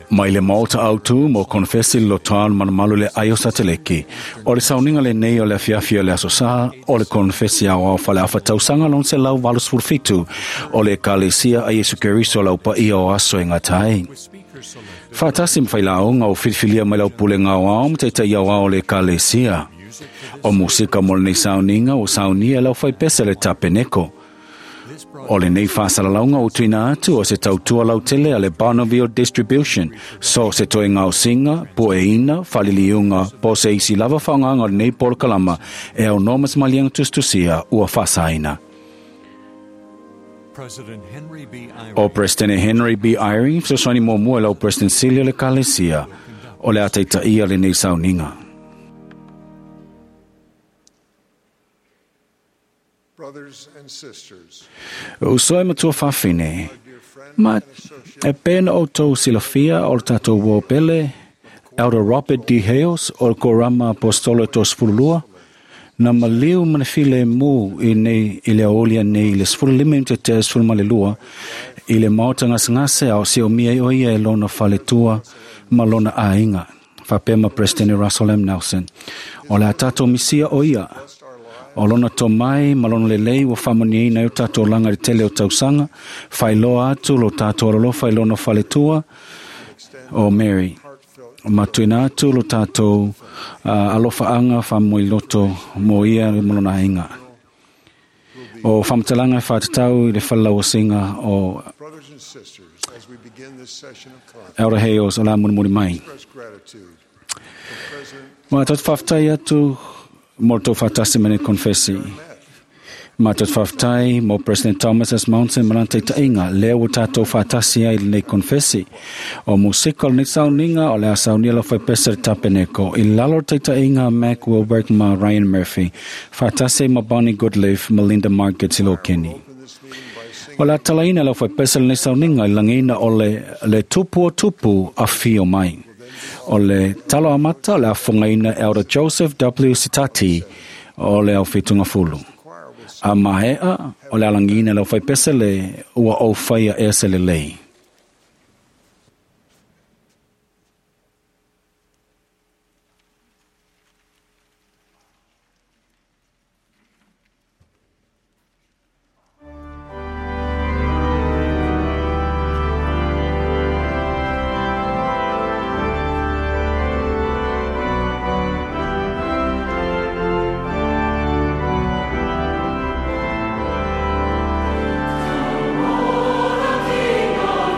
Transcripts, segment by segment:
Mai le maota autu mo konfesi lo toan manumalu le aio sateleki. O le sauniga lenei o le afiafi o le aso sa, o le konfesi au au fale afa tausaga lon se lau 87 o le Ekalesia a Iesu Keriso lau paia o aso e gatai. Faatasi ma failauga o filifilia mai lau pulega aoao ma taitai aoao o le Ekalesia. O musika mo lenei sauniga ua saunia e lau faipese le tapeneko. O lenei faasalalauga ua tuuina atu o se tautua lautele a le Bonneville Distribution, so se toe gaosiga, pueina, faliliuga, po o se isi lava faaaogaga o lenei polokalama e aunoa ma se maliega tusitusia ua faasaina. O Peresetene Henry B. Eyring, fesoasoani muamua i lau Peresetene Sili o le Ekalesia, o le a taitaia lenei sauniga. Uso e matua fafine, ma e pena o tau silafia o le tatou uo pele, Elder Robert D. Hales o le Korama Apostolo e 32, na maliu ma le file mu i nei i le aolia nei i le 15 te te 12 i le maota ngasengase a o se o mia i oia e lona faletua ma lona aiga. Faapea ma President Russell M. Nelson. O le a tatou misia o ia. O lona tomai ma lona lelei ua faamanuiaina ai o tatou olaga i le tele o tausaga, faailoa atu lo tatou alolofa i lona faletua o Mary. Ma tuuina atu lo tatou alofaaga faamoemoe mo ia ma lona aiga. O faamatalaga e faatatau i le falelauasiga o Elder Hales o la mulimuli mai. Ma tatou faafetai atu mo le tou faatasi ma nei konfesi. Ma tatou faafetai mo President Thomas S. Monson ma lana taitaiga lea ua tatou faatasi ai i lenei konfesi. O musika o lenei sauniga o le a saunia lau faipese le tapeneko i lalo o le taitaiga a Mac Wilberg ma Ryan Murphy, faatasi ai ma Bonnie Goodleaf ma Linda Margaret Silokeni. O le a talaina lau faipese lenei sauniga i lagiina o le tupu o tupu afio mai. O le talo amata o le afogaina Elder Joseph W. Sitati o le au fulu. A mahea o le alangina lau faipese le ua au whaia e se le lei. King.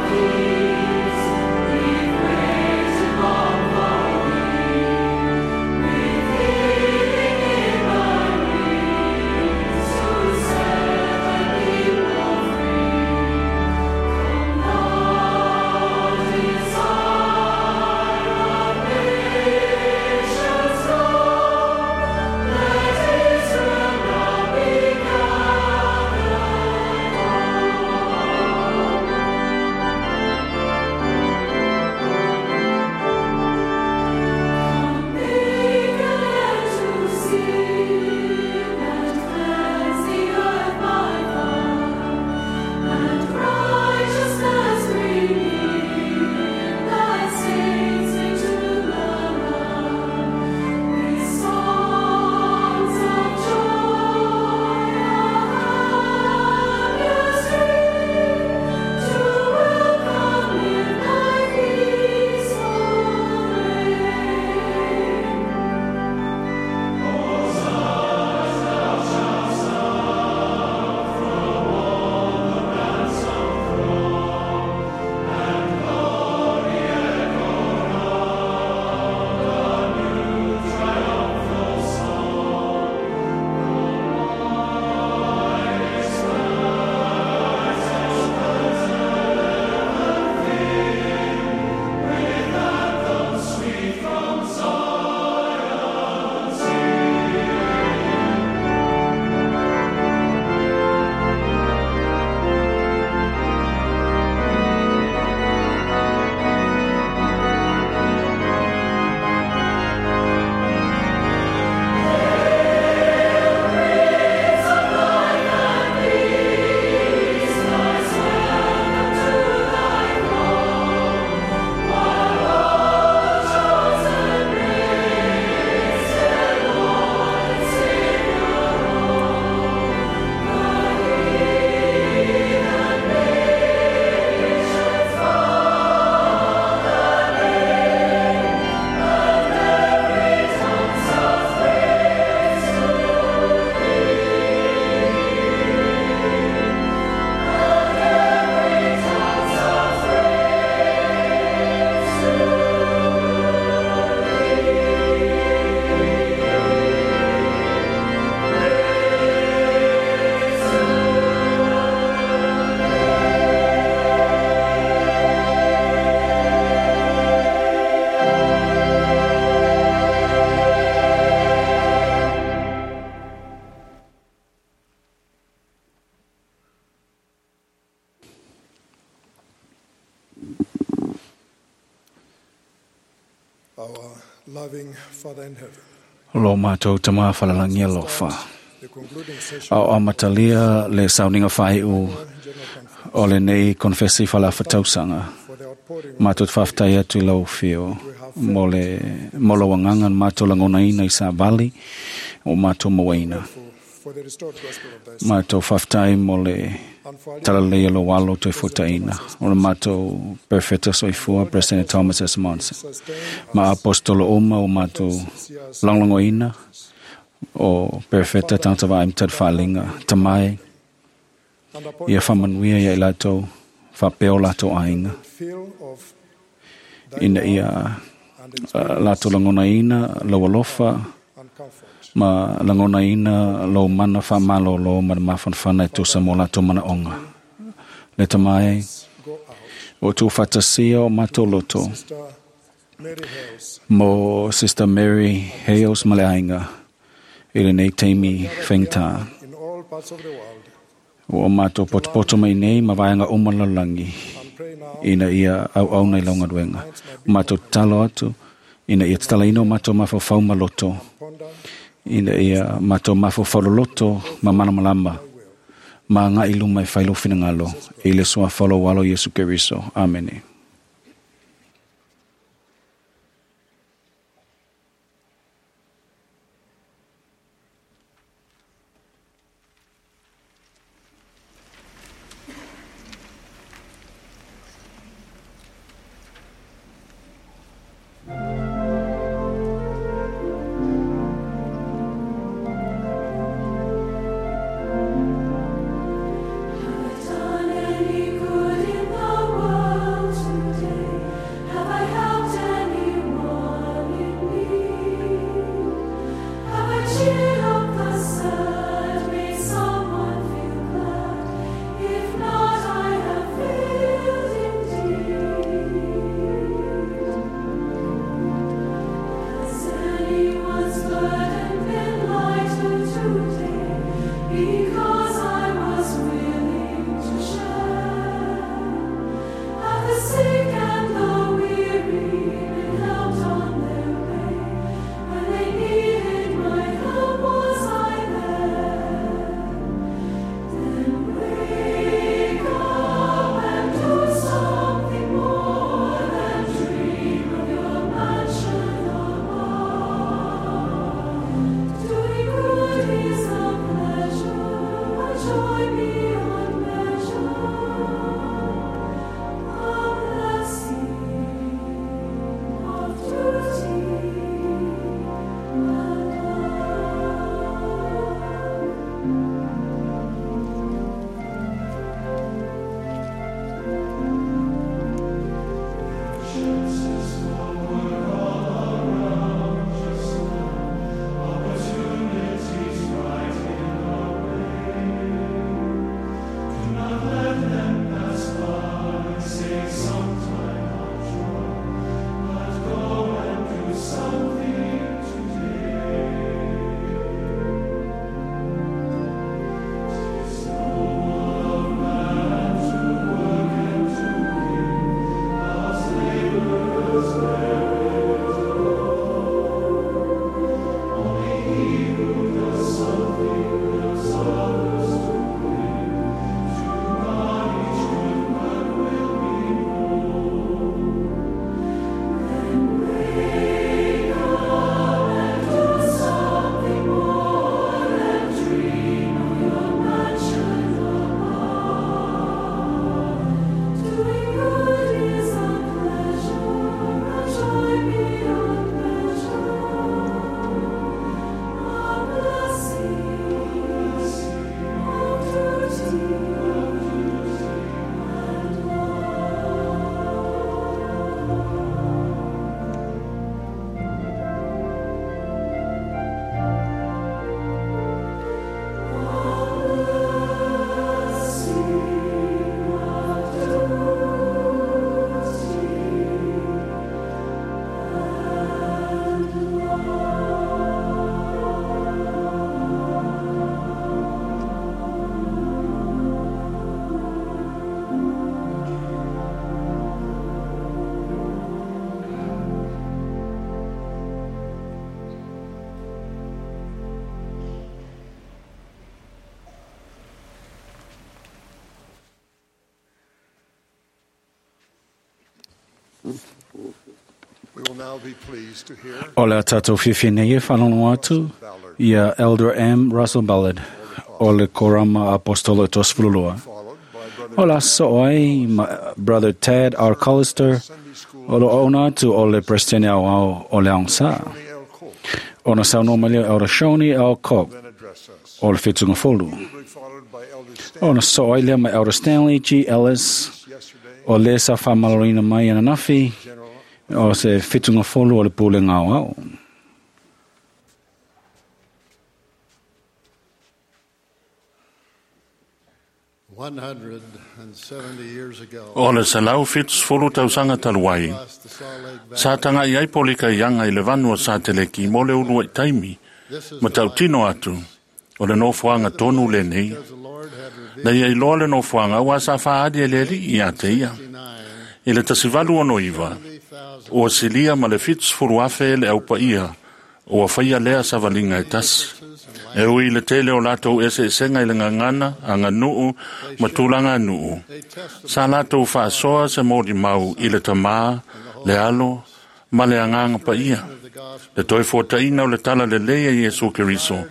Loving Father in heaven, Lo mātou tamā whalalangi alofa. the concluding session Ao amatalia le sauniga faaiʻu General Conference o lenei konfesi falafatausaga for the outpouring matou te faafetai atu i lau afio mo le mo lau agaga na matou lagonaina i savali o matou mauaina for the restored gospel of thy Son, matou faafetai mo le and for our talalelei o lou alo toe fuataina o le matou perfeta soifua President Thomas S. Monson sustain ma apostolo uma o matou lagolagoina o perfeta tagata vaai ma talifaaliga tamae and upon ia faamanuia ia i latou faapea o latou aiga feel of thy ina ia and latou lagonaina lau alofa and comfort. ma lagonaina lou mana faamalōlō ma le mafanafana e tusa mo latou manaoga le tamae Go out. o tuufaatasia o matou loto Sister Mary Hales, mo Sister Mary Hales ma le aiga i lenei taimi faigata in all parts of the world, ua matou potopoto mai nei ma vaega uma lalolagi and pray now ina ia auauna i lau galuega. O matou tatalo atu ina ia tatalaina o matou mafaufau ma loto ponder ina ia matou mafaufau loloto ma malamalama ma agai i luma e fai lou finagalo i le suafa o lou alo Iesu Keriso. Amene. Done any good in the world? We will now be pleased to hear O le a tātou fiafia nei e whanongo atu ia Elder M. Russell Ballard o le Korama Apostolo Tosfululua. followed by Brother O la so ai ma Brother Tad R. Collister Sunday School o lo ona atu o le Presidente au au o le Aungsa. Tony L. Cook, Ona saunoa mai lea Elder Shoni L. Cook then address us. o le Whitunga Folu. He will be followed by Elder Stanley Ona so ai lea mai Elder Stanley G. Ellis yesterday, o le sa whamalorina mai ananafi General o se Whitunga Folu o le Pulenga au au. O le 170 tausaga talu ai, sa tagai ai polika ianga i le vanua sa teleki mo le ulu ai taimi, ma tautino atu, o le nofoaga tonu lenei. Na ia iloa le nofoaga ua sa faaali e le alii ia te ia. I le 1869, ua silia ma le 70,000 le aupaia, ua faia lea savaliga e tasi. E ui le tele o latou eseesega i le gagana, aganuu, ma tulaga nuu. Sa latou faasoa se molimau i le tamā, le alo, ma le agaga paia. Le toe fuataina o le tala lelei a Iesu Keriso,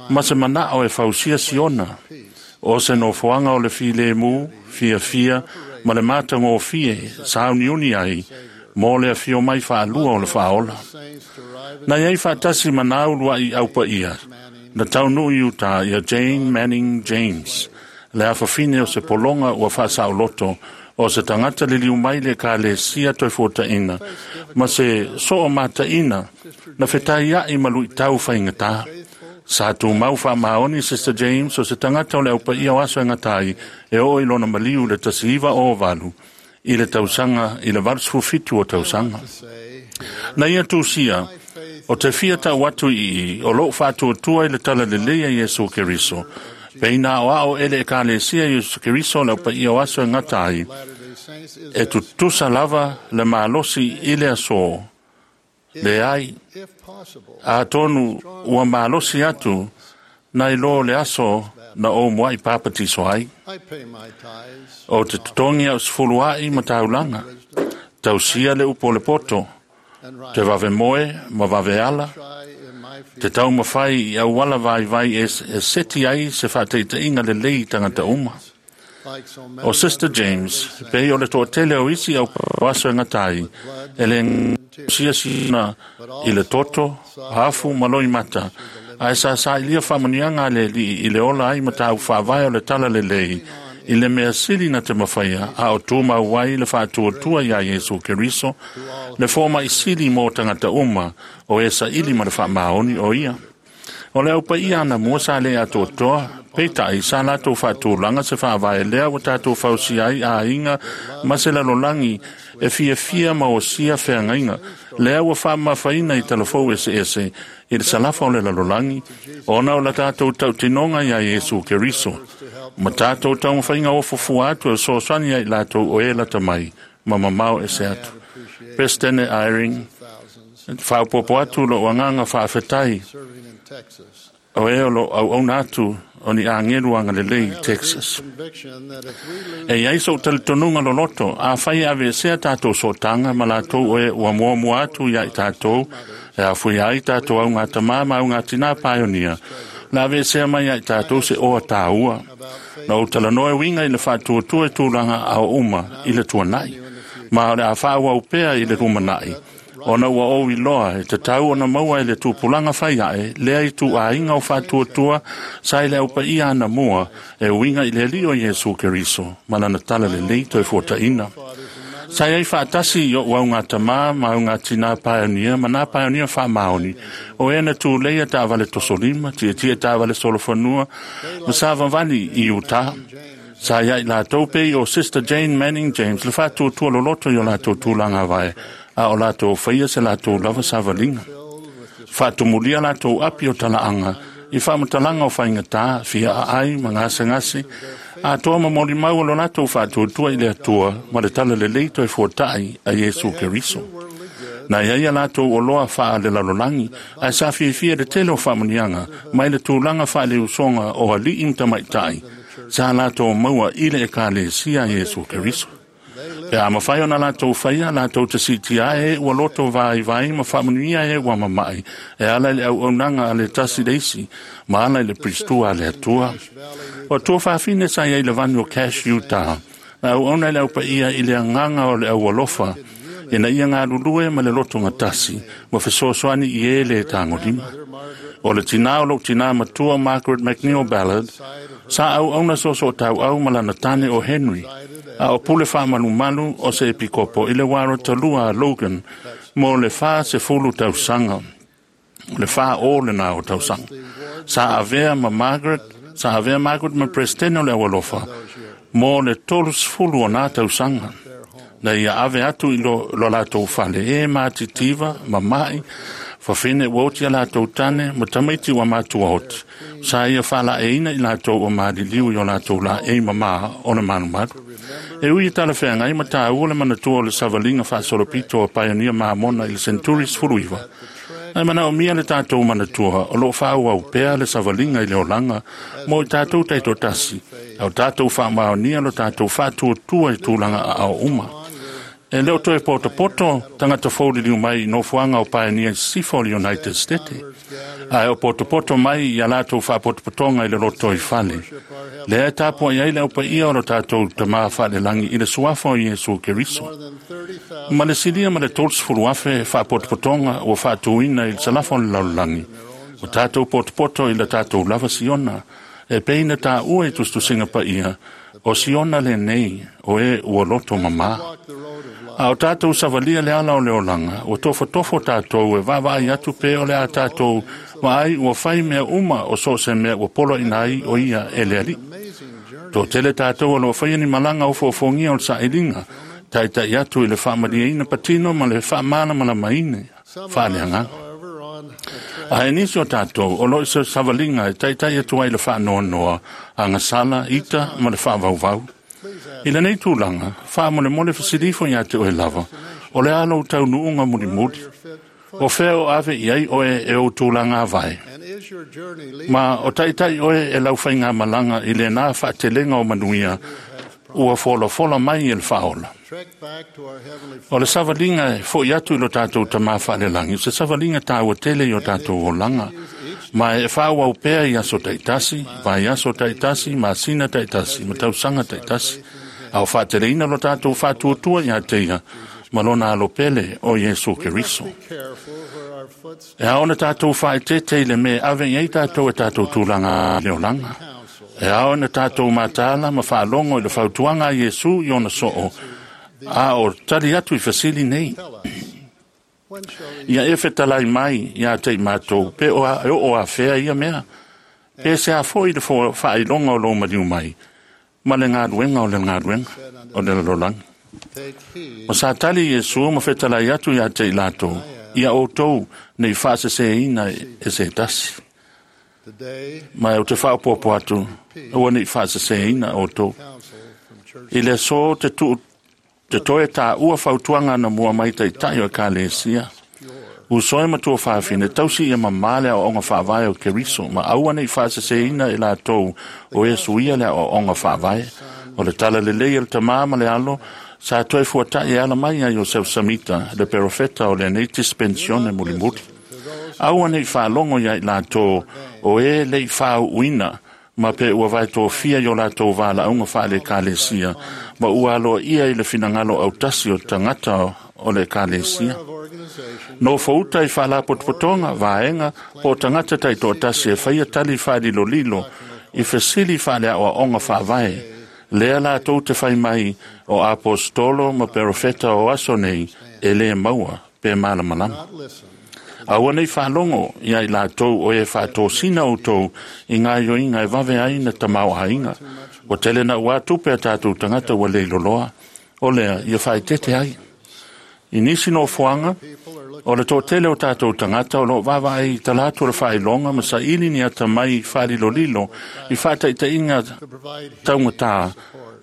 ma se manao e fausia siona, o se nofoaga o le filemu, fiafia, ma le matagofie sauniuni ai, mo le afio mai faalua o le faaola. Na iai faatasi ma nā ulua'i aupaia, na taunuu i utā ia Jane Manning James, le afafine o se pologa ua faasaoloto o se tagata liliu mai le ekalesia toe fuataʻina ma se soo mataʻina na fetaiaʻi ma luʻitau faigatā. Sa tumau faamaoni Sister James o se tagata o le aupaia o aso e gata ai e oo i lona maliu le 1908 i le tausaga i le 87 o tausaga. Na ia tusia, o te fia tau atu i i, o lou faatuatua i le tala lelei a Iesu Keriso. Peina o ao ele e kalesia Iesu Keriso le aupaia o aso e gata ai, e tutusa lava le malosi i le aso. Le ai, atonu ua malosi atu, nai lo le aso na o muai papatiso ai. O te totogi au sefulu ai ma taulaga, tausia le upu o le poto, te vave moe ma vave ala, te taumafai i auala vaivai e, e seti ai se faataitaiga lelei i tagata uma. O Sister James, pei o le toatele o isi au aso e gata ai, e le siasina i le toto, afu ma loimata, ae sa sailia faamanuiaga a le alii i le ola ai ma tāu faavae o le tala lelei, i le mea sili na te mafaia, a o tumau ai le faatuatua iā Iesu Keriso, le fomaʻi sili mo tagata uma o e saili ma le faamaoni o ia. O le aupaia anamua sa lē atoatoa, peitai sa latou faatulaga se faavae lea ua tatou fausia ai aiga ma se lalolagi e fiafia ma osia feagaiga lea ua faamamafaina i talafou eseese i le salafa o le lalolagi ona o la tatou tautinoga iā Iesu Keriso ma tatou taumafaiga ofofua atu e fesoasoani ai latou o e lata mai ma mamao ese atu. Presidente Eyring, faaopopo atu lou agaga faafetai o e o lo auauna atu o ni agelu agalelei i Texas. E iai sou talitonuga loloto, afai e aveesea tatou sootaga ma latou o e ua muamua atu iā i tatou, e afuia ai tatou augatamā ma augatinā paionia, la aveesea mai ia i tatou se oa tāua. Na ou talanoa e uiga i le faatuatua i tulaga ao uma i le tuanai, ma o le a faaauau pea i le lumanaʻi, ona ua ou iloa e tatau ona maua e le tupulaga fai aʻe lea i tuuaiga o faatuatua sa i le aupaia anamua e uiga i le alii o Iesu Keriso ma lana tala lelei toe fuataʻina. Sa iai faatasi i oʻu augatamā ma augatinā paeonia ma nā paeonia faamaoni o e na tuleia taavale tosolima, tietie taavale solofanua ma sa vavali i Utah. Sa iai latou pei o Sister Jane Manning James le faatuatua loloto i o latou tulaga vae, a o latou faia se latou lava savaliga. Faatumulia latou api o talaaga i faamatalaga o faigatā, fia aai ma gasegase, atoa ma molimau o lo latou faatuatua i le Atua ma le tala lelei toe fuataʻi a Iesu Keriso. Na iai a latou oloa faalelalolagi, ae sa fiafia le tele o faamanuiaga mai le tulaga faaleusoga o alii ma tamaʻitaʻi, sa latou maua i le ekalesia a Iesu Keriso. Pe a mafai ona latou faia, latou te siitia ai e ua loto vaivai ma faamanuia e ua mama'i, e ala i le auaunaga a le tasi le isi, ma ala i le Piristua a le Atua. O tua fafine sa i ai le vanu o Cache, Utah, na auauna i le aupaia i le agaga o le aualofa, ina ia galulue ma le loto gatasi, ma fesoasoani i e le tagolima. O le tinā o lou tinā matua Margaret McNeil Ballard, sa auauna soosootaua ma lana tane o Henry, a o pule faamalumalu o se epikopo i le wara talua a Logan mo le 40 tausaga. O le 40 lena o tausaga. Sa avea ma Margaret, sa avea Margaret ma Presidente o le aualofa mo le 30 o nā tausaga. Na ia ave atu i lo latou fale e matitiva, mama'i, fafine ua oti a latou tane, ma tamaiti ua matua oti. Sa ia faalaeina i latou ua maliliu i o latou laei mamā o le malumalu. E ui i talafeagai ma tāua le manatua o le savaliga faasolopito a Paionia Mamona i le Century 19, ae manaomia le tatou manatua o loo faaauau pea le savaliga i le olaga mo i tatou taitoatasi, a o tatou faamaonia lo tatou faatuatua i tulaga aao uma. E le o toe potopoto tagata fou liliu mai i nofoaga o Paionia i sisifo o le United States, ae o potopoto mai ia latou faapotopotoga i le loto i fale. Lea e tapuai ai le aupaia o lo tatou tamā faalelagi i le suafa o Iesu Keriso. Ma le silia ma le 30,000 faapotopotoga ua faatuina i le salafa o le lalolagi, o tatou potopoto i le tatou lava Siona, e pei na tāua i tusitusiga paia, o Siona lenei o e ua loto mamā. A o tātou savalia le ala o le olaga, ua tofotofo tātou e vaavaai atu pe o le a tātou vaai ua fai mea uma o so o se mea ua poloaina ai o ia e le Alii. Toatele tātou o loo faia ni malaga ofoofogia o le sailiga, taitai atu i le faamalieina patino ma le faamalamalamaina faaleagaga. Ae nisi o tātou o loo i se savaliga e taitai atu ai le faanoanoa, agasala, ita ma le faavauvau. I lenei tulaga, faamolemole fesilifo ia te oe lava, o le a lou taunuuga mulimuli. O fea o ave i ai oe e ou tulaga avae. Ma o taitai oe e lau faigamalaga i lena faatelega o manuia ua folafola mai e le faaola. O le savaliga e fo'i atu i lo tatou tamā faalelagi, o se savaliga tāua tele i o tatou olaga, ma e faaauau pea i aso taitasi, vaiaso taitasi, masina taitasi, ma tausaga taitasi, a o faateleina lo tatou faatuatua ia te ia, ma lona alopele o Iesu Keriso. E ao ona tatou faaeteete i le mea e ave i ai tatou e tatou tulaga le olaga. E ao ona tatou mataala ma faalogo i le fautuaga a Iesu i ona soo, a o tali atu i fesili nei. Ia e fetalai mai ia te i matou, pe o e oo afea ia mea. Pe se a foi le faailoga o lou maliu mai, ma le galuega o le galuega o le lalolagi. Ma sa tali Iesu ma fetalai atu ia te i latou, ia outou nei faaseseina e se tasi. Ma e o te faaopopo atu, ua nei faaseseina outou. I le aso te tuu te toe tāua fautuaga na mua mai taitai o Ekalesia. Uso e ma tuafafine, tausi ia mamā le aoaoga faavae o Keriso, ma aua nei faaseseina e latou o e suia le aoaoga faavae. O le tala lelei e le tamā ma le alo, sa toe fuata'i e ala mai ai Iosefo Samita, le perofeta o lenei dispensione mulimuli. Aua nei faalogo ia i latou o e le i faauuina, ma pe ua vaetofia i o latou valaauga faale-ekalesia, ma ua aloaia i le finagalo autasi o tagata o le ekalesia. Nofouta i faalapotopotoga, vaega, po o tagata taitoatasi e faia tali faalilolilo i fesili faaleaoaoga faavae, lea latou te fai mai o aposetolo ma perofeta o aso nei e lē maua pe malamalama. Aua nei faalogo ia i latou o e faatosina outou i gaoioiga e vave ai na tamaoaiga. Ua tele na ua tupe a tatou tagata ua leiloloa, o lea ia faaeteete ai. I nisi nofoaga, o le toatele o tatou tagata o loo vaavaai i tala atu o le faailoga ma saili ni atamai faalilolilo i faataitaiga taugatā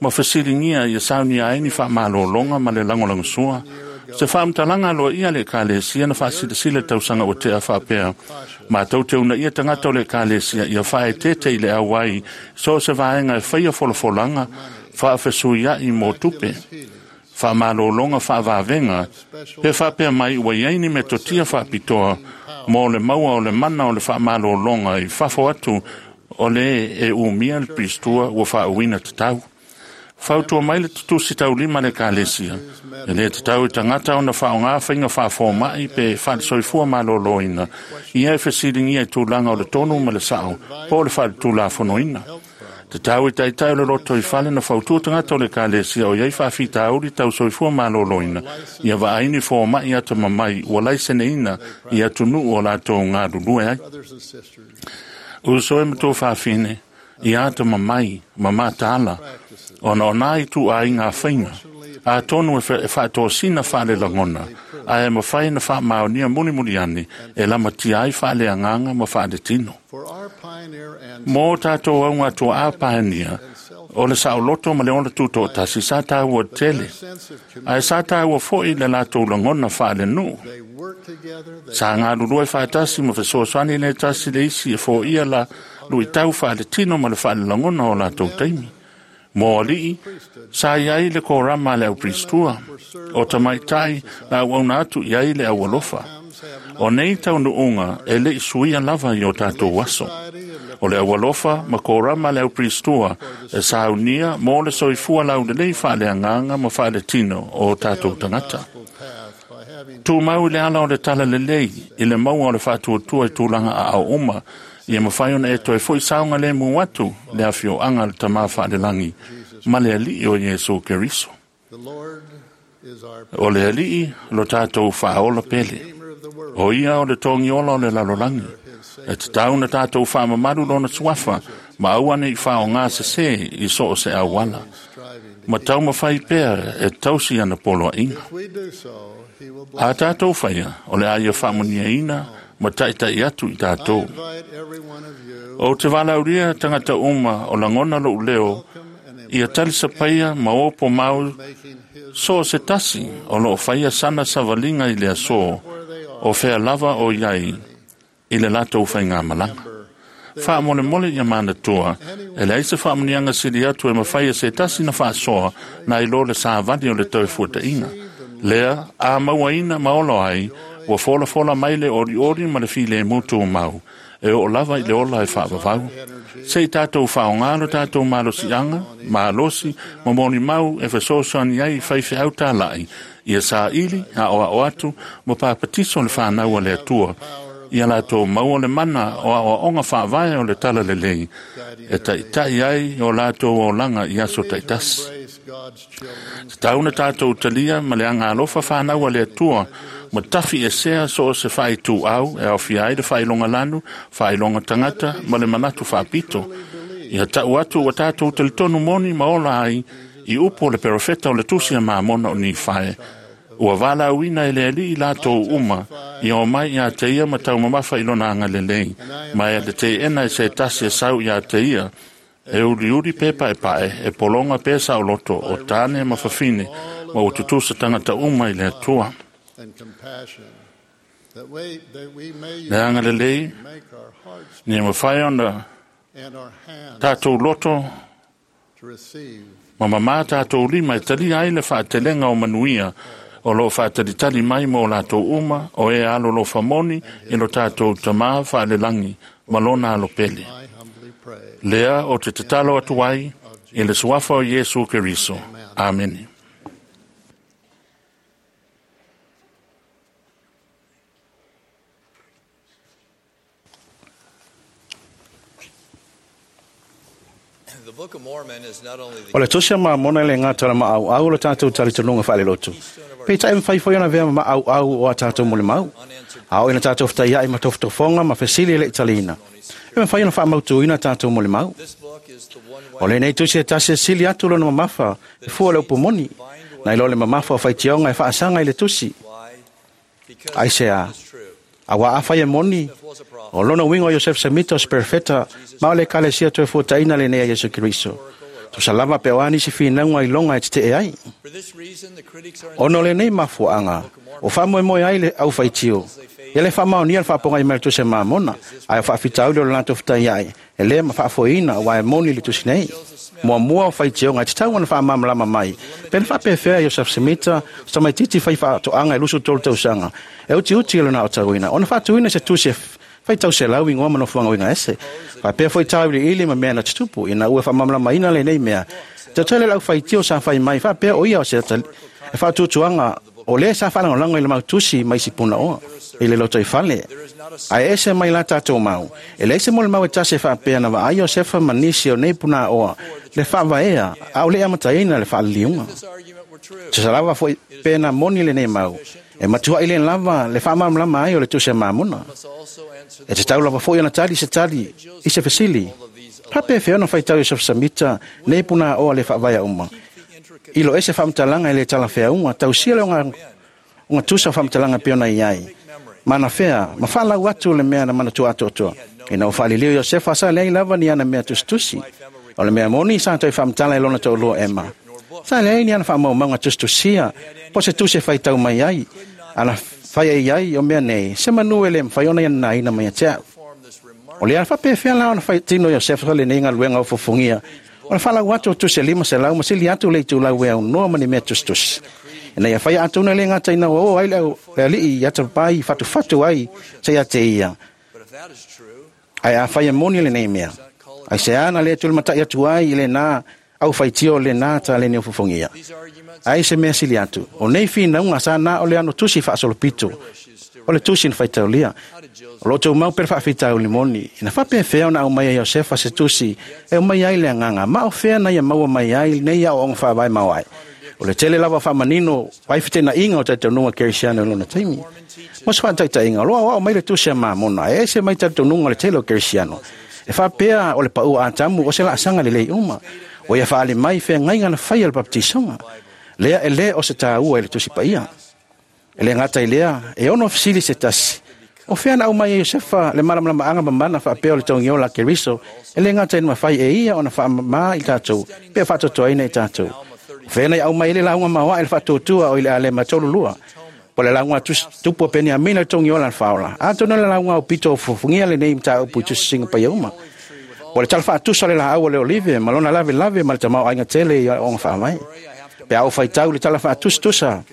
ma fesiligia ia saunia ai ni faamalologa ma le lagolagosua. Se faamatalaga aloaia le Ekalesia na faasilasila tausaga ua tea faapea, matou te uunaia tagata o le Ekalesia ia faaeteete i le auai so o se vaega e faia folafolaga faafesuia'i mo tupe. Faamalologa faavavega pe faapea mai ua iai ni metotia faapitoa mo le maua o le mana o le faamalologa i fafo atu o le e umia le pistua ua faauuina tatau. Fautua mai le tutusi taulima le ekalesia, e le tatau i tagata ona faaaoga faiga faafoma'i pe faalesoifua maloloina ia e fesiligia i tulaga o le tonu ma le sa'o po o le faaletulafonoina. Tatau i taitai o le loto i fale na fautua tagata o le ekalesia o iai faafitauli tau soifua maloloina ia vaai ni foma'i atamamai ua laiseneina i atunuu o latou galulue ai. Uso e ma tuafafine, ia atamamai ma mataala ona o nā ituaiga faiga atonu e faatosina faalelagona ae mafai na faamaonia mulimuli ane e lamatia ai faaleagaga ma faaletino. Mo tatou augatuaa paenia, o le saoloto ma le ola tutoatasi sa taua tele, ae sa taua fo'i le latou lagona faalenuu. Sa galulue faatasi ma fesoasoani le tasi le isi e foia la luitau faaletino ma le faalelagona o latou taimi. Mo alii, sa iai le korama a le aupiristua, o tamaitai na auauna atu i ai le aualofa. O nei taunuuga e le'i suia lava i o tatou aso. O le aualofa ma korama a le aupiristua e saunia mo le soifua laulelei faaleagaga ma faaletino o tatou tagata. Tumau i le ala o le talalelei i le maua o le faatuatua i tulaga aao uma, ia mafai ona e toe fo'i saogalemu atu le afioaga a le Tamā faalelagi ma le Alii o Iesu Keriso. O le Alii lo tatou faaola pele. O ia o le togiola o le lalolagi. E tatau na tatou faamamalu lona suafa ma aua nei faaaogā sesē i so o se auala. Ma taumafai pea e tausi ana poloaiga. A tatou faia, o le a ia faamuniaina ma taʻitaʻi atu i tatou. Ou te valaulia tagata uma o lagona lo'u leo ia talisapaia ma opo mau so o se tasi o loo faia sana savaliga i le aso o fea lava o iai i le latou faigamalaga. Faamolemole ia manatua, e leai se faamuniaga sili atu e mafai e se tasi na faasoa na i lo le savali o le toefuataʻiga. Lea a mauaina ma ola ai, ua folafola mai le olioli ma le filemu tumau, e oo lava i le ola e faavavau. Se i tatou faaaogā lo tatou malosiaga, malosi ma molimau e fesoasoani ai i faifeau tala'i, ia saili, aʻoaʻo atu ma papatiso le fanau a le Atua, ia latou maua le mana o aʻoaʻoga faavae o le talalelei, e taʻitaʻi ai o latou olaga i aso taitasi. Tatau na tatou talia ma le agalofa fanau a le Atua, ma tafi esea so o se faaituau e aofia ai le faailoga lanu, faailoga tagata ma le manatu faapito. Ia taʻu atu ua tatou talitonu moni ma ola ai i upu o le perofeta o le tusi a Mamona o Nifae, ua valaauina e le Alii latou uma ia omai iā te ia ma taumamafa i lona agalelei, ma e le teena e se tasi e sau iā te ia, e uliuli pe paepae, e pologa pe saoloto, o tane ma fafine, ma ua tutusa tagata uma i le Atua. Le agalelei, ina mafai ona tatou loto ma mamā tatou lima e talia ai le faatelega o manuia o loo faatalitali mai mo latou uma o e alolofa moni i lo tatou Tamā faalelagi ma lona alopele. Lea o te tatalo atu ai i le suafa o Iesu Keriso. Amene. O le Tusi a Mamona e le gata o le maauau o le tatou talitonuga faalelotu. Peitai e mafai foi ona avea ma maauau o a tatou molimau. A oo ina tatou fetaiai ma tofotofoga ma fesili e le i taliina, e mafai ona faamautuina tatou molimau. O lenei tusi e tasi e sili atu lona mamafa e fua le upu moni, nai lo le mamafa o faitioga e faasaga i le tusi. Aisea? Auā afai e moni, o lona uiga o Iosefe Semita o se perofeta ma o le ekalesia toefuataina lenei a Iesu Keriso. Tusa lava pe o a nisi finauga iloga e tete'e ai. Ona o lenei mafuaaga, o faamoemoe ai le aufaitio, ia le faamaonia le faapogai mai le Tusi a Mamona, ae o faafitauli o le latou fetaiai, e le ma faafoeina aua e moni le tusi nei. Muamua o faitioga e tatau ona faamalamalama mai, pe na faapefea Iosef Semita, o tamaitiiti fai faatoaga e 23 tausaga, e utiuti i lona aotauina, ona faatuina se tusi e faitau selau igoa ma nofoaga uiga ese. Faapea foi tauiliili ma mea na tutupu, ina ua faamalamalamaina lenei mea. Tatele lau faitio sa fai mai, faapea o ia o se e faatuatuaga o lea sa faalagolago i le mautusi mai isi punaoa i le lotoifale. Ae ese mai la tatou mau, e leai se molimau e tasi e faapea na vaai Iosefa ma nisi o nei punaoa le faavaea a o le amataina le faaliliuga. Tusa lava foi pe na moni lenei mau, e matuai le lava le faamalamalama ai o le Tusi a Mamona. E tatau lava foi ona tali se tali i se fesili. Faapefea ona faitau Iosefa Samita nei punaoa le faavaea uma. I lo ese faamatalaga e le talafeauga, tausia le oga tusa o faamatalaga pei ona i ai. Mana fea, ma faalau atu le mea na manatua atoatoa. Ina ua faaliliu Iosefa sa leai lava ni ana mea tusitusi. O le mea moni sa toe faamatala e lona toalua Ema. Sa leai ni ana faamaumauga tusitusia, po se tusi e faitau mai ai, ana fai ai ai o mea nei, se manu e le mafai ona ia nanaina mai ia te au. O le ala faapefea la ona faitino Iosefa lenei galuega o fofogia, o le faalau atu o tusi e 500 ma sili atu le itulau e aunoa ma ni mea tusitusi. Ina ia faia atonu e le gata ina ua oo ai le alii i atapapai fatufatu ai se ia te ia. Ae a fai e moni lenei mea, ai se ana le tulimatai atu ai i lena au faitio lena taleni o fofogia. Ai se mea sili atu, o nei finauga sa na o le ano tusi faasolopito, o le tusi na faitaulia. O lo outou mau pe le faafitauli moni, ina faapefea ona aumai e Iosefa se tusi e aumai ai le agaga, ma o fea na ia maua mai ai nei aoaoga faavae maoae. O le tele lava o faamanino ai fetenaiga o talitonuga kerisiano i lona taimi. Mo se faataitaiga, o lo aoao mai le Tusi a Mamona, e ese mai talitonuga o le tele o kerisiano. E faapea o le paua Atamu o se laasaga lelei uma. O ia faali mai feagaiga na faia le baptisoga. Lea e le o se tāua i le Tusi Paia. E le gata i lea, e ono fesili se tasi. O fea na aumai e Iosefa le malamalamaaga mamana faapea o le togiola a Keriso, e le gata ina mafai e ia ona faamama i tatou, pe faatoatoaina i tatou. O fea na i aumai le lauga maoae le faatuatua o i le alema 32. Po le lauga tupu o Peniamina le togiola le faola. Atonu le lauga o pito o fofogia lenei mataupu i tusisiga paia uma. Po le tala faatusa le laau o le olive, ma lona lave lave ma le tamao aiga tele i aoaoga faavae. Pe a ou faitau le tala faatusatusa,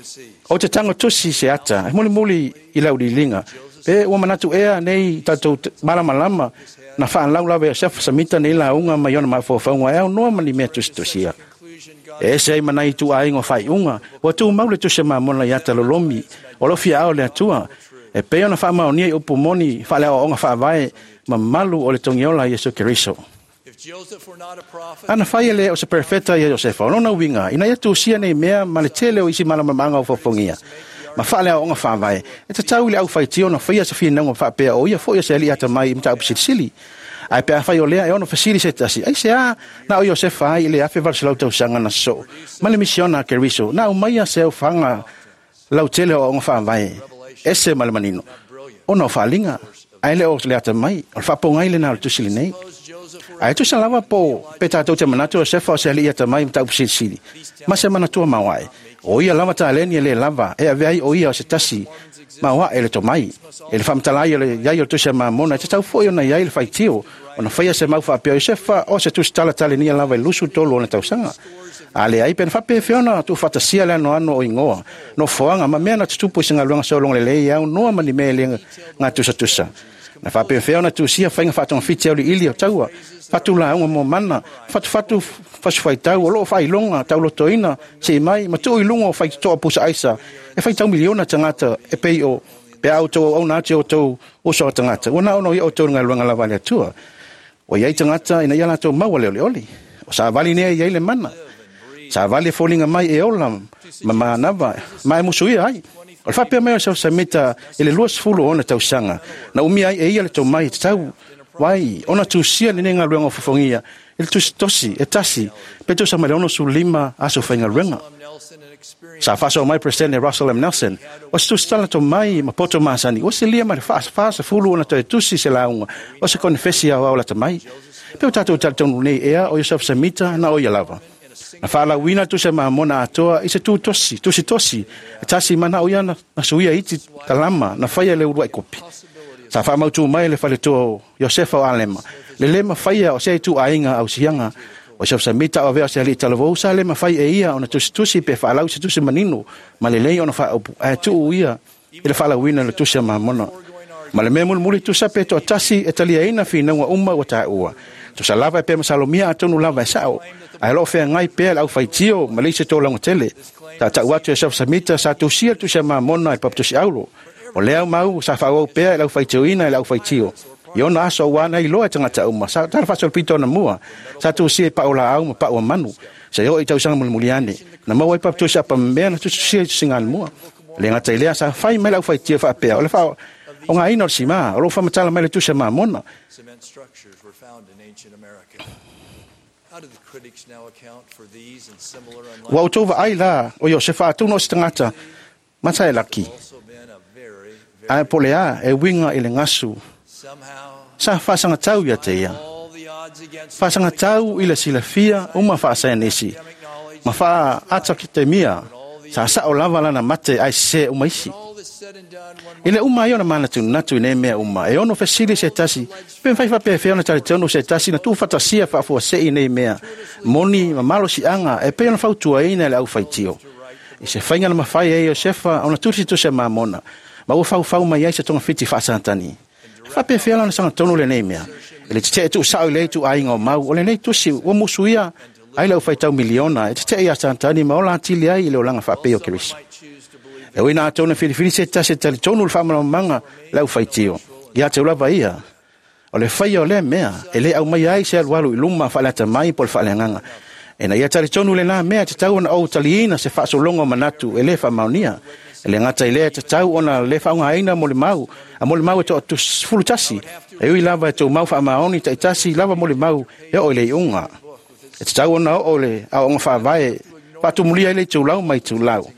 o te tago tusi se ata, e mulimuli i lau liliga. Pe ua manatu ea nei tatou malamalama na faalau lava e Iosefa Samita nei lauga mai ona mafaufauga e aunoa ma ni mea tusitusia. E ese ai ma nai ituaiga o faaiuga, ua tumau le Tusi a Mamona i ata lolomi, o lo fiaao le Atua, e pei ona faamaonia i upu moni faaleaoaoga faavae mamalu o le togiola a Iesu Keriso. Ana fai e le o se perfeta ia Iosefa, o lona uiga, ina ia tusia nei mea ma le tele o isi malamalamaaga o fofogia ma faaleaoaoga faavae, e tatau i le aufaitio ona faia se finauga faapea o ia foi o se alii atamai i mataupu silisili. Ae pe afai o lea e ono fesili se tasi, ai se a na o Iosefa ai i le 1800 tausaga na sosoo ma le misiona a Keriso, na aumaia se aufaga lautele o aoaoga faavae, ese ma le manino, ona o faaliga, ae le o le atamai, o le faapogai lena o le tusi lenei. Ae tusa lava po pe tatou te manatu o Iosefa o se alii atamai i mataupu silisili, ma se manatua maoae. O ia lava taleni e le lava, e avea ai o ia o se tasi maoae le tomai. E le faamatala ai o le iai o le Tusi a Mamona, e tatau foi ona iai le faitio, ona faia se mau faapea o Iosefa o se tusi talatalenia lava i 23 ona tausaga. A leai pe na faapefea ona tuufaatasia le anoano o igoa, nofoaga ma mea na tutupu i se galuega sologa lelei e aunoa ma ni mea e le gatusatusa. Na faapefea ona tusia faiga faatogafiti auliili o taua, fatulauga mo mana, fatufatu fasifaitau o loo faailoga taulotoina sei mai ma tuu i luga o faitotoa pusa aisa e faitau miliona tagata e pei o pe a outou auauna atu i outou uso a tagata. Ua na ono ia outou i le galuega lava a le Atua. Ua i ai tagata ina ia latou maua le olioli. O savali nei e i ai le mana. Savali e foliga mai e ola ma manava ma e musuia ai. O le faapea mai o Siosamita i le 20 o ona tausaga, na umia ai e ia le tomai e tatau ai ona tusia lenei galuega o fofogia i le tusi tosi e tasi pe tusa mai le 65 aso faigaluega. Sa faasoa mai Peresetene Russell M. Nelson, o se tusi tala tomai ma poto masani, ua silia ma le 40 ona toe tusi se lauga o se konefesi aoao lata mai. Pe o tātou talitonu nei ea o Iosefa Semita na o ia lava. Na whaalauina tusi a Mamona atoa i se tūtosi, tusi tosi, e tasi mana o ia na suia iti kalama, na whaia le urua i kopi. Sa whaamautu mai le whaletoa o Iosefa o Alema. Le lema whaia o se tu ainga au sianga, o Iosefa Semita o vea se ali talavou, sa lema whai e ia o na tusi tusi pe whaalau se tusi manino, ma le lei o na whaopu, a tuu ia i le whaalauina le tusi a Mamona. Ma le mea mulimuli tusa pe toatasi e taliaina finauga uma ua taua. Tusa lava e pea masalomia atonu lava e sao. Ae loo feagai pea le aufaitio ma le isi tolaga tele. Taatau atu e Samita sa tusia le tusi a Mamona i le papatusi aulo. O lea mau sa faaauau pea i le aufaitioina i le aufaitio. I ona aso auā na iloa e tagata uma. Sa tala faasolopito ona mua. Sa tusia i pao laau ma pao a manu. Se oo i tausaga mulimuli ane. Na maua ai papatusi apamea na tusitusia i tusiga mua. Le gata i lea sa fai mai le aufaitio faapea. O le faa o ngā ina o le simā, o loo whamatala mai le tusi a Mamona. Cement structures were found in ancient America. How do the critics now account for these and similar Ua outou vaai la o Iosefa atonu o se tagata mata e laki. also been a very, very Ae po le a e winga i le gasu. somehow Sa faasagatau ia te ia. all the odds against Faasagatau i le silafia uma faasaenisi. academic knowledge. Ma faa ata ki te mia. Sa sao lava lana mate ai sese uma isi. All this said and done, one I le uma ai ona manatunatu i nei mea uma. E ono fesili se tasi. Pe mwhai whapea ona talitonu se tasi na tūfatasia faafuasei nei mea. Moni ma malosiaga e pei ona fautuaina e le aufaitio. I se faiga na mafai e Iosefa ona tusitusi a Mamona. Ma ua faufau mai ai se togafiti faasatani. E faapefea lana sagatonu lenei mea. E le tetee tuusao i le ituaiga o mau. O lenei tusi ua musuia ai le aufaitau miliona. E tetee ia Satani ma ola atili ai i le olaga faapei o Keriso. might choose to believe E ui na atonu e filifili se tasi e talitonu le faamalamalamaga le aufaitio. Ia te lava ia. O le faia o lea mea, e le au mai ai se alualu i luma faaleata mai po le faaleagaga. E na ia talitonu le la mea te tau ona ou taliina se faasologa o manatu e le faamaonia. E le gata i lea te tau ona le faaaogaina mo le mau, a mo le mau e toa 11. E ui lava e tou mau faamaoni taitasi lava mo le mau e oo i le iuga. E te tau ona oo le aoaoga faavae, faatumulia ai le itulau ma itulau.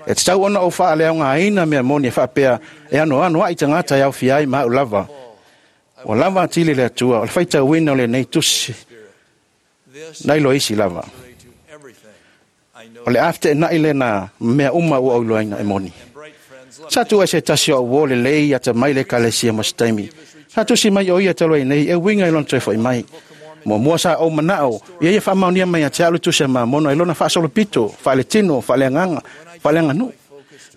E te tau ona ou faaleaogaina mea moni e faapea e anoano ai tagata e aofia ai ma au lava. Ua lava atili le Atua, o le faitauina o lenei tusi, this na iloa isi lava. contrary to everything I know O le afeteenai lena mea uma ua ou iloaina e moni. and bright friends love Sa tu ai se tasi o au o lelei ata mai le ekalesia mo se taimi. Sa tusi mai o ia talu ai nei e uiga i lona toe fo'i mai. Muamua sa ou manao, ia ia faamaonia mai ia te au le tusi a Mamona i lona faasolopito, faaletino, faaleagaga, faaleaganuu.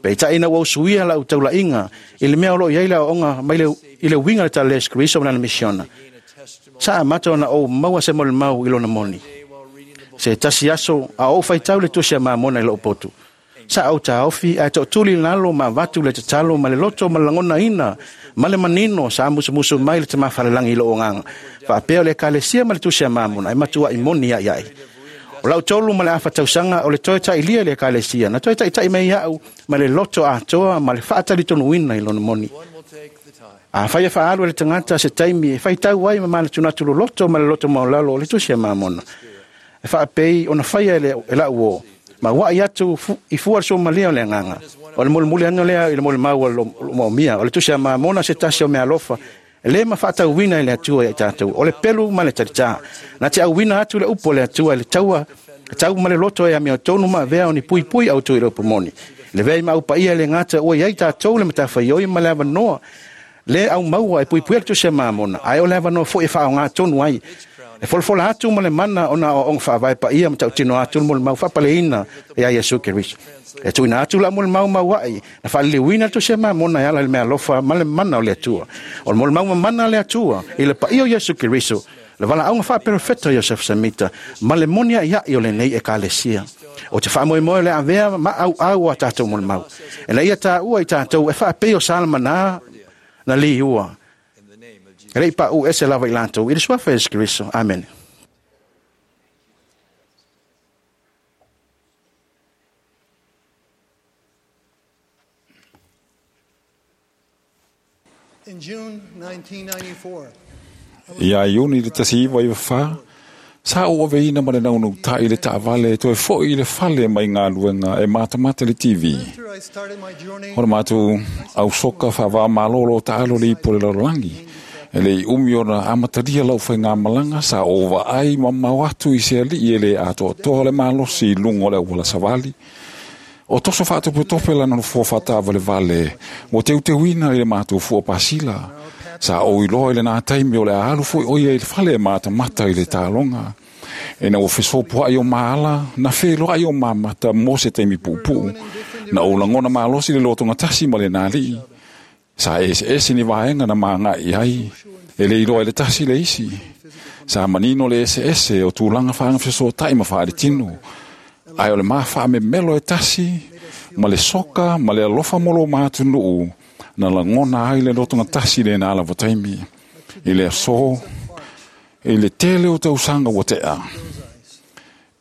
Peitai ina ua usuia lau taulaiga i le mea o loo i ai le aoaoga mai le, i le uiga o le tala le Iesu Keriso ma lana misiona. gain a testimony Sa amata ona ou maua se molimau i lona moni. while reading the book Se tasi aso a ou faitau le tusi a Mamona i lou potu. Sa ou taofi ae tootuli lalo ma avatu le tatalo ma le loto ma le lagonaina ma le manino sa musumusu mai le tamafalelagi i lou agaga. Faapea o le ekalesia ma le tusi a Mamona e matuai moni ai ai. O lau tolu ma le afa tausaga o le toe tailia i le ekalesia na toe taitai mai au ma le loto atoa ma le faatalitonuina i lona moni. one will take the time A fai e faaalu e le tagata se taimi e faitau ai ma manatunatu loloto ma le loto maualalo o le tusi a Mamona. E faapei ona faia e le e lau o. Ma waai atu i fua le suamalia o le agaga. O le mulimuli ane lea i le molimau o le maomia. O le tusi a Mamona se tasi o meaalofa. E le mafaatauina i le Atua ia i tatou. O le pelu ma le talitā. Na te auina atu le upu o le Atua i le taua tau ma le loto e amiotonu ma avea o ni puipui autu i le upu moni. Le vea i maupaia le gata ua i ai tatou le matafaioi ma le avanoa. Le au maua e puipui le tusi a Mamona. Ae o le avanoa foi e faaaoga tonu ai. E folafola atu ma le mana ona aoaoga faavae paia ma tautino atu le molimau faapaleina ia Iesu Keriso. E tuuina atu la molimau mauai na faaliliuina le tusi a Mamona e ala i le meaalofa ma le mana o le Atua. O le molimau mamana a le Atua i le paia o Iesu Keriso, le valaauga faaperofeta o Iosefa Semita ma le moni aiai o lenei ekalesia. O te faamoemoe o le avea ma auau o a tatou molimau. E na ia taua i tatou e faapei o Salamanā na liua. in the name of Jesus. E lei paʻu ese lava i latou i le suafa o Iesu Keriso. Amene. In June 1994, Ia Iuni le 1994, sa ou aveina ma le naunautai i le taavale e toe fo'i i le fale mai galuega e matamata le TV. after I started my journey O le matou ausoka faavamalō taalo le ipu o le lalolagi. E le i umi ona amatalia lau faigamalaga sa ou vaai mamao atu i se alii e le atoatoa le malosi i luga o le auala savali. O toso faatopetope lana nofoa faataavalevale ua teuteuina i le matou fua pasila. Sa ou iloa i lenā taimi o le a alu foi o ia i le fale e matamata i le taloga. Ina ua fesopoai o maala, na feloai o mamata mo se taimi puupuu. Na ou lagona malosi le lotogatasi ma lenā alii. Sa eseese ni vaega na magai ai, e le iloa i le tasi le isi. Sa manino le eseese o tulaga faagafesootai ma faaletino. Ae o le mafaamemelo e tasi, ma le soka ma le alofa mo lo matunuu, na lagona ai le lotogatasi lenā lava taimi. I le aso, i le tele o tausaga ua tea.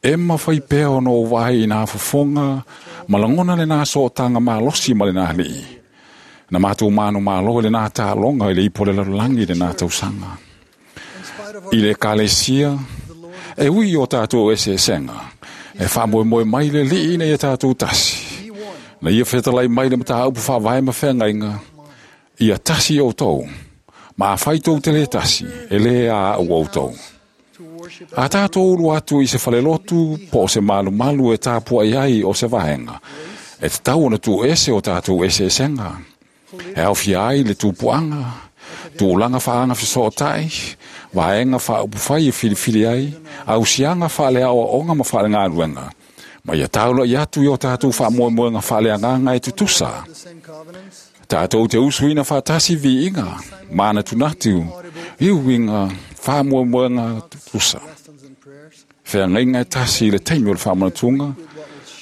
E mafai pea ona ou vaai i nā fofoga, ma lagona lenā sootaga malosi ma lenā alii. Na matou manumalo i lenā taaloga i le ipu o le lalolagi i lenā tausaga. I le ekalesia, e ui i o tatou eseesega, e faamoemoe mai le Alii ina ia tatou tasi. Na ia fetalai mai le mataupu faavae ma feagaiga, ia tasi outou, ma afai tou te lē tasi, e lē a au outou. A tatou ulu atu i se falelotu po o se malumalu e tapuai ai o se vaega, e tatau ona tuuese o tatou eseesega. E aofia ai le tupuaga, tulaga faagafesootai, vaega faaupufai e filifili ai, ausiaga faaleaoaoga ma faalegaluega, ma ia taulai atu i o tatou faamoemoega faaleagaga e tutusa. Tatou te usuina faatasi viiga, manatunatu, i uiga faamoemoega tutusa. Feagaiga e tasi i le taimi o le faamanatuga,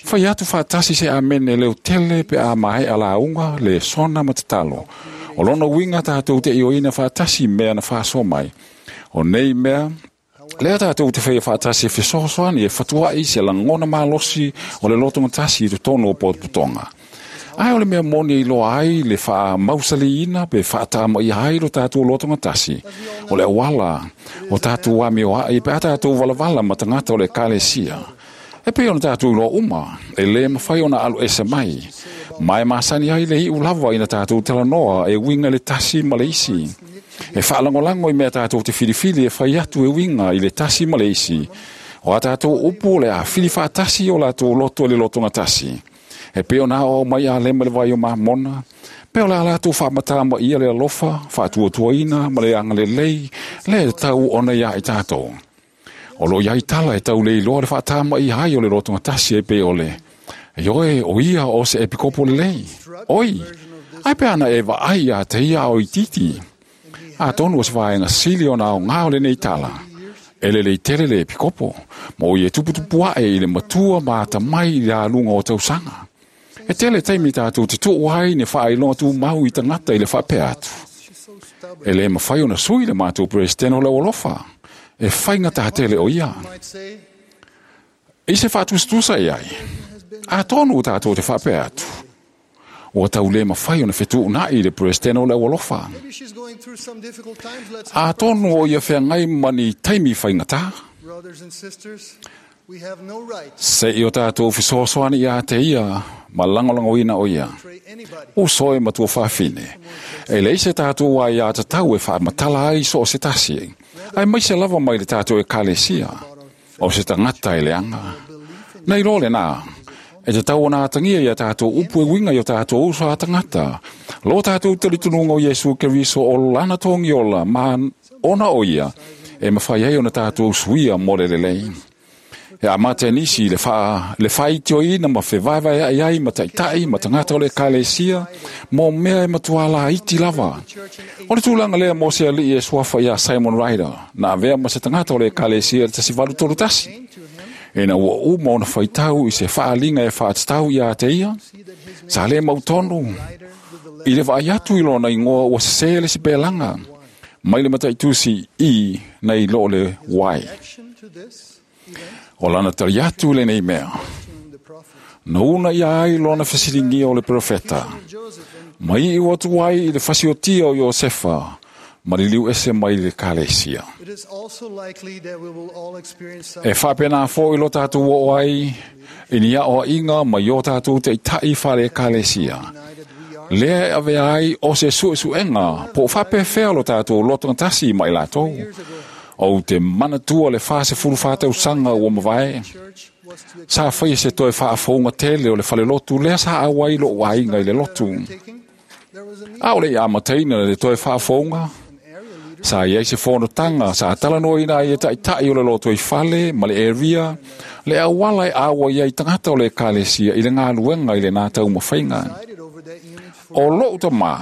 fai atu faatasi se amene leo tele pe a maea lauga, le sona ma tatalo. O lona uiga tatou te ioina faatasi mea na faasoa mai. O nei mea, lea tatou te faia faatasi e fesoasoani e fatuai se lagona malosi o le lotogatasi i totonu o potopotoga. Ae o le mea moni e iloa ai le faamausaliina pe faatamaia ai lo tatou lotogatasi. O le auala o tatou amioai pe a tatou valavala ma tagata o le ekalesia. E pei ona tatou iloa uma, e lē mafai ona alu ese mai. Ma e masani ai le iu lava ina tatou talanoa e uiga i le tasi ma le isi. E faalagolago i mea tatou te filifili e fai atu e uiga i le tasi ma le isi. O a tatou upu o le a fili faatasi o latou loto i le lotogatasi. E pei ona aoao mai Alema i le vai o Mamona, pe o le a latou faamatamaia le alofa, faatuatuaina ma le agalelei lea e tatau ona iā i tatou. O lo o i ai tala e tau le iloa le faatamaia ai o le lotogatasi e pei o le, Ioe, o ia o se epikopo lelei. Oi, ai pe ana e vaai iā te ia o itiiti. Atonu o se vaega sili ona aoga o lenei tala. E lelei tele le epikopo, ma o ia tuputupu ae i le matua ma atamai i le aluga o tausaga. E tele taimi tatou te tuu ai ni faailoga tumau i tagata i le faapea atu. E lē mafai ona sui le matou Peresetene o le Aualofa. E faigata tele o ia. I se faatusatusa i ai, atonu ua tatou te faapea atu, ua tau lē mafai ona fetuunai le Peresetene o le Aualofa. Atonu o ia feagai ma ni taimi faigata. Se i o tatou fesoasoani iā te ia ma lagolagoina o ia. Uso e matua fafine. E leai se tatou aiatatau e faamatala ai so o se tasi, aemaise lava mai le tatou ekalesia, o se tagata e leaga. Na iloa lenā, e tatau ona atagia i a tatou upu e uiga i o tatou uso a tagata, lo tatou talitonuga o Iesu Keriso o lana togiola ma ona o ia e mafai ai ona tatou suia mo le lelei. E amata e nisi le faa, le faaitioina ma fevaevaea'i ai ma taitai ma tagata o le ekalesia mo mea e matua laiti lava. O le tulaga lea mo se alii e suafa iā Simon Ryder, na avea ma se tagata o le ekalesia i le 1831. Ina ua uma ona faitau i se faaaliga e faatatau iā te ia, sa le mautonu i le vaai atu i lona igoa ua sesē le sipelaga mai le mataitusi I nai lo le Y. O lana tali atu i lenei mea, na una ia ai lona fesiligia o le perofeta, ma iu atu ai i le fasiotia o Iosefa ma liliu ese mai le ekalesia. E faapena foi lo tatou oo ai i ni aoaiga mai o tatou taitai faale-ekalesia. Lea e avea ai o se suesuega po o faapefea lo tatou lotogatasi ma i latou. Ou te manatua le 44 tausaga ua mavae. Sa faia se toe faafouga tele o le falelotu lea sa auai lo'u aiga i le lotu. A o le i amataina le toe faafouga, sa iai se fonotaga sa talanoaina ai e ta'ita'i o le lotoifale ma le area le auala e auai ai tagata o le ekalesia i le galuega i lenā taumafaiga. O lo'u tamā,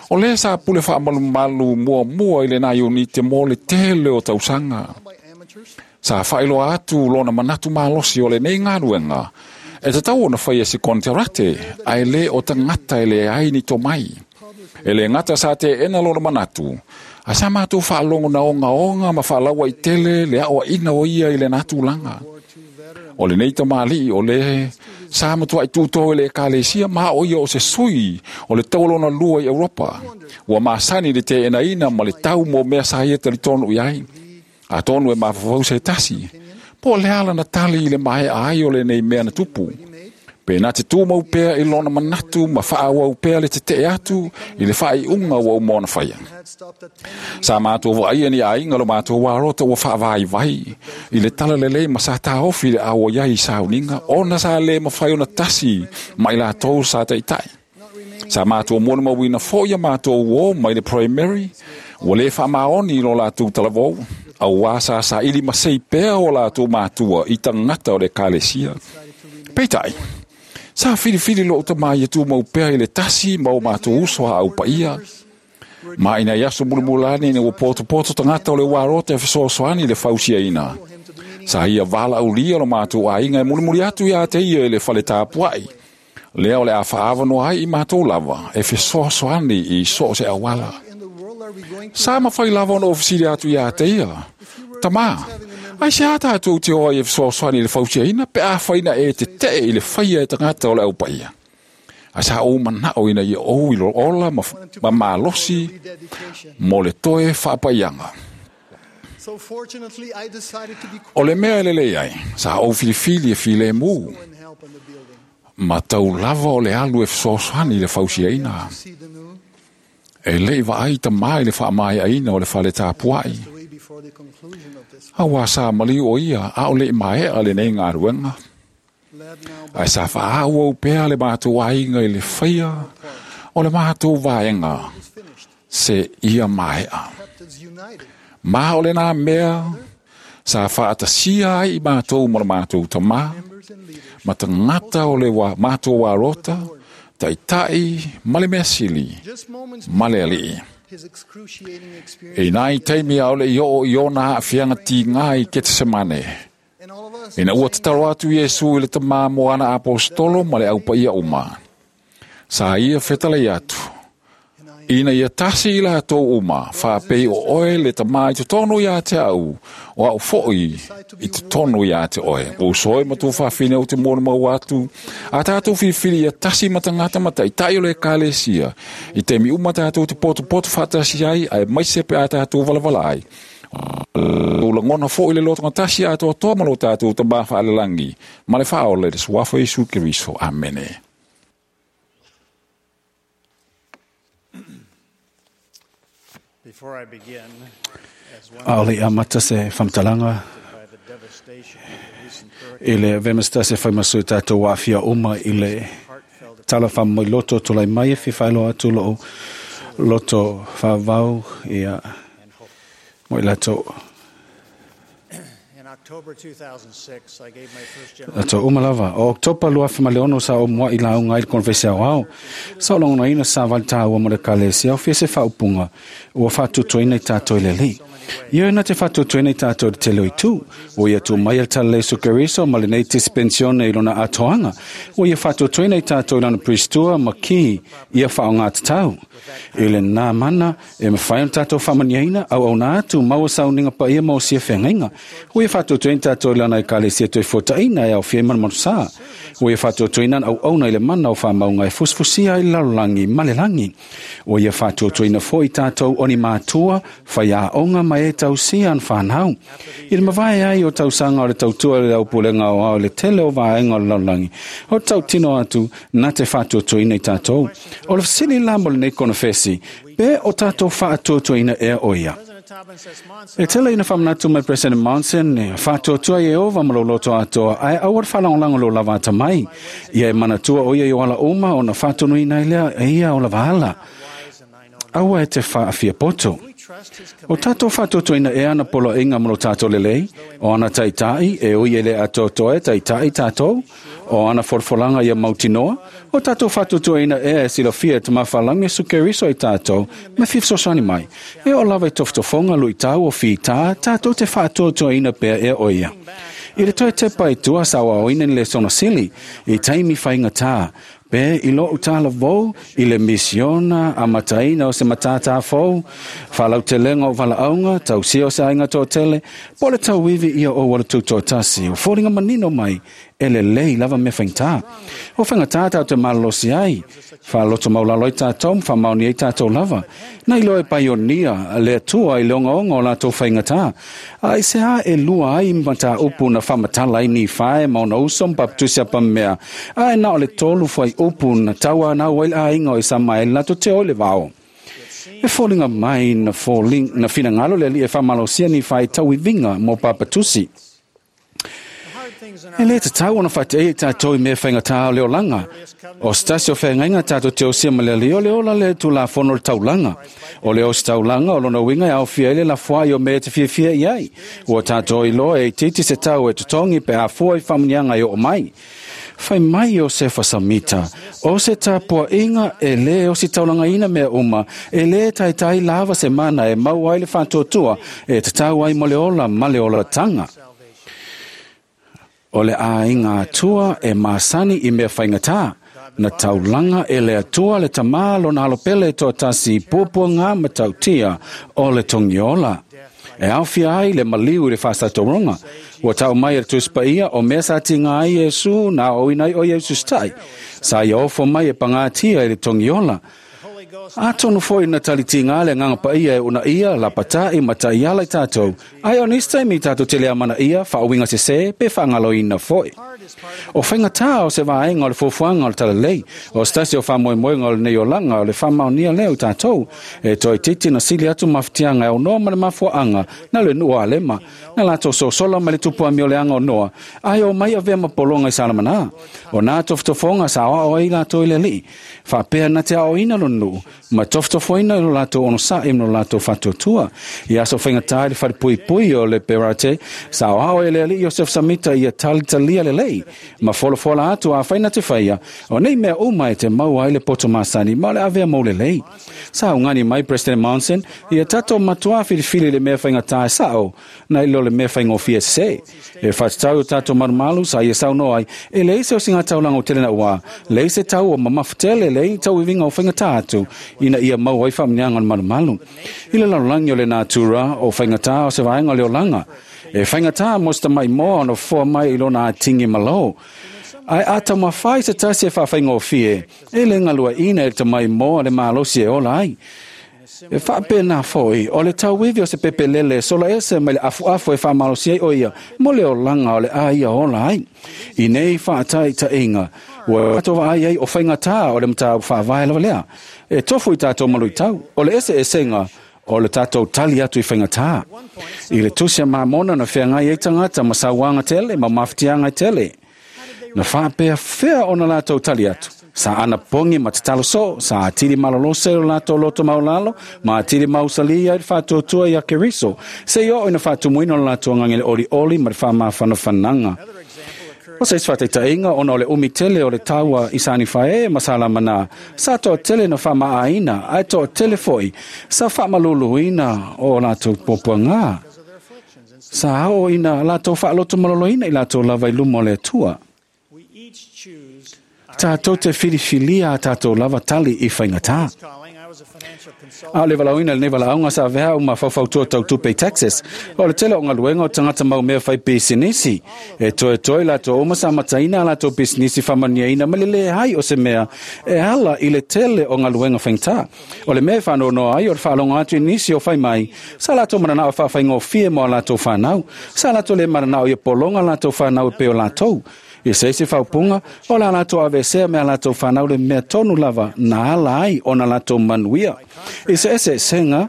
o lē sa pule faamalumalu muamua i lenā iunite mo le tele o tausaga. Sa faailoa atu lona manatu malosi o lenei galuega e tatau ona faia se konekarate ae lē o tagata e leai ni tomai. E lē gata sa teena lona manatu, ae sa matou faalogo na ogaoga ma faalauaitele le aoaʻiga o ia i lenā tulaga. O lenei tamalii o lē sa matuaʻi tutō i le ekalesia ma o ia o se sui o le taualona lua i Europa. Ua masani le teenaina ma le tau mo mea sa ia talitonu i ai. Atonu e mafaufau se tasi, po o le a lana tali i le maea ai o lenei mea na tupu. Pe na te tumau pea i lona manatu ma faaauau pea le tetee atu i le faaiuga ua uma ona faia. Sa matou vaaia ni aiga lo matou alota ua faavaivai i le talalelei ma sa taofi le auai ai i sauniga ona sa lē mafai ona tasi ma i latou sa taʻitaʻi. Sa matou molimauina foʻi a matou uō mai le primary ua lē faamaoni i lo latou talavou, auā sa saʻili masei pea o latou matua i tagata o le ekalesia. Peitai, sa filifili lo'u tamā ia tumau pea i le tasi ma o matou uso a aupaia. Ma ina i aso mulimulani ina ua potopoto tagata o le uarota e fesoasoani i le fausiaina, sa ia valaaulia lo matou aiga e mulimuli atu iā te ia i le fale tapuaʻi, lea o le a faaavanoa ai i matou lava e fesoasoani i so o se auala. Sa mafai lava ona ou fesili atu iā te ia, Tamā, aisea tatou te o ai e fesoasoani i le fausiaina pe afai na e tetee i le faia e tagata o le aupaia? Ae sa ou manaʻo ina ia ou i ola ma malosi mo le toe faapaiaga. O le mea e lelei ai, sa ou filifili e filemu ma tau lava o le alu e fesoasoani i le fausiaina. E le i vaai tamā i le faamaeaina o le fale tapuaʻi, auā sa maliu o ia a o le i maea lenei galuega. Ae sa faaauau pea le matou aiga i le faia o le matou vaega seia maea. Ma o lenā mea sa faatasia ai i matou ma le matou tamā, ma tagata o le matou alota, taʻitaʻi ma le mea sili, ma le Alii. I nai taimi a o le i oo i ona aafiaga tigā i Ketesemane, ina ua tatalo atu Iesu i le Tamā mo ana aposetolo ma le aupaia uma, sa ia fetalai atu, ina ia tasi i latou uma, faapei o oe le Tamā i totonu iā te au, o a'u foʻi i totonu iā te oe. Ua uso e ma tuafafine ou te molimau atu, a tatou filifili ia tasi ma tagata ma taʻitaʻi o le ekalesia, i taimi uma tatou te potopoto faatasi ai, aemaise pe a tatou valavala ai. O lagona foʻi le lotogatasi atoatoa ma lo tatou Tamā faalelagi ma le faaola i le suafa o Iesu Keriso. Amene. A o le i amata se faamatalaga i le avea ma se tasi e fai ma sui tatou aafia uma i le tala faamoemoe tulai mai e fia faailoa atu lou loto faavau ia mo i latou latou uma lava. O Oketopa 2006 sa ou muaʻi lauga ai i le konefesi aoao. Sa ou lagonaina sa vali tāua mo le ekalesia o fia se faaupuga ua faatuatuaina i tatou i le Alii. Ioe na te faatuatuaina i tatou i le tele o itu. Ua ia tu mai e le Tala Iesu Keriso ma lenei dispensione i lona atoaga. Ua ia faatuatuaina i tatou i lana Pristua ma ki ia faaaogatatau. I lenā mana e mafai ona tatou faamaniaina, auauna atu, maua sauniga paia ma osia feagaiga. Ua ia faatuatuaina tatou i lana ekalesia toe fuataʻina e aofia ai manumanusā. Ua ia faatuatuaina ana auauna i le mana o faamauga e fusifusia ai le lalolagi ma le lagi. Ua ia faatuatuaina foi tatou o ni matua, faiaoga ma e tausia ana whanau. I le mavae ai o tausaga o le tautua i le aupulega o ao le tele o vaega o le lalolagi. O tautino atu na te faatuatuaina i tatou. O le fesili la mo lenei konofesi, pe o tatou faatuatuaina ea o ia. E tele ina whamanatu mai President Monson, e whātuatua i e ova ma loto atoa, ae aua le whalangolanga lo lava ata mai. Ia e manatua o ia i o ala uma o na whātonu ina ilea e ia o lava ala. Aua e te whaafia poto. O tātou whātuatuaina e ana polo inga mo lo tātou lelei, o ana taitai e ui ele atoatoa e taitai tātou, o ana forfolanga ia mautinoa, o tātou whātuatuaina e e silofia te mawhalangi e sukeriso i tātou, me fifsosani mai. E o lava i toftofonga lui tau o whita, tātou te whātuatuaina pea e o ia. I le toe te pai tua sawa o ina le sono sili, i taimi whainga tā, pe i lo utala vou, i le misiona a mataina o se matata fou, whalautelenga o walaunga, tau sio se ainga tō tele, po le tauivi ia o wala tūtōtasi, o fōringa manino mai, e le lei lava me whaingtā. O whaingatā tātou te malolosi ai, whaloto maulalo i tātou, whamaoni ai tātou lava. Nei loe paionia, le atua i leonga onga o lātou whaingatā. A i se a e lua ai mata upu na whamatala i ni whae mauna uso mpaptusia pamea. A e na o le tolu whai upu na taua na wail a inga o i sama e lato te ole vao. E fōlinga mai na fōling, na whinangalo le li e whamalosia ni whai tauivinga mō papatusi. E le te tau ona whate e tātou i mea whainga tā o leo langa. O stasi o whaingainga tātou te osia ma le leo leo la le tu la whono le taulanga. O le osi taulanga o lona winga e au fia ele la fua i o mea te fia i ai. Ua tātou i loa e titi se tau e tutongi pe a fua i whamunianga i o mai. Whai mai o se whasamita, o se tāpua inga e le o si taulanga ina mea uma, e le taitai lava se mana e mau ai le whātuatua, e te tau ai mo le ola ma le ola tanga. O le āinga atua e māsani i mea whaingatā. Na taulanga e le atua le tamā lona alopele toa tasi pupua ngā matautia o le tongiola. E awhia ai le maliu i le whāsatoronga. Ua tau mai e tuspaia o mea sa tinga ai Yesu nā o inai o Yesu stai. Sa ia ofo mai e pangatia i le tongiola. A tonu foi na talitinga le nganga pa ia e una ia, la pata i mata i ala i tātou. Ai o nista mi tātou te lea mana ia, whaawinga se se, pe whaangaloina foi. O whainga tā o se vaenga o le fuafuaga o le talalei, o stasi o whamoemoenga o le nei olanga o le whamaonia leo i tātou. E toi titi na sili atu mawhitianga e o noa ma le mafuaanga, na le nua alema, na lātou sosola ma le tupua mi o le anga o noa, ai o mai avea mapolonga i salamana. O nā tofotofonga sa oa o i lātou i le lii, whapea na te ao ina lo nuu, ma tofotofoina i lo lātou ono sa i lo lātou whatuatua. I aso whainga tā i le whare o le perate, sa oa o e le alii Joseph Samita i a talitalia le lei, ma folofola atu a whaina te whaia, o nei mea uma e te mau ai le poto masani, ma le avea mau le lei. Sa ungani mai President Monson, i a tato matua filifili le mea whainga tā e sao, na ilo le mea whainga ofia se. E whatatau o tato marumalu sa ia sau noai, e le ise o singa taulanga o tele na ua, le ise tau o mamafutele le i tau iwinga o whainga tā atu, ina ia mau ai whaamnianga o le marumalu. I le lalulangi o le nātura o whainga tā o se vaenga o le olanga. E whainga tā mosta mai moa ono foa mai i lona atingi malo. Ai ata mawhai se tasi e whawhainga o fie, e le ngalua ina e te mai moa le malosi e ola ai. E whape nā foi, o le tauivi o se pepelele, sola ese mai le afu afu e whamalosi ai o ia, mo le olanga o le a ia ola ai. I nei whaatai ta inga, ua atoa ai ai o whainga tā o le mata whaavae lawa lea. E tofu i tātou malu i tau, o le ese esenga, o le tātou tali atu i whainga tā. I le tusia mamona na whea e tangata ma sauanga tele, ma mawhitianga tele. Na whaapea whea o na lātou tali atu. Sa ana pongi ma te talo so, sa atiri malolose o lātou loto maulalo, ma atiri mausalia i le whātuatua i a Keriso. Se i o ina whātumuina o lātou ngangele oli oli ma le whamawhanafananga. O se iswataitainga ona o le umi tele o le taua i sani whae ma salamana. Sa toa tele na whamaaina, ai toa tele foi, sa whamaluluina o lātou popuanga. Sa ao ina lātou whaaloto maloloina i lātou lava i luma o le atua. Tātou te whiriwhilia a tātou lava tali i whaingatā. A o le valaauina i lenei valaauga sa avea au ma faufautua tautupe i Texas. O le tele o galuega o tagata mau mea fai pisinisi. E toetoe latou uma sa amataina a latou pisinisi faamanuiaina ma le leai o se mea e ala i le tele o galuega faigata. O le mea e faanoanoa ai o le faalogo atu i nisi o fai mai, sa latou mananao e faafaigofie mo a latou fanau. Sa latou le mananao ia pologa latou fanau e pei o latou. I se isi faaupuga, o le a latou aveesea me a latou fanau le mea tonu lava na ala ai ona latou manuia. I se eseesega,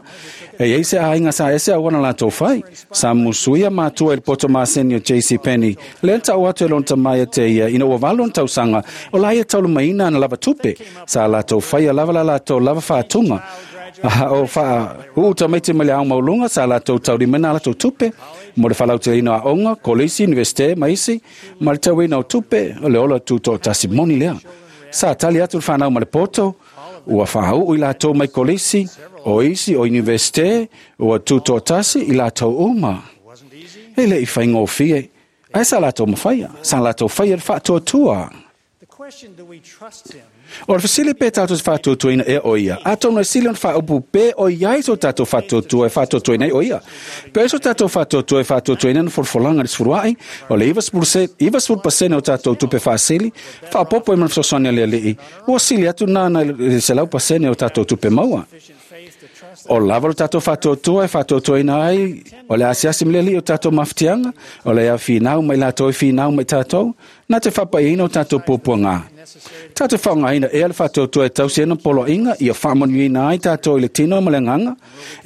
e iai se aiga sa ese auana latou fai. Sa musuia matua i le poto maseni o JC Penney, lea na tau atu e lona tama ia te ia ina ua 8 ona tausaga, o la ia taulimaina ana lava tupe. Sa latou faia lava la latou lava faatuga. O faauu tamaiti mai le ao maualuga sa latou taulimaina a latou tupe mo le faalauteleina o aoga, kolisi, universite ma isi, ma le tauina o tupe, o le ola tutoatasi moni lea. Sa tali atu le fanau ma le poto, ua faauu i latou mai kolisi, o isi o universite, ua tutoatasi i latou uma. E le i faigofie, ae sa latou mafaia, sa latou faia le faatuatua. O le fesili pe tatou te faatuatuaina ea o ia. Atonu e sili ona faaupu pe o iai so tatou faatuatua e faatuatuaina ai o ia. Pe o so tatou faatuatua e faatuatuaina na folafolaga i le sefuluai, o le 90% o tatou tupe faasili, faaopoopo ai ma le fesoasoani a le Alii, ua sili atu lena nai le 100% o tatou tupe maua. O lava lo tatou faatuatua e faatuatuaina ai o le asiasi ma le Alii o tatou mafatiaga, o le finau mai latou e finau mai tatou, na te faapaiaina o tatou puapuaga. Tatou faaaogaina ea le faatuatua e tausi ai ona poloaiga ia faamanuiaina ai tatou i le tino ma le agaga,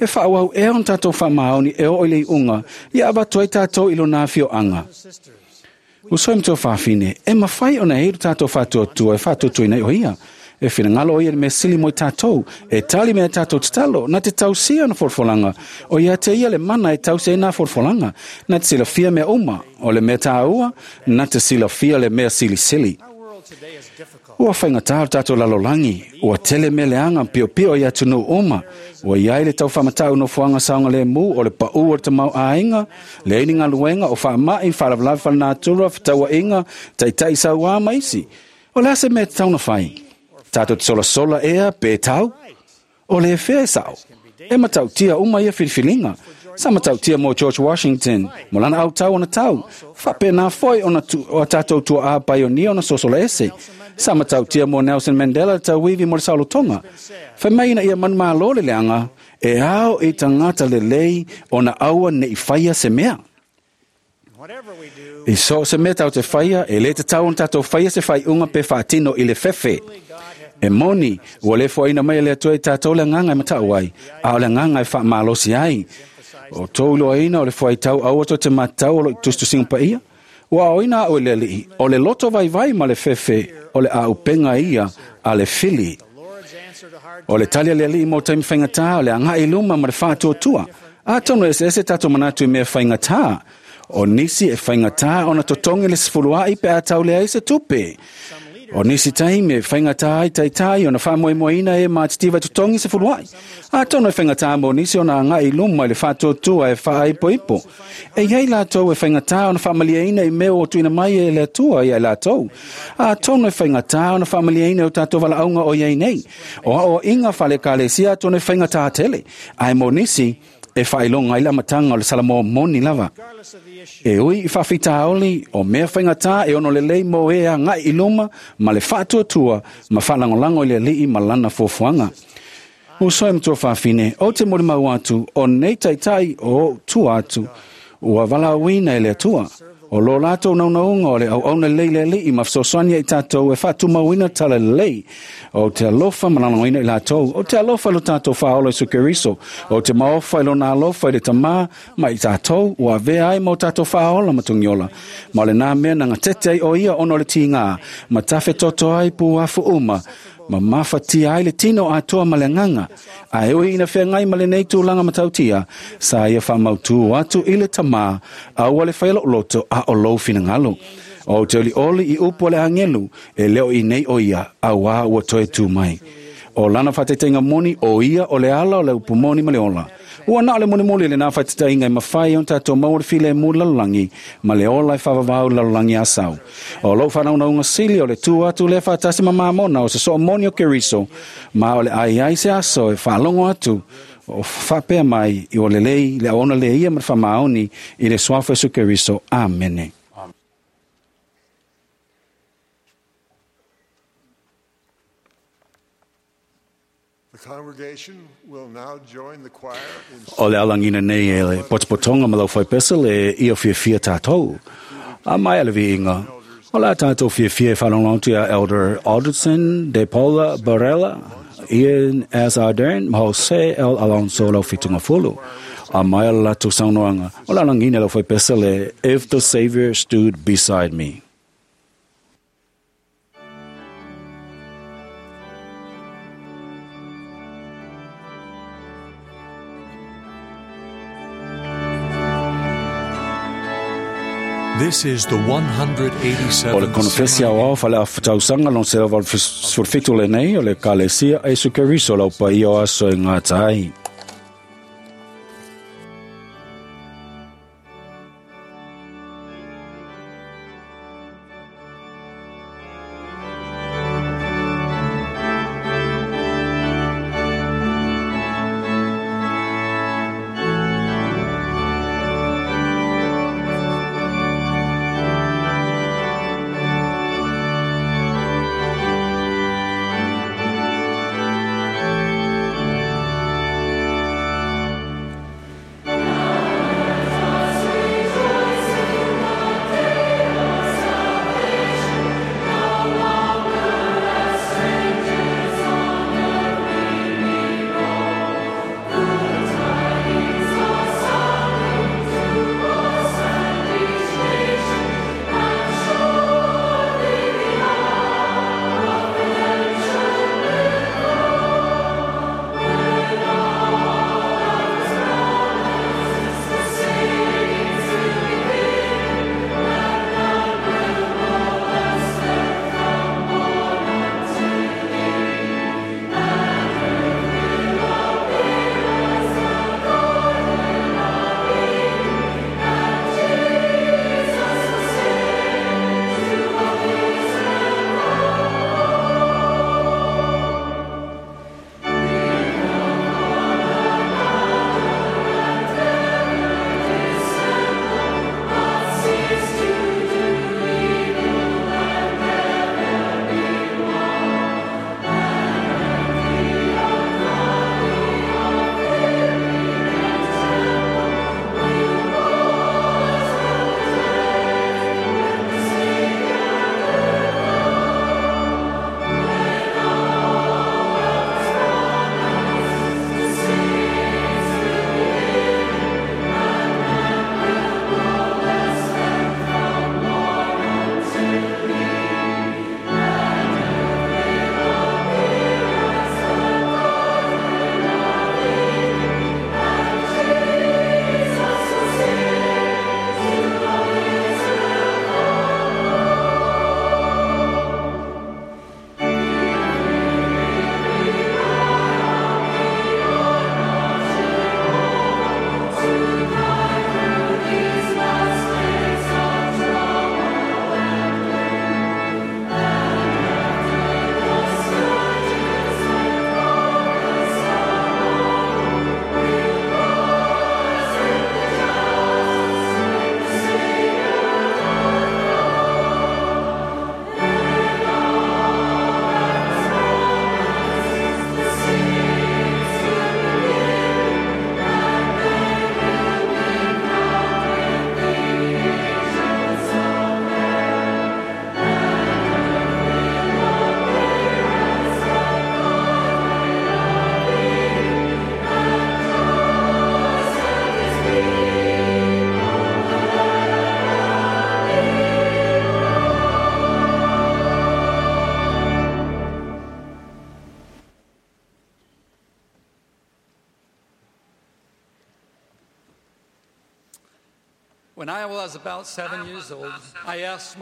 e faaauau ea ona tatou faamaoni e oo i le iuga, ia avatu ai tatou i lona afioaga. Uso e matua fafine, e mafai ona e i lo tatou faatuatua e faatuatuaina ai o ia. E finagalo o ia le mea sili mo i tatou, e tali mea tatou tatalo, na te tausia ona folafolaga, o ia te ia le mana e tausi ai nā folafolaga, na te silafia mea uma, o le mea tāua, na te silafia le mea silisili. Ua faigata lo tatou lalolagi, ua tele mea leaga piopio i atunuu uma, ua iai le tau faamatau nofoaga saogalemu o le paū o le tamaoaiga, leai ni galuega o faamai, faalavelave faalenatura, fetauaiga, taitai sauā ma isi. O le a se mea e tatau ona fai? Tatou te solasola ea pe tau? O le fea e sao? E matautia uma ia filifiliga. Sa matautia mo George Washington, mo lana autau ona tau. Faapena foi ona o tatou tuaa paionia ona sosola ese. Sa matautia mo Nelson Mandela le tauivi mo le saolotoga. Fai mai ina ia manumalo le leaga, e ao i tagata lelei ona aua nei faia se mea. I so o se mea tau te faia, e le tatau ona tatou faia se faaiuga pe faatino i le fefe. E moni, ua le foaina mai e le Atua i tatou le agaga e matau ai, a o le agaga e faamalosi ai. O tou iloaina o le fuaitau aua tou te matau o lo o i tusitusiga paia. Ua aoina au e le Alii, o le loto vaivai ma le fefe o le auupega ia a le fili. O le tali a le Alii mo taimi faigata, o le agai i luma ma le faatuatua. Atonu e eseese tatou manatu i mea faigata. O nisi e faigata ona totogi le sefuluai pe a tau leai se tupe. O nisi taimi e faigata ai taitai ona faamoemoeina e matitiva e totogi sefuluai. Atonu e faigata mo nisi ona agai i luma i le faatuatua e faaipoipo. E iai latou e faigata ona faamalieina i mea ua tuuina mai e le Atua ia i latou. Atonu e faigata ona faamalieina i o tatou valaauga o i ai nei. O aoaiga faale-ekalesia atonu e faigata tele. Ae mo nisi, e faailoga ai le amataga o le Salamoa moni lava. E ui i faafitauli o mea faigata e ono lelei mo e agai i luma ma le faatuatua ma faalagolago i le Alii ma lana fuafuaga. Uso e matua fafine, ou te molimau atu, o nei taitai o ou tua atu, ua valaauina e le Atua. O lo latou naunauga o le auauna lelei i le Alii ma fesoasoani ia i tatou e faatumauina tala lelei. Ou te alofa ma lagolagoina i latou. Ou te alofa i lo tatou Faaola Iesu Keriso. Ou te maofa i lona alofa i le Tama ma i tatou, ua avea ai ma o tatou Faaola ma Togiola. Ma o lena mea na gatete ai o ia ona o le tiga, ma tafetoto ai puafu uma, ma mafatia ai le tino atoa ma le agaga. Ae ui ina feagai ma lenei tulaga matautia, sa ia faamautū atu i le Tama, aua le faia lou loto a o lou finagalo. Ou te olioli i upu a le agelu, e le o i nei o ia, auā ua toe tū mai. O lana whataitaiga moni o ia o le ala o le upu moni ma le ola. Ua na o le molimoli lenā faataitaiga e mafai ai ona tatou maua le filemu i le lalolagi ma le ola e faavavau i le lalolagi asau. O lou faanaunauga sili o le tu atu lea faatasi ma mamona o se soo moni o Keriso, ma o le ai ai se aso e faalogo atu o faapea mai i ua lelei le auauna lea ia ma le faamaoni i le suafa o Iesu Keriso. Amene. O le alagina nei e le potopotoga ma le aufaipese le ia fiafia tatou. A maea le viiga, o le a tatou fiafia e faalogologo atu iā Elder Alderson de Paula Barella, Ian S. Ardern ma Jose L. Alonso lau fitugafulu. A maea le latou saunoaga, o le alagina e le aufaipese le If the Savior Stood Beside Me. This is the 187th O le konofesi aoao faale-tausaga lona 187 lenei o le Ekalesia a Iesu Keriso lau paia o aso e gata ai.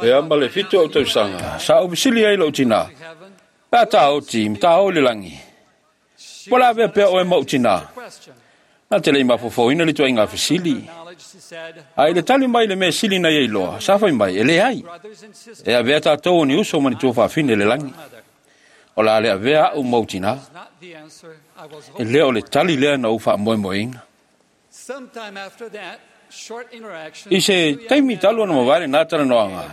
E a ma le 7 ou tausaga, sa ou fesili ai i lou tinā, Pe a ta oti, ma ta oo i le lagi. Po la avea pea oe ma ou tinā? Na te le i mafaufauina le ituaiga fesili. A i le tali mai i le mea sili na ia iloa, sa fai mai, e leai. E avea tatou o ni uso ma ni tuafafine i le lagi. O le a le avea a'u ma ou tinā. E le o le tali lea na ou faamoemoeina. I se taimi talu ona mavae lenā talanoaga,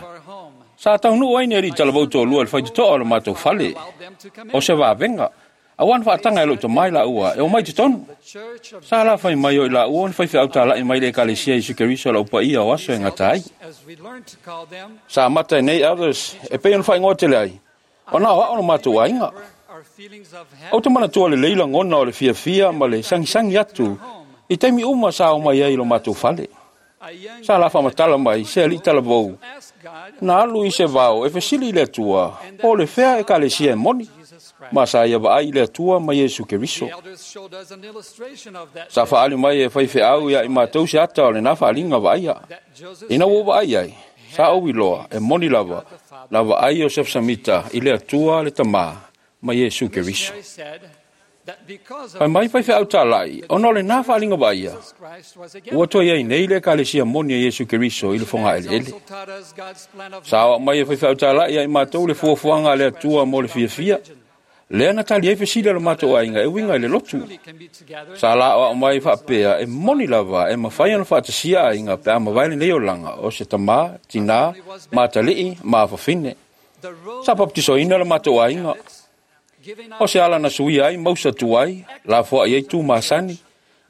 sa taunuu ai ni alii talavou toalua i le faitotoa o le matou fale, o se vavega, auā na faataga e lou tama i laua e omai i totonu. Sa alafai mai o i laua o ni faifeau talai mai le Ekalesia Iesu Keriso o le Au Paia o aso e gata ai. Sa amata e nei elders e pei ona faaigoa tele ai, ona o a'o lo matou aiga. Ou te manatua lelei lagona o le fiafia ma le sagisagi atu i taimi uma sa omai ai i lo matou fale. Sa la faamatala mai se alii talavou na alu i se vao e fesili i le Atua po o le fea Ekalesia e moni, ma sa ia vaai i le Atua ma Iesu Keriso. Sa faaali mai e faifeau ia i matou se ata o lenā faaaliga vaaia. Ina ua ou vaai ai, sa ou iloa e moni lava na vaai Iosefa Samita i le Atua le Tamā ma Iesu Keriso. Fai mai faifeau talai, ona o lenā faaaliga vaaia, ua toe i ai nei le Ekalesia moni a Iesu Keriso i le fogaeleele. Sa aoao mai e faifeau talai ia i matou le fuafuaga a le Atua mo le fiafia, lea na tali ai fesili a lo matou aiga e uiga i le lotu. Sa la aoao mai faapea e moni lava e mafai ona faatasia aiga pe a mavae lenei olaga o se tamā, tinā, ma atalii, ma afafine. Sa papatisoina lo matou aiga. O se ala na suia ai mausa tuai, lafoai ai tu masani,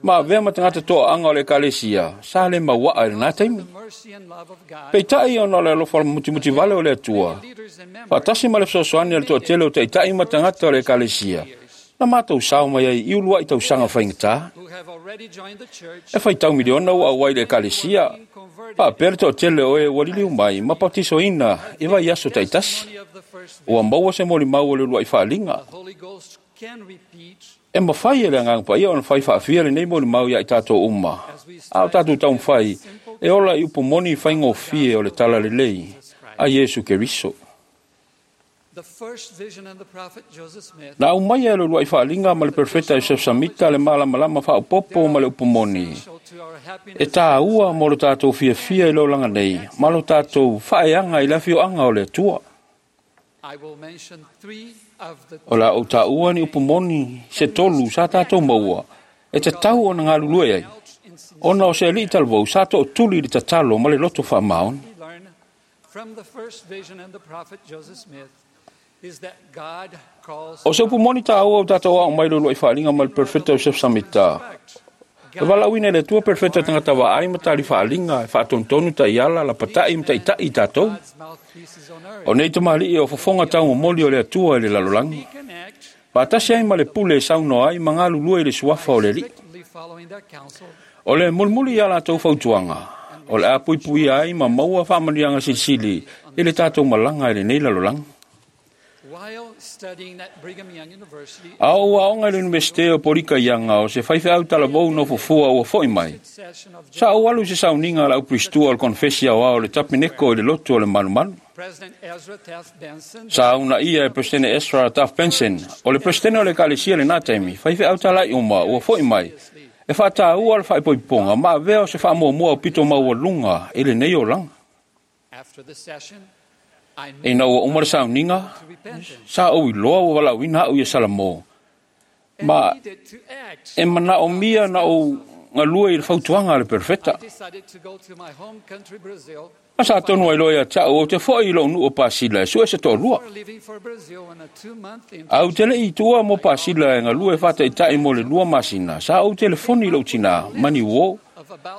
ma avea ma tagata toaaga o le Ekalesia sa le mauaa i lenā taimi. Peitai ona o le alofa mutimutivale o le Atua, faatasi ma le fesoasoani a le toatele o taitai ma tagata o le Ekalesia, na matou sao mai ai i uluai tausaga faigata. E faitau miliona ua auai i le Ekalesia, faapea le toatele o e ua liliu mai ma patisoina i vaiaso taitasi. Ua maua se molimau o le uluai faaaliga. E mafai e le Agaga Paia ona fai faafia lenei molimau ia i tatou uma, a o tatou taumafai e ola i upu moni faigofie o le Talalelei a Iesu Keriso. Na aumaia e le uluai faaaliga ma le Perofeta Iosefo Samita le malamalama faaopoopo ma le upu moni e tāua mo lo tatou fiafia i le olaga nei ma lo tatou faaeaga i le afioaga o le Atua. O le a ou taua ni upu moni se tolu sa tatou maua e tatau ona galulue ai, ona o se alii talavou sa tootuli i le tatalo ma le loto faamaoni. O se upu moni tāua o tatou aoao mai le uluai faaaliga ma le Perofeta Iosefo Samita, e valaauina e le Atua Perofeta tagata vaai ma tali faaaliga e faatonutonu taiala, lapatai ma taitai i tatou. O nei tamalii o fofoga taumomoli o le Atua i le lalolagi, faatasi ai ma le pule e saunoa ai ma galulue i le suafa o le Alii. O le mulimuli i a latou fautuaga, o le a puipuia ai ma maua faamanuiaga silisili i le tatou malaga i lenei lalolagi. A o ou aoga i le Iunivesite o Polika Ianga o se faifeau talavou nofofua ua foi mai, sa ou alu i se sauniga a le aupiristua o le Konefesi Aoao o le Tapeneko i le lotu o le Malumalu. Sa uunaia e Peresetene Ezra Taft Benson, o le Peresetene o le Ekalesia i lenā taimi, faifeau talai uma ua foi mai e faataua le faaipoipoga ma avea o se faamuamua aupito maualuga i lenei olaga. Ina ua uma le sauniga, sa ou iloa ua valaauina a'u ia Salamo, ma e manaomia na ou galue i le fautuaga a le Perofeta. Ma sa tonu ai loa ia te a'u ou te fo'i i lo'u nuu o Pasila e sue se toalua. Ae ou te le i tuua mo Pasila e galue faataitai mo le 2 masina, sa ou telefoni i lou tinā, mani uō.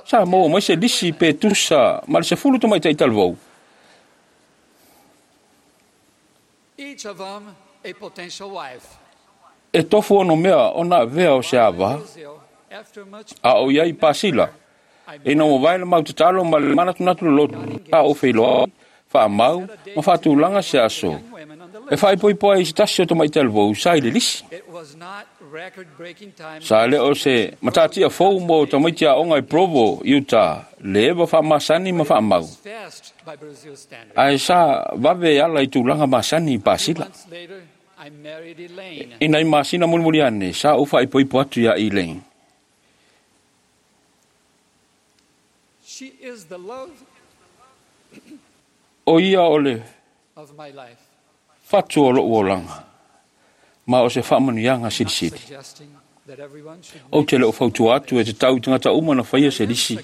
Sa maua mai se lisi pe tusa ma le 10 tamaitai talavou. E tofu ono mea ona avea o se ava, a o i ai i Pasila. Ina ua vae le mau tatalo ma le manatunatu loloto, sa ou feiloai, faamau ma faatulaga se aso e faaipoipo ai i se tasi o tamaitai talavou sa i le lisi. Sa le o se matatia fou mo tamaiti aoga i Provo, Utah, le eva faamasani ma faamau, ae sa vave e ala i tulaga masani i Pasila. I nai masina mulimuli ane, sa ou faaipoipo atu iā Elaine. O ia o le fatu o lo'u olaga, ma o se faamanuiaga silisili. Ou te le o fautua atu e te tau i tagata uma na faia se lisi.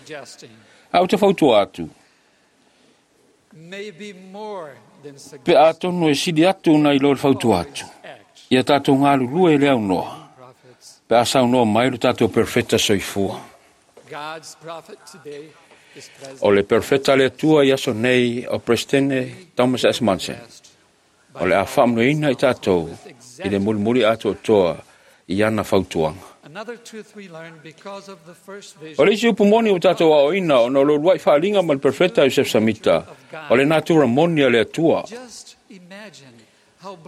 A ou te fautua atu, pe atonu e sili atu nai lo le fautua atu, ia tatou galulue i le aunoa, pe a saunoa mai lo tatou perfeta soifua. O le perfeta le Atua i aso nei o Presidente Thomas S. Monson. O le a faamanuiaina i tatou i le mulimuli atoatoa i ana fautuaga. O le isi upu moni ua tatou aoaoina ona o le uluai faaaliga ma le perfeta Iosef Samita, o le natura moni a le Atua.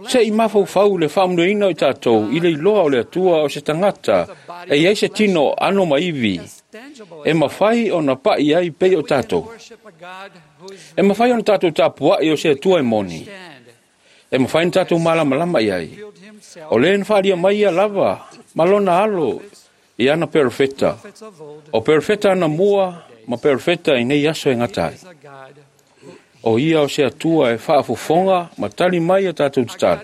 Se i mafaufau le faamanuiaina o i tatou i le iloa o le Atua o se tagata e i ai se tino ano ma ivi e mafai ona pa'i ai pei o tatou. E mafai ona tatou tapua'i o se Atua e moni. E mafai ona tatou malamalama i ai. O le na faalia mai ia lava ma lona alo i ana perfeta. O perfeta ana mua ma perfeta i nei aso e gata ai. O ia o se Atua e faafofoga ma tali mai a tatou tatalo.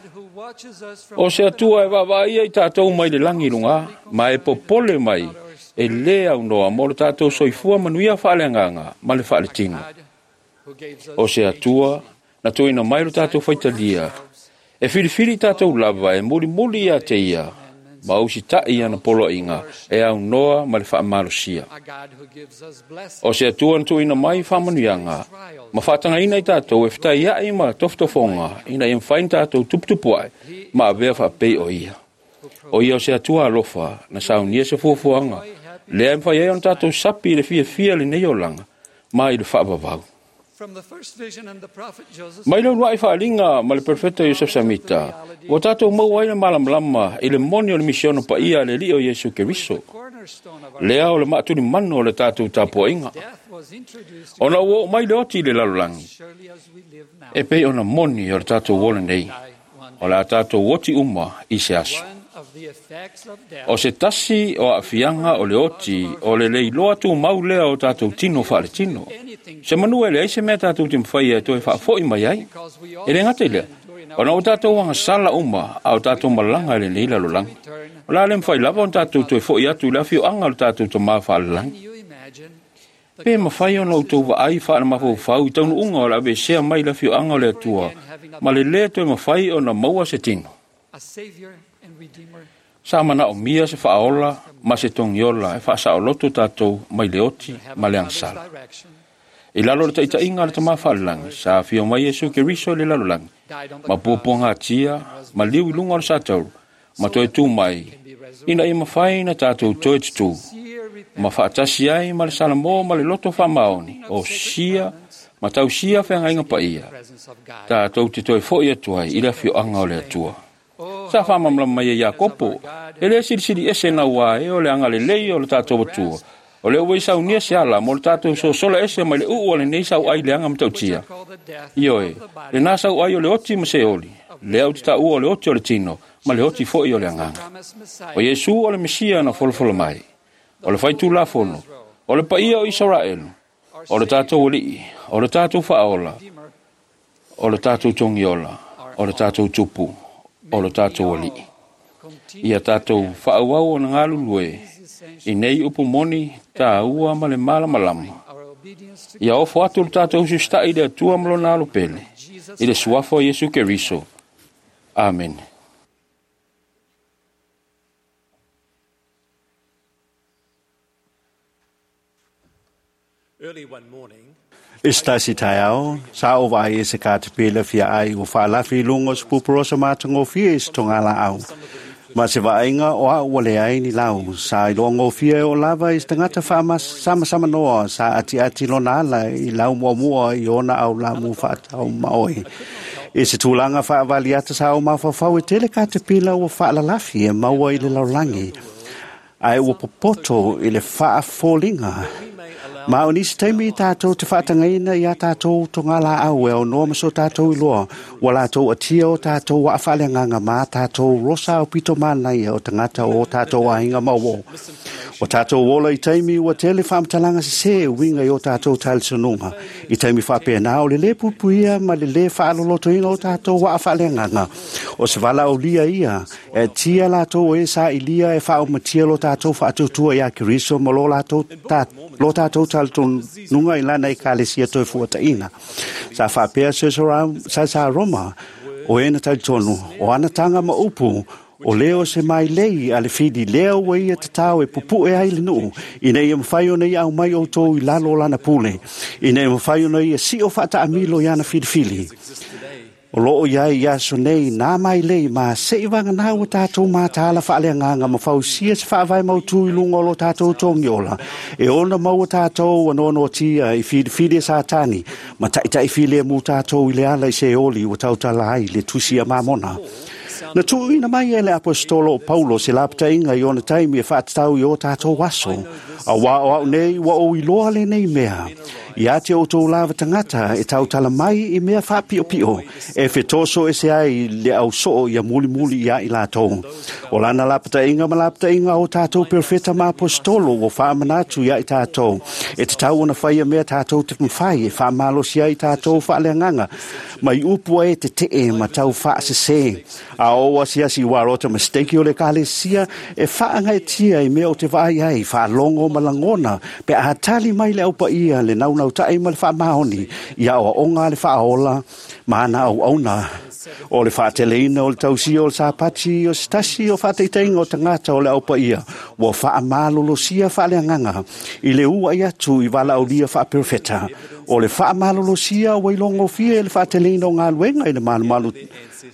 O se Atua e vaavaaia i tatou mai le lagi i luga, ma e popole mai e lē aunoa mo le tatou soifua manuia faaleagaga ma le faaletino. O se Atua na tuuina mai lo tatou faitalia, e filifili i tatou lava e mulimuli ia te ia, ma usita'i ana poloaiga e aunoa ma le faamalosia. O se Atua na tuuina mai faamanuiaga, ma faatagaina i tatou e fetaia'i ma tofotofoga ina ia mafai ona tatou tuputupua'i ma avea faapei o ia. O ia o se Atua alofa na saunia se fuafuaga, lea e mafai ai ona tatou sapi i le fiafia lenei olaga ma i le faavavau. Mai le uluai faaaliga ma le perfeta Iosef Samita, ua tatou maua ai le malamalama i le moni o le misiona paia a le Alii o Iesu Keriso, lea o le maatulimanu o le tatou tapuaiga. Ona ua oo mai le oti i le lalolagi, e pei ona moni o le tatou ola nei, o le a tatou oti uma i se aso. O se tasi o aafiaga o le oti o le leiloa tumau lea o tatou tino faaletino. Se manu e leai se mea tatou te mafai e toe faafo'i mai ai. E le gata i lea, ona o tatou agasala uma a o tatou malaga i lenei lalolagi. O le a le mafai lava ona tatou toe fo'i atu i le afioaga o le tatou Tamā faalelagi. Pe mafai ona outou vaai faalemafaufau i taunuuga o le aveesea mai le afioaga o le Atua, ma le lē toe mafai ona maua se tino. Sa manaomia se faaola ma se togiola e faasaoloto tatou mai le oti ma le agasala. I lalo o le taitaiga a le Tamā faalelagi, sa afio mai Iesu Keriso i le lalolagi, ma puapuagatia, ma liu i luga o le satauro, ma toe tū mai, ina ia mafai na tatou toe tutū, ma faatasi ai ma le Salamo ma le loto faamaoni, o sia ma tausia feagaiga paia, tatou te toe fo'i atu ai i le afioaga o le Atua. Sa faamalamalama mai e Iakopo, e lē silisili ese naua e o le agalelei o le tatou Atua, o le ua i saunia se ala mo le tatou sosola ese mai le uu o lenei sauai leaga matautia. Ioe, lenā sauai o le oti ma se oli, lea ou te taua o le oti o le tino, ma le oti fo'i o le agaga. O Iesu o le Mesia na folafola mai, o le faitulafono, o le paia o Isaraelu, o le tatou Alii, o le tatou Faaola, o le tatou Togiola, o le tatou Tupu, o le tatou Alii. Ia tatou faaauau ona galulue i nei upu moni tāua ma le malamalama. Ia ofo atu le tatou usiusita'i i le Atua ma lona alo pele, i le suafa o Iesu Keriso. Amene. I se tasi taeao, sa ou vaai i se katapila fia ai ua faalafi i luga o se pupurosa matagofie i se togalaau. Ma se vaaiga o a'u ua leai ni lau, sa iloagofie o lava i se tagata faamasamasama sa atiati lona ala i lau muamua i ona aulamu faatau maoe. I se tulaga faavaliata sa ou mafaufau e tele katapila ua faalalafi e maua i le lalolagi, ae ua popoto i le faafoliga Ma o nisi taimi tātou te whaatangaina i a tātou tō la au e o noa maso tātou i loa, wa lātou atia o tātou wa awhale nganga mā tātou rosa o pito mānai o tangata o tātou ahinga mawo. O tātou ola i taimi ua tele whaamatalanga se se winga i o tātou talisununga. I taimi whapena o le le pupuia ma le le whaalolotoina o tātou wa awhale nganga. O se wala o lia ia, e tia lātou e sa i lia e whaomatia lo tātou whaatutua ia Keriso ma lo lātou lo tātou talisununga i lana i kalesia toi fuataina. Sa whapea sa Roma o ena talitonu, o anatanga ma upu, o leo se mai lei a le fili leo ua ia tatao e pupu'e ai le nu'u ina ia mafai ona ia aumai outou i lalo o lana pule ina ia mafai ona ia si'o fa'ata'amilo i ana filifili. O loo iai i aso nei nā mai lei ma se'i vaganā ua tātou mātāla whaaleanganga ma fausia se whaavai mautu i lunga o lo tātou tongi ola. E ona maua tātou anoano tia i whiriwhiri e sātani ma ta'itai file mū tātou i le ala i se oli ua tautala ai le tusi a mamona. Na tuuina mai e le apostolo o Paulo se lapatainga i ona taimi e whaatatau i o tātou aso. A wā o au nei ua o iloa le nei mea. I ate o tō lava tangata e tautala mai i mea whaapio e whetoso e se ai le au soo ia muli muli ia i lātou. O lana lapatainga ma lapatainga o tātou perfeta ma apostolo o whaamanatu ia i tātou. E te tau ona whaia mea tātou te mwhai e whaamalosi ai tātou whaaleanganga. Mai upua e te tee ma tau whaasese. A o asiasi warota mistake o le kalesia e whaangaitia i mea o te vai ai whaalongo malangona pe a tali mai le aupa ia le naunau ta'i ma le whaamahoni i a oa le whaaola mana au auna o le whaateleina o le tausia o le sāpati o se tasi o whaateiteinga o tangata o le aupa ia ua whaamalolosia whaaleanganga i le ua i atu i walaaulia whaaperfeta o le whaamalolosia ua ilongofia e le whaateleina o ngā luenga i le malumalu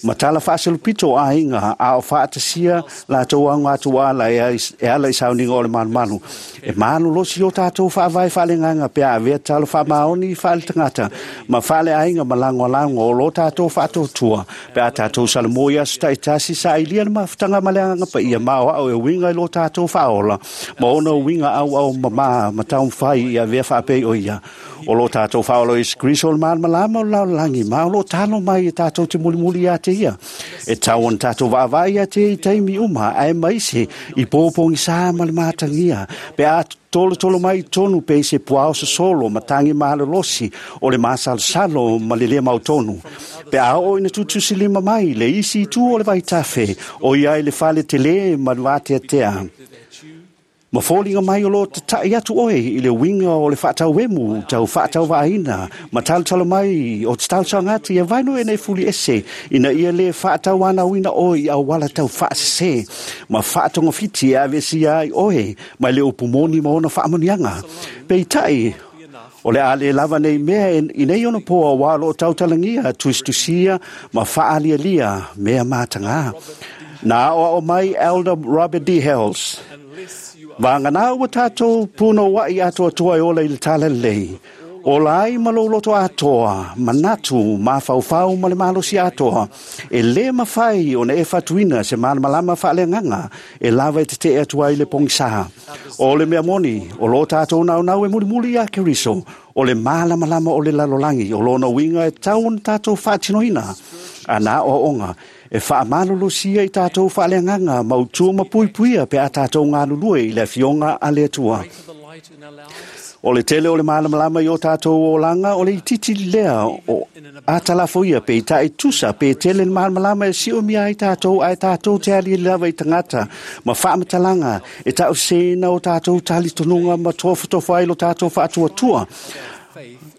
matala whaaselupito a inga a o whaatasia lātou au ngā tuala e ala i sauninga o le malumalu. E malolosi o tātou whaavai whaalenganga pe a vea talo whaamaoni whaale tangata ma whaale ainga ma lango o lo tātou whaatotua pe a tātou salamo i aso taitasi sa ilia le mafutanga maleanga pa ia mao au e winga i lo tātou whaola ma ona winga au au mama ma taum whai i a vea whaapei o ia. O lo tātou whaola i Kriso o le malamalama o lao langi ma o lo talo mai e tātou te mulimuli a te ia. E tau on tātou vaavai a te i taimi uma ae maise i pōpongi sā ma le mātangia. Pe a tolo tolo mai tonu pe se puao se solo matangi mahalolosi o le masalosalo ma le lea mautonu. Pe a o ina tutusi lima mai le isi itu o le vaitafe o ia i le fale tele ma le vāteatea. Ma fōlinga mai o lo te tai atu oe i le winga o le whaatauemu, tau whaatauvaina, ma talutalo mai o te tausangati e vaino e nei fuli ese, ina ia le whaatauana wina oe i au wala tau whaasese, ma whaatongawhiti e avesi ai oe, mai le upumoni ma ona whaamonianga. Pe i tai, o le ale lava nei mea i nei ona poa wā lo tautalangia, tustusia, ma whaalialia, mea mātanga. Nā o mai Elder Robert D. Hales. Wāngana ua tātou pūno wai atoa toa e ola i le tala lei. O lai ma loloto atoa, manatu, mawhauwhau ma le malosi atoa. E le mawhai o na e whatuina se malamalama whaaleanganga e lava e te te atua i le pongisaha. O le mea moni, o lo tātou nau nau e mulimuli a Keriso, o le malamalama o le lalolangi, o lona winga e tau na tātou whaatinoina. A nā o onga, e whaamalolosia i tātou whaaleanganga mautua mapuipuia pe a tātou ngā lulue i le fionga a le atua. O le tele o le malamalama i o tātou o langa, o le ititi lea o atalafoia pe i tae tusa, pe tele le malamalama e sio mia i tātou, ai tātou te ali lava i tangata, ma whaamatalanga, e tau sena o tātou talitonunga ma tofa ai lo tātou whaatuatua.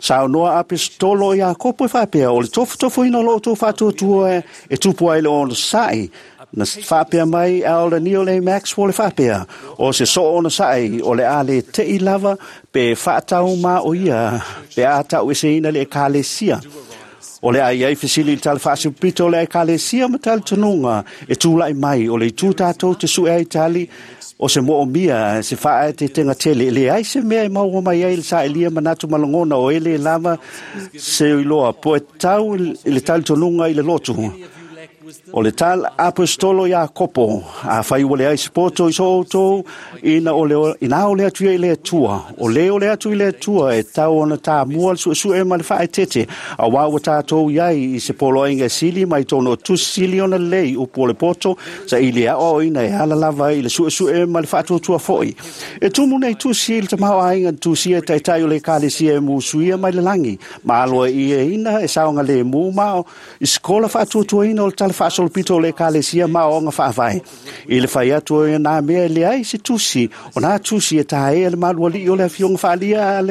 Sa noa apostolo i a kopo e whapea, o le tofotofo ina lo tō whaatuatua e tupu ai le ono sai. Na whapea mai Elder Neil A. Maxwell e whapea, o se so ona sai, o le ale te i lava, pe whaatau ma o ia, pe atau e se ina le ekalesia. O le ai ai fesili i tale whaasupito o le ekalesia ma tale tonunga, e tūlai mai, o le tū tātou te sue ai tali, o se moo mia, se whaa te tenga tele, le ai se mea e maua mai ai le sa elia manatu malangona o ele lava se iloa, po e tau i le tali tonunga i le lotu. O le tala apostolo Iakopo, afai ua leai se poto i so outou, ina o le atu ia i le Atua, o le o le atu i le Atua e tau ona tamua le suesue ma le faaeteete, auā ua tatou i ai i se poloaiga e sili mai tonu o tusi sili ona lelei upu o le poto, saili e aoaoina e ala lava i le suesue ma le faatuatua foi. E tumu nei tusi i le tamaoaiga na tusia e taitai o le ekalesia e musuia mai le lagi, ma aloaiaina e saogalemu ma o i sekola faatuatuaina o le tala faasolopito o le ekalesia ma aoaoga faavae. I le fai atu o nā mea e leai se tusi, o nā tusi e taea le malualii o le afioga faaalia a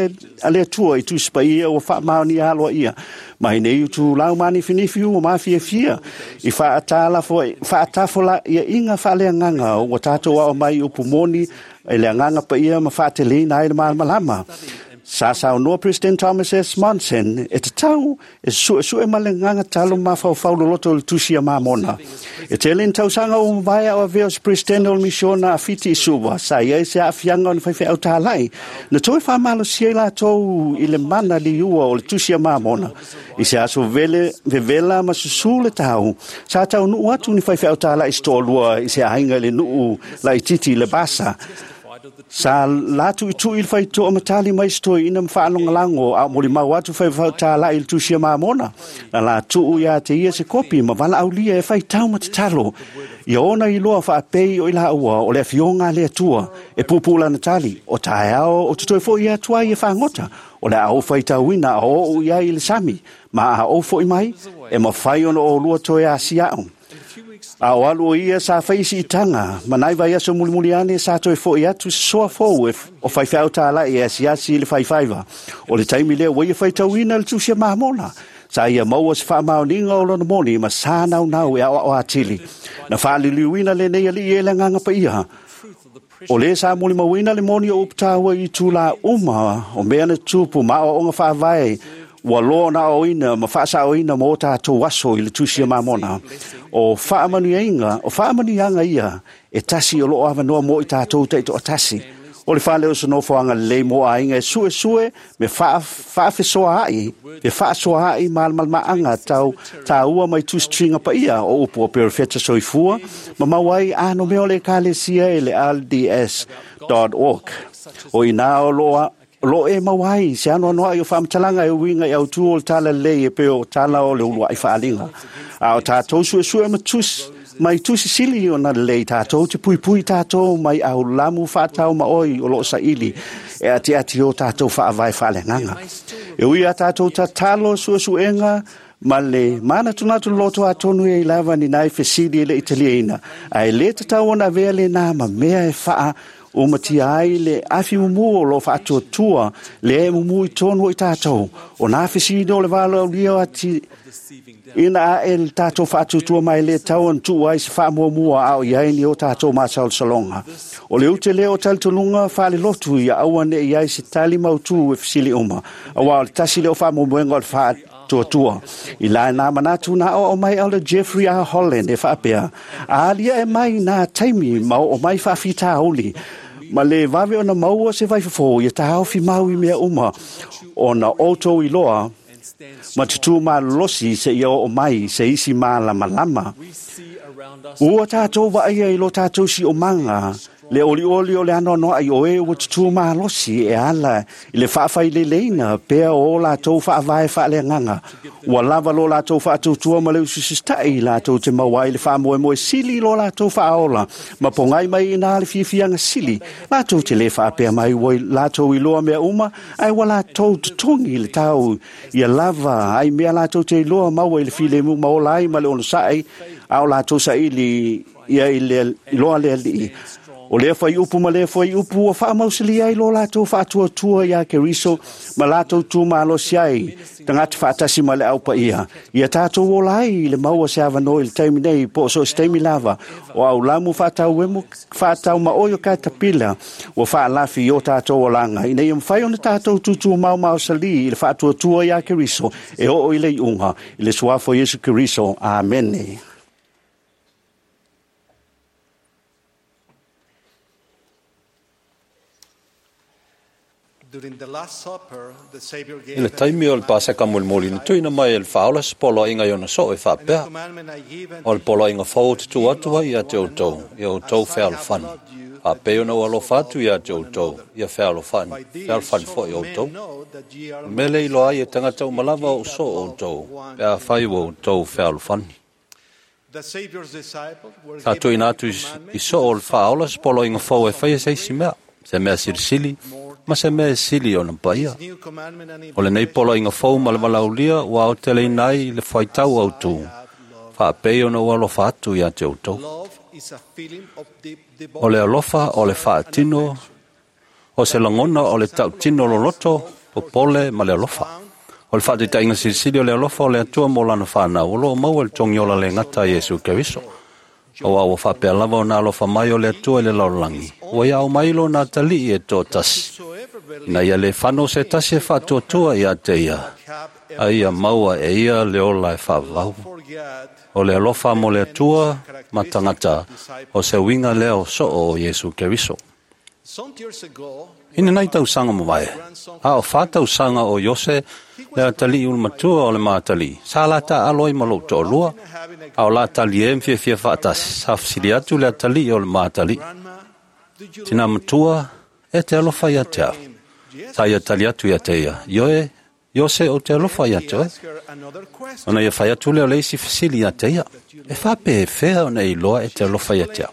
le Atua i tusi paia ua faamaonia aloaia. Mai nei utulau manifinifi ua mafiafia i faatafolaiaina faaleagaga ua tatou ao mai upu moni e le agaga paia ma faateleina ai le malamalama. Sa saunoa President Thomas S. Monson e tatau e suesue ma le agaga talo mafaufau loloto o le tusi a Mamona. E tele ni tausaga ua mavae a o avea o se President o le misiona a Fiti i Suva, sa i ai se aafiaga o ni faifeau tālai, na toe faamalosia i latou i le mana liua o le tusi a Mamona. I se aso vele, vevela ma susū le tau, sa taunuu atu ni faifeau tālai se toalua i se aiga i le nuu laitiiti i le Basa. Sa latu i tui i le faitoa ma tali mai se toeaina ma faalogolago a o molimau atu faifeau tālai i le tusi a Mamona. Na latuu ia te ia se kopi ma valaaulia e faitau ma tatalo. Ia ona iloa faapei o i laua o le afioga a le Atua e puupuu lana tali, o taeao ou te toe foi atu ai e fagota, o le a ou faitauina a oo i ai i le sami, ma a ou foi mai, e mafai ona oulua toe asia'u. A o alu o ia sa fai siitaga, ma nai vaiaso mulimuli ane sa toe fo'i atu se soa fou e o faifeau tāla'i e asiasi i le faifaiva. O le taimi lea ua ia faitauina le tusi a Mamona. Sa ia maua se faamaoniga o lona moni ma sa naunau e aoao atili. Na faaliliuina lenei alii e le agaga paia. O lē sa molimauina le moni o upu taua i itulā uma o mea na tupu ma aoaoga faavae ua loa ona aoaoina ma faasaoina mo tatou aso i le tusi a Mamona. O faamanuiaga, o faamanuiaga ia e tasi o loo avanoa mo i tatou taitoatasi. O le fale o se nofoaga lelei mo aiga e suesue me faafesoaai, me faasoaai malamalamaaga tau taua mai tusituiga paia o upu o perofeta soifua ma mau ai ano mea o le ekalesia e le LDS.org. O inā o loo lo e mau ai se anoanoai o faamatalaga e uiga i autū o le tala lelei e pei o tala o le uluai faaliga. A o tatou suesue ma tusi, mai tusi sili ona lelei tatou te puipui tatou mai aulamu faatau ma oi o loo saili e atiati o tatou faavae faaleagaga. E ui a tatou tatalo suesuega ma le manatunatu loto atonu e i lava ni nai fesili e le italiaina, ae le tatau ona avea lenā ma mea e faa umatia ai le afi mumu o lo faatuatua le e mumu i tonu o i tatou. O nā fesili o le valaaulia ati ina ae le tatou faatuatua mai le tau ona tuu ai se faamuamua a o i ai ni o tatou masalosaloga. O le ute lea o talitonuga faalelotu ia aua ne'i ai se tali mautū e fesili uma, auā o le tasi lea o faamoemoega o le faatuatua. I la nā manatu na aoao mai Elder Jeffrey R. Holland e faapea, a aliae mai nā taimi ma oo mai faafitauli, ma le vave ona maua se vaifofo ia taofi mau i mea uma, ona outou iloa ma tutū malolosi seia oo mai se isi malamalama. Ua tatou vaaia i lo tatou siomaga le olioli o le anoanoai o e ua tutū malosi e ala i le faafaileleina pea o latou faavae faaleagaga. Ua lava lo latou faatuatua ma le ususita'i latou te maua ai le faamoemoe sili i lo latou faaola ma pogai mai i nā le fiafiaga sili. Latou te lē faapea mai ua latou iloa mea uma, ae ua latou totogi le tau ia lava ai mea latou te iloa maua i le filemu ma ola ai ma le onosa'i a o latou saili ia i le iloa le alii. O lea fuaiupu ma lea fuaiupu ua faamausalia ai lo latou faatuatua iā Keriso ma latou tumalosi ai tagata faatasi ma le aupaia. Ia tatou ola ai i le maua se avanoa i le taimi nei po o so o se taimi lava o aulamu faatauemu faataumaoi o katapila ua faalafi i o tatou olaga ina ia mafai ona tatou tutumau maosalī i le faatuatua iā Keriso e oo i le iuga i le suafa o Iesu Keriso. Amene. I le taimi o le paseka molimoli na tuuina mai e le faaola se poloaiga i ona soo e faapea, “O le poloaiga fou ou te tuu atu ai ia te outou, ia outou fealofani. Faapei ona ou alofa atu ia te outou, ia fealofani, fealofani foi outou. O le mea lea e iloa ai e tagata uma lava o ou soo outou, pe afai ua outou fealofani.” Sa tuuina atu i soo o le faaola se poloaiga fou e faia se isi mea, se mea silisili ma se mea e sili ona paia. O lenei poloaiga fou ma le valaaulia ua aoteleina ai le faitau autū, faapei ona ou alofa atu ia te outou. O le alofa o le faatino, o se lagona o le tautino loloto, popole ma le alofa. O le faataitaiga silisili o le alofa o le Atua mo lana whanau, o loo maua i le togiola le gata a Iesu Keriso. Auā ua faapea lava ona alofa mai o le Atua i le lalolagi, ua ia aumai lona atalii e toatasi, ina ia le fano se tasi e faatuatua ia te ia, a ia maua e ia le ola e faavavau. O le alofa mo le Atua ma tagata, o se uiga lea o soo o Iesu Keriso. I lenei tausaga mavae, a o 4 tausaga o Iose le atalii ulumatua o le matalii, sa la taaalo ai ma lou toalua, a o la talie ma fiafia faatasi, sa fesili atu le atalii o le matalii, “Tina matua, e te alofa ia te au?” Sa ia tali atu ia te ia, “Ioe, Iose ou te alofa ia te oe.” Ona ia fai atu lea o le isi fesili ia te ia, “E faapefea ona e iloa e te alofa ia te au?”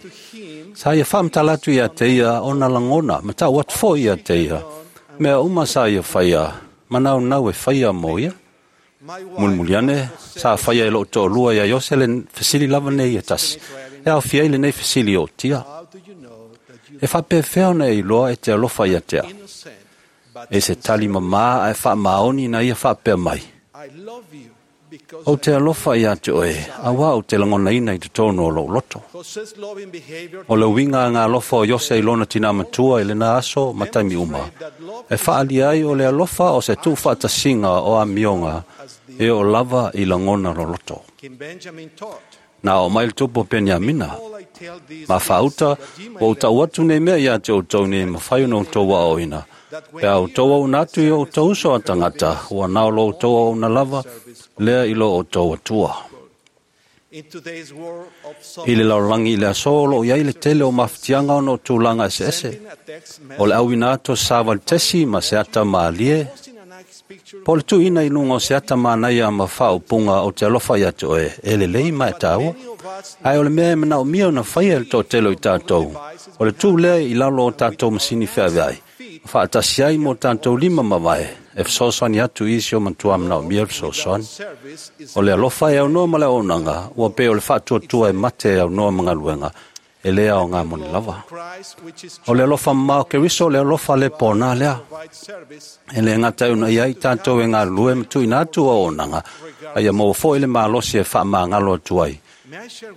Sa ia faamatala atu ia te ia ona lagona, ma tau atu foi ia te ia, mea uma sa ia faia, ma naunau e faia mo ia. Mulimuli ane, sa faia e lou toalua ia Iose le fesili lava nei e tasi, e aofia ai lenei fesili o tia, “E faapefea ona e iloa e te alofa ia te au?” E se tali mamā ae faamaoni na ia faapea mai, “Ou te alofa ia te oe, auā ou te lagonaina i totonu o lou loto.” O le uiga a ngā alofa o Iose i lona tina matua i lena aso ma taimi uma, e faaalia ai o le alofa o se tuufaatasiga o amioga e oo lava i lagona loloto. Na oo mai le tupu o Peniamina, ma faauta ua ou tau atu nei mea ia te outou nei mafai ona outou aoaoina, pe a outou auauna atu i o outou uso a tagata, ua na o lo outou auauna lava lea i lo outou Atua. I le lalolagi i le aso o loo i ai le tele o mafatiaga ona o tulaga eseese, o le auina atu o savali tesi ma se ata mālie, po o le tuuina i luga o se ata manaia ma faaupuga o te alofa ia te oe, e lelei ma e tāua. Ae o le mea e manaomia ona faia e le toatele o i tatou, o le tuu lea i lalo o tatou masini feaveai, ma faatasi ai mo tatou lima mavae, e fesoasoani atu i isi o matua manaomia le fesoasoani. O le alofa e aunoa ma le auaunaga, ua pei o le faatuatua e mate e aunoa ma galuega, e le aoga moni lava. O le alofa mamao o Keriso, o le alofa le pona lea. E le gata e uunai ai tatou e galulue ma tuuina atu auaunaga, a ia maua foi le malosi e faamagalo atu ai.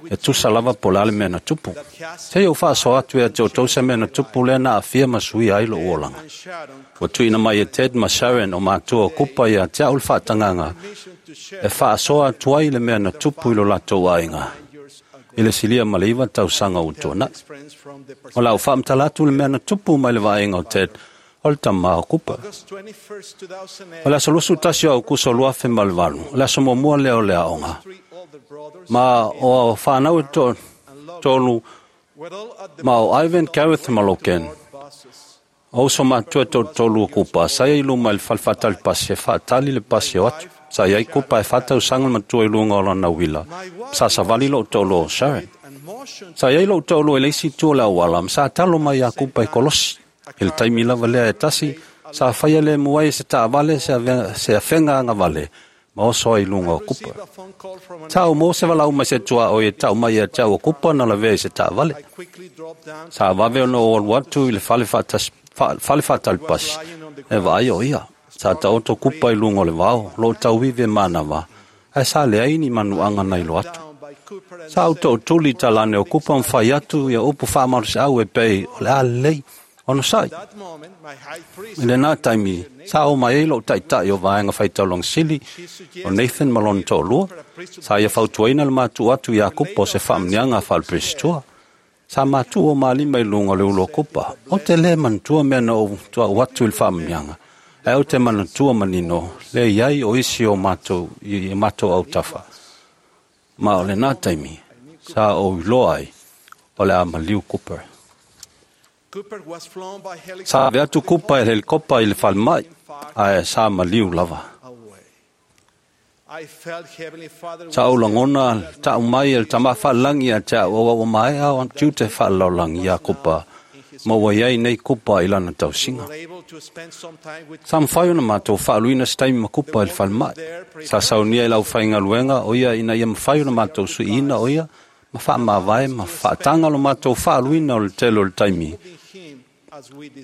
E tusa lava po o le a le mea na tupu. Seia ou faasoa atu ia te outou se mea na tupu lea na aafia ma suia ai lou olaga. Ua tuuina mai e Ted ma Sharon o matua o Kupa ia te au le faatagaga e faasoa atu ai le mea na tupu i lo latou aiga i le silia ma le 9 tausaga ua tuanai. O le a ou faamatala atu le mea na tupu mai le vaaiga o Ted o le tama o Kupa. O le aso 21 o Aukuso 2008, o le aso muamua lea o le aoga, ma o whanau e tolu ma o Ivan, Gareth ma Logan. O uso matua e tolu o Kupa, sa ia i luma i le fale pasi e faatali le pasi o atu. Sa ia i Kupa e faatausaga le matua i luga o lana uila, sa savali lou toalua o Sharon. Sa ia i lou toalua i le isi itu o le auala, ma sa talo mai ia Kupa i kolosi. I le taimi lava lea e tasi, sa faia le muai e se taavale se afega agavale, ma oso ai i luga o Kupa. Sa ou maua se valaau mai se tuaoi e tau mai ia te au o Kupa na lavea i se taavale. Sa vave ona ou alu atu i le fale faatali pasi, e vaai o ia. Sa taoto Kupa i luga o le vao, loo tauivi e manava, ae sa leai ni manuaga na ilo atu. Sa ou tootuli i talane o Kupa ma fai atu ia upu faamalosiau e pei o le a lelei, ona sai. I lena taimi, sa o mai ai lou taitai o vaega faitaulaga sili o Nathan ma lona toalua, sa ia fautuaina le matuu atu ia Kupa o se faamanuiaga faaleperesetua. Sa matuu o malima i luga o le ulu o Kupa. O te lē manatua mea na ou tua'u atu i le faamanuiaga, ae ou te manatua manino le iai o isi o matou i matou autafa. Ma o lenā taimi, sa ou iloa ai, o le a maliu Cooper. Sa ave atu Kupa e le helikopa i le falemai, ae sa maliu lava. Sa ou lagona ta'u mai e le Tamā Fa'alagi ia te a'u auau maea o tiute fa'alaolagi iā Kupa, ma ua iai nei Kupa i lana tausiga. Sa mafai ona matou fa'aluina se taimi ma Kupa i le falemai. Sa saunia i le aufaigaluega o ia ina ia mafai ona matou suiina o ia ma fa'amavae ma fa'ataga lo matou fa'aluina o le tele o le taimi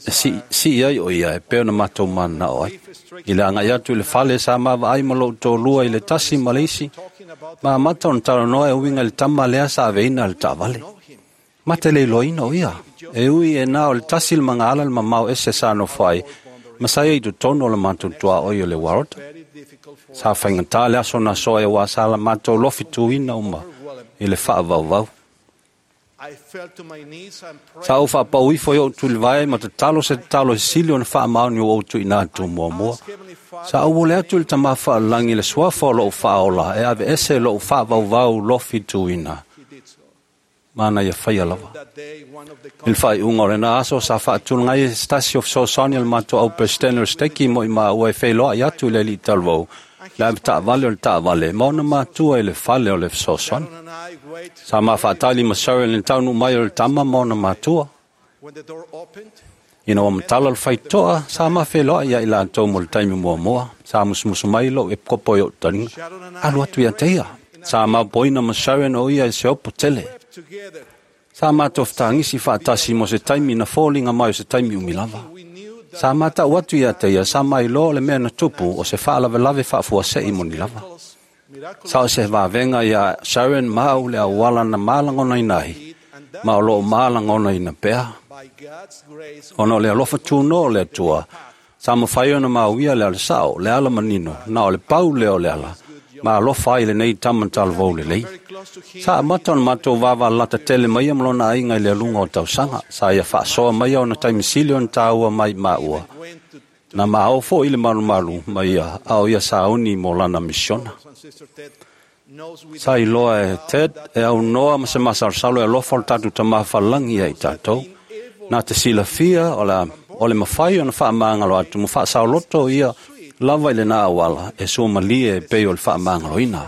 e si'i ai o ia e pei ona matou manana'o ai. I le aga'i atu i le fale sa mavaai ma lo'u tolua i le tasi ma le isi, ma amata ona talanoa e uiga i le tama lea sa aveina le taavale. Ma te le iloaina o ia. E ui e na o le tasi le magaala le mamao ese sa nofo ai, ma sa ia i totonu o le matou tuaoi o le Warota. Sa faigatā le aso na soa e uā sa la matou lofi tuina uma i le fa'avauvau. Sa ou fa'apau ifo i o'u tulivae ma tatalo se tatalo e sili ona fa'amaoni o ou tu'uina atu muamua. Sa ou ole atu i le Tamā Fa'alagi le suafa o lo'u fa'aola e aveese lo'u fa'avauvau lofi tuina. Mana ia faia lava. I le fa'ai'uga o lenā aso sa fa'atulaga ai e se tasi o fesoasoani a le matou au peresetene o le steki mo i māua e feiloa'i atu i le ali'i talavou le ave ta'avale o le ta'avale ma ona matua i le fale o le fesoasoani. Sa mafaatali ma Sharon i le taunuu mai o le tama ma ona matua. Ina ua matala le faito'a, sa mafeiloa'i ia i latou mo le taimi muamua. Sa musumusu mai lo'u epikopo i o'u taliga. Alu atu ia te ia. Sa maopoina ma Sharon o ia e se opo tele. Sa matou fetagisi fa'atasi mo se taimi na foliga mai o se taimi umi lava. Sa mata'u atu ia te ia sa mailoa o le mea na tupu o se fa'alavelave fa'afuase'i moni lava. Sa o se vavega iā Sharon ma au le auala na malagonaina ai, ma o lo'o malagonaina pea. Ona o le alofa tūnoa o le Atua, sa mafai ona mauia le ala sa'o, le ala manino, na o le pau lea o le ala, ma alofa ai lenei tama talavou lelei. Sa amata ona matou vavalata tele maia ma lona aiga i le aluga o tausaga. Sa ia fa'asoa maia ona taimi sili ona tāua mai māua. Na maao fo'i le malumalu ma ia, a o ia sauni mo lana misiona. Sa iloa e Ted e aunoa ma se masalosalo e alofa o le tatou Tamā Fa'alagi ia i tatou. Na te silafia o le mafai ona fa'amagalo atu ma fa'asaoloto ia lava i lenā auala e suamalie e pei o le fa'amagaloina.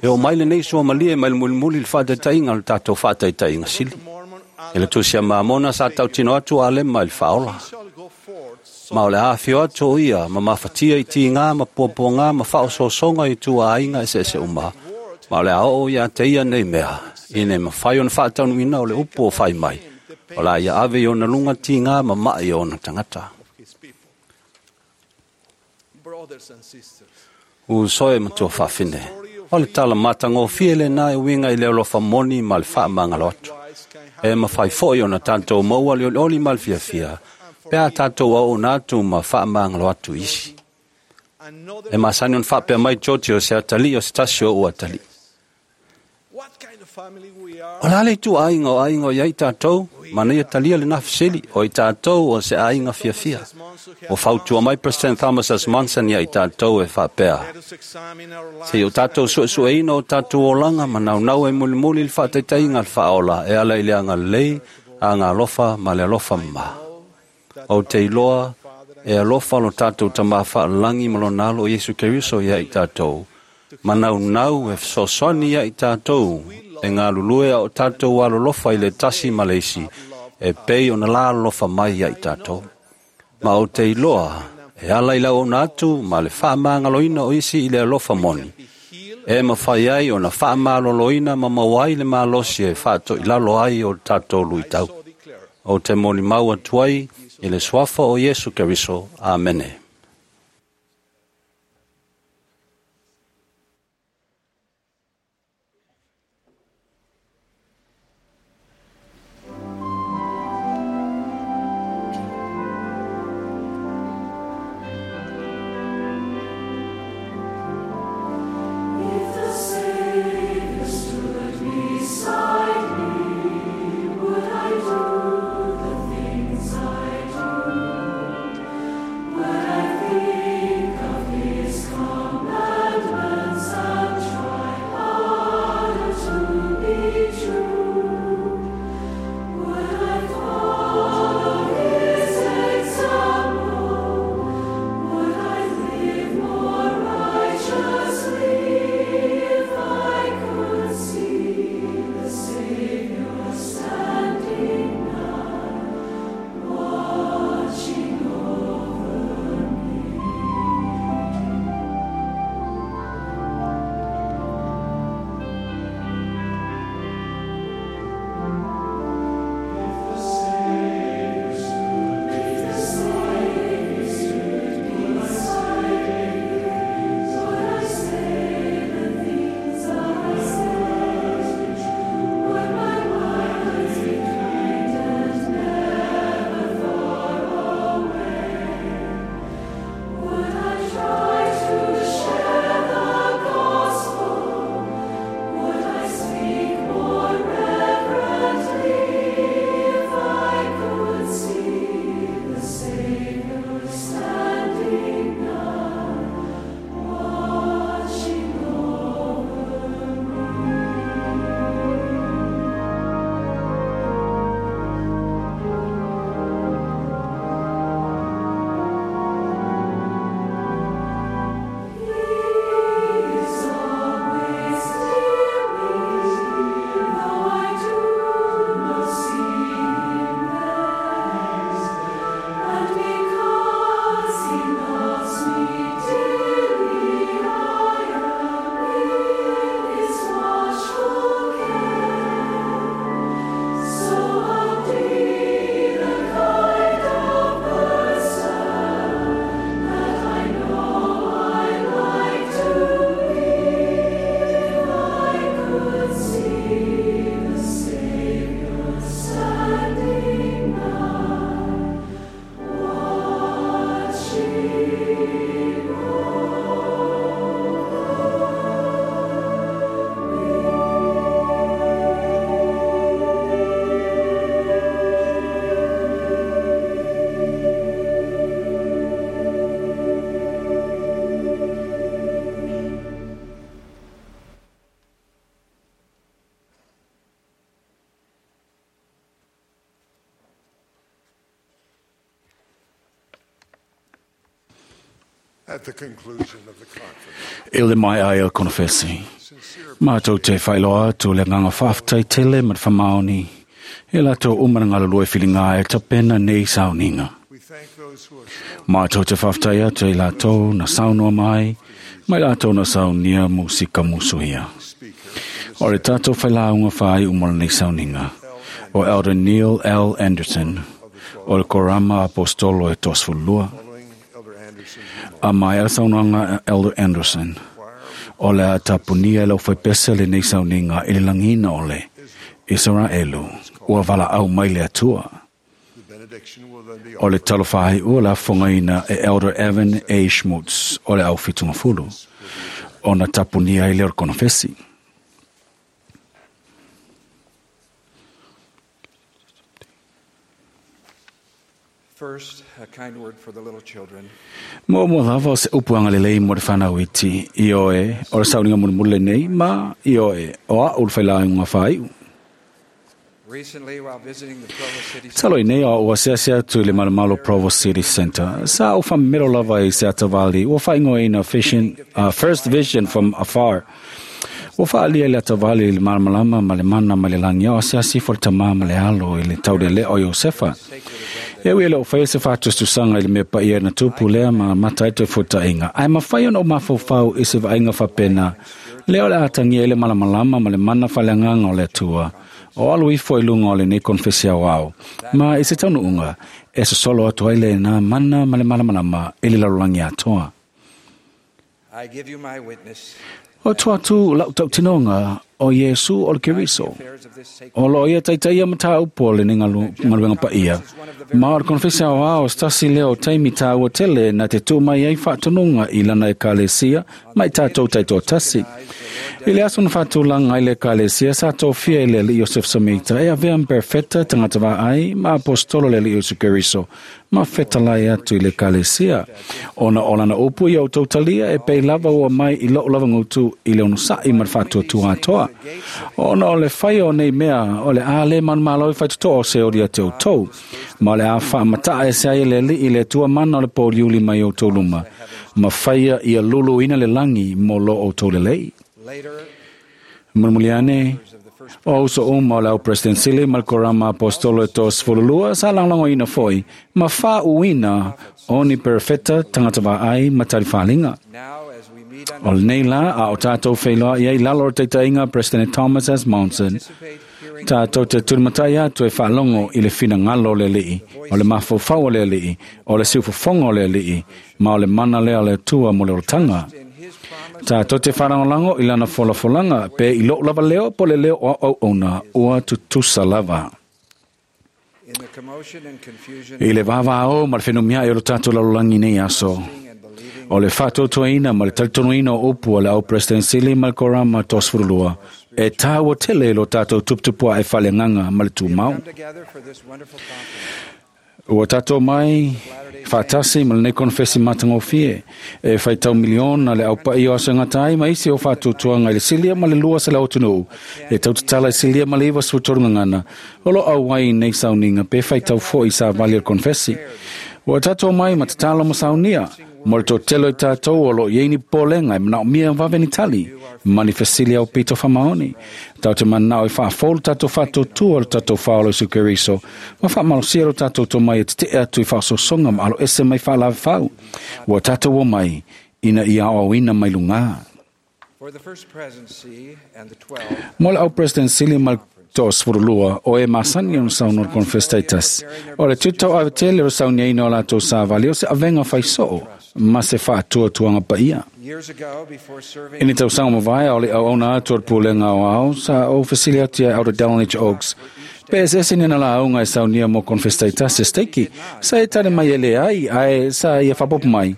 E o mai lenei suamalie mai le mulimuli i le fa'ataitaiga o le tatou fa'ataitaiga sili. I le tusi a Mamona sa tautino atu a Alema i le fa'aola. Ma o le afio atu o ia ma mafatia i tigā ma puapuagā ma fa'aososoga i tuaaiga eseese uma. Ma o le a o'o ia te ia nei mea, ina e mafai ona fa'ataunu'uina o le upu o fai mai. O la ia ave i ona luga tigā ma ma'i o ona tagata. Uso e matua fa'afine, o le tala matagofie lenā e uiga i le alofa moni ma le fa'amagalo atu. E mafai fo'i ona tatou maua le olioli ma le fiafia, pe a tatou au'una atu ma fa'amagalo atu isi. E masani ona fa'apea mai George o se atali'i o se tasi o o'u atali'i. O le a le itu'aiga o aiga o iai tatou, mana ia talia lenā fesili, o i tatou o se aiga fiafia. Ua fautua mai President Thomas S. Monson ia i tatou e fa'apea. Se'i o tatou su'esu'eina o tatou olaga ma naunau e mulimuli le fa'ataitaiga a le fa'aola e ala i le agalelei, agalofa ma le alofa mamā. Ou te iloa e alofa lo tatou Tamā Fa'alagi ma lona Alo o Iesu Keriso ia i tatou, ma naunau e fesoasoani ia i tatou e galulue a o tatou alolofa i le tasi ma le isi e pei ona la alofa mai ia i tatou. Ma ou te iloa e ala i le auauna atu ma le fa'amagaloina o isi i le alofa moni, e mafai ai ona fa'amaloloina ma maua ai le malosi e fa'ato'ilalo ai o tatou lu'itau. Ou te molimau atu ai i le suafa o Iesu Keriso. Amene. If the Savior stood beside me, would I le mai ai o konofesi. Mātou te whailoa atu le nganga whaaftai tele ma te whamaoni. E lato umana ngalo lue whilinga e tapena nei sauninga. Mātou te whaaftai atu e lato na saunoa mai, mai lato na saunia musika musuhia. O le tātou whailaunga whai umana nei sauninga. O Elder Neil L. Anderson, o le Korama Apostolo e Tosfulua. A mai a saunoanga Elder Anderson. O le a tapunia lau whaipesa le nei sauninga i le langina o le Israelu. Ua wala au mai le atua. O le talofai ua la whangaina e Elder Evan A. Schmutz o le au whitunga fulu. O na tapunia i le orkonofesi. First, a kind word for the little children. Mo mo lava o se upuanga lelei mo te whanau iti i oe, o le sauninga mulimuli nei, ma i oe, o a ulu whailaunga whaiu. Recently, while visiting the Provo City Talo i nei o ua seasea atu i le malomalo Provo City Center. Sa o whamero lava i se atavali, ua whaingoina First Vision from Afar. Ua whaalia i le atavali i le malamalama ma le mana ma le langi o seasi fo le tamā ma le alo i le taurele o Iosefa. E ui le o whaia se whātustusanga i le mea paia na tupu lea ma mata eto e futainga. Ai mawhai ona o mawhaufau i se vainga whapena. Leo le atangia i le malamalama ma le mana whaleanganga o le atua. O alu ifo i lunga o le nei konfesia o au. Ma i se taunu unga, e sosolo atu ai le nā mana ma le malamalama i le lalulangi atoa. I give you my witness. O tua atu lau tautinonga o Iesu o le Keriso. O lo ia taitaia mata upo le nei ngaluenga paia. Ma o le konfesia o ao stasi leo taimi tāua tele na te tū mai ai whaatononga i lana e kalesia mai tātou taito tasi. I le aso na whaatulanga i le kalesia sa tōfia i le li Iosef Samita e avea mperfeta tangata vā ai ma apostolo le li Iesu Keriso ma whetalai atu i le kalesia. Ona o lana upu i au tautalia e pei lava ua mai i loo lava ngutu i le onosa'i ma le whaatuatua atoa. Ona o le whai o nei mea o le a le manu malo i whaitutoa o se ori a te outou. Ma o le a whaamata'a e se ai le li i le tua mana o le pōliuli mai o tōluma. Ma whaia ia lulu ina le langi mo lo o tō lelei. Mulmuliane, o uso uma o le au President Sili Malkorama Apostolo e tos fululua sa langlango ina foi, ma wha uina o ni perfecta tangata ai matari whalinga. O le nei la a o tātou whailoa i ai lalo o teitainga President Thomas S. Monson. Tātou te turimatai atu e whaalongo i le whina ngalo o le alii, o le mawhaufau o le alii, o le siufofonga o le alii, ma o le mana lea o le atua mo le orotanga. Tātou te wharangolango i lana folafolanga, pe i loo lava leo po le leo o au ona, ua tutusa lava. I le vāvāo ma le whenumia e o le tātou lalolagi nei aso. O le whātautoina ma le talitonuina o upu o le au President Sili ma le Korama Tosfurulua. E tāua tele lo tātou tuputupua e whaleanganga ma le tūmau. Ua tātou mai whātasi ma le nei konfesi matangofie. E whaitau miliona le au pai o asangatai ma isi o whātutuanga i le silia ma le lua se le atunuu. E tautatala i silia ma le iwa sutorungangana. O lo au wai nei sauninga pe whaitau fo i sa vali o konfesi. Ua tātou mai ma tatalo ma saunia. Mo le tōtelo i tātou o lo ieini pōlenga e manao mia vaveni tali. Manifesili au pito whamaoni. Tau te manao i whaafolu tātou whātautua o le tātou whaolo i Sukeriso. Ma whaamalosia lo tātou tō mai e te te atu i whaasosonga ma alo ese mai whaalave whau. Ua tātou o mai ina ia o ina mai lunga. Mo le au President Sili mal tos furulua o e masani o sauno confestaitas. O le tutau avetele o saunia ina o latou savali o se avenga whaisoo ma se whaatua tuanga paia. I ni tausaga mavae o le auauna atu o le pulega o ao sa ou fesili atu ia Elder Dallin H. Oaks. Pe ese ni na laauga e saunia mo confestaitas e steiki, sa e tane mai e le ai, ae sa ia whapopo mai.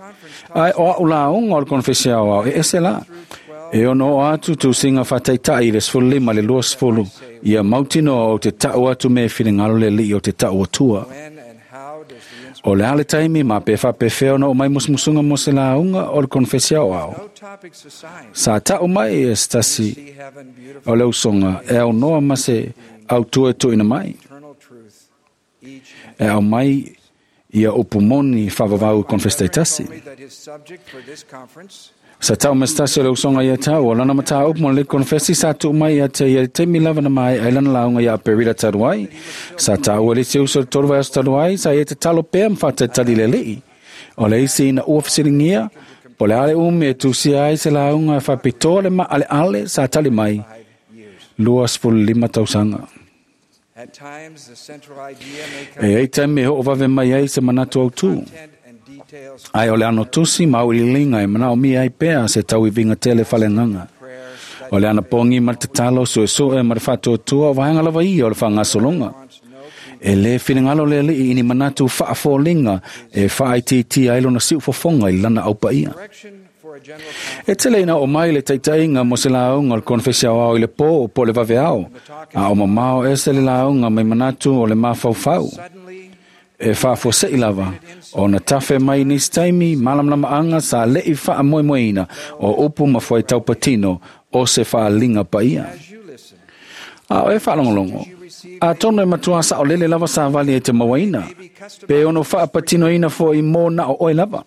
Ae o au laauga o le confesia o ao e ese la. E ono o atu tūsinga whataitai i le 15 le 20 ia mautino o te tau atu me whiringalo le li o te tau atua. O le ale taimi ma pe whapewheo na o mai musmusunga mo se launga o le konfesia o ao. Sa tau mai e stasi o le usonga e au noa ma se au tua e tuina mai. E au mai Ia upu moni whaavavau konfesi taitasi. Sa tau mestasi o le usoga ia tau, o lana mataupu mo le konfesi sa tuu mai ia te ia taimi lava na mai ai lana lauga ia Aperila talu ai. Sa taua le isi uso i le 3 vaiaso talu ai, sa ia tatalo pea ma faatatali le alii. O le isi ina ua fesiligia, po o le a le umi e tusia ai se lauga e faapitoa le maaleale sa tali mai, 25 tausaga. E i ai taimi e hoovave mai ai se manatu autū. Ai o le ano tusi ma auiliiliga e manaomia ai pea se tauiviga tele faleagaga. O le anapogi ma le tatalo suesue ma le faatuatua o vaega lava ia o le faagasologa. E lē finagalo le alii i ni manatu faafoliga e faaitiitia ai lona siufofoga i lana aupaia. E tele ina oo mai le taitaiga mo se lauga o le konefesi aoao i le pō po o le vaveao, a o mamao ese le lauga mai manatu o le mafaufau. E faafuase'i lava ona tafe mai nisi taimi malamalamaʻaga sa le'i faamoemoeina o upu ma fuaitau patino o se faaliga paia. A o e faalogologo, atonu e matuā saʻolele lava savali e te mauaina, pe ono faapatinoina foʻi mo na o oe lava.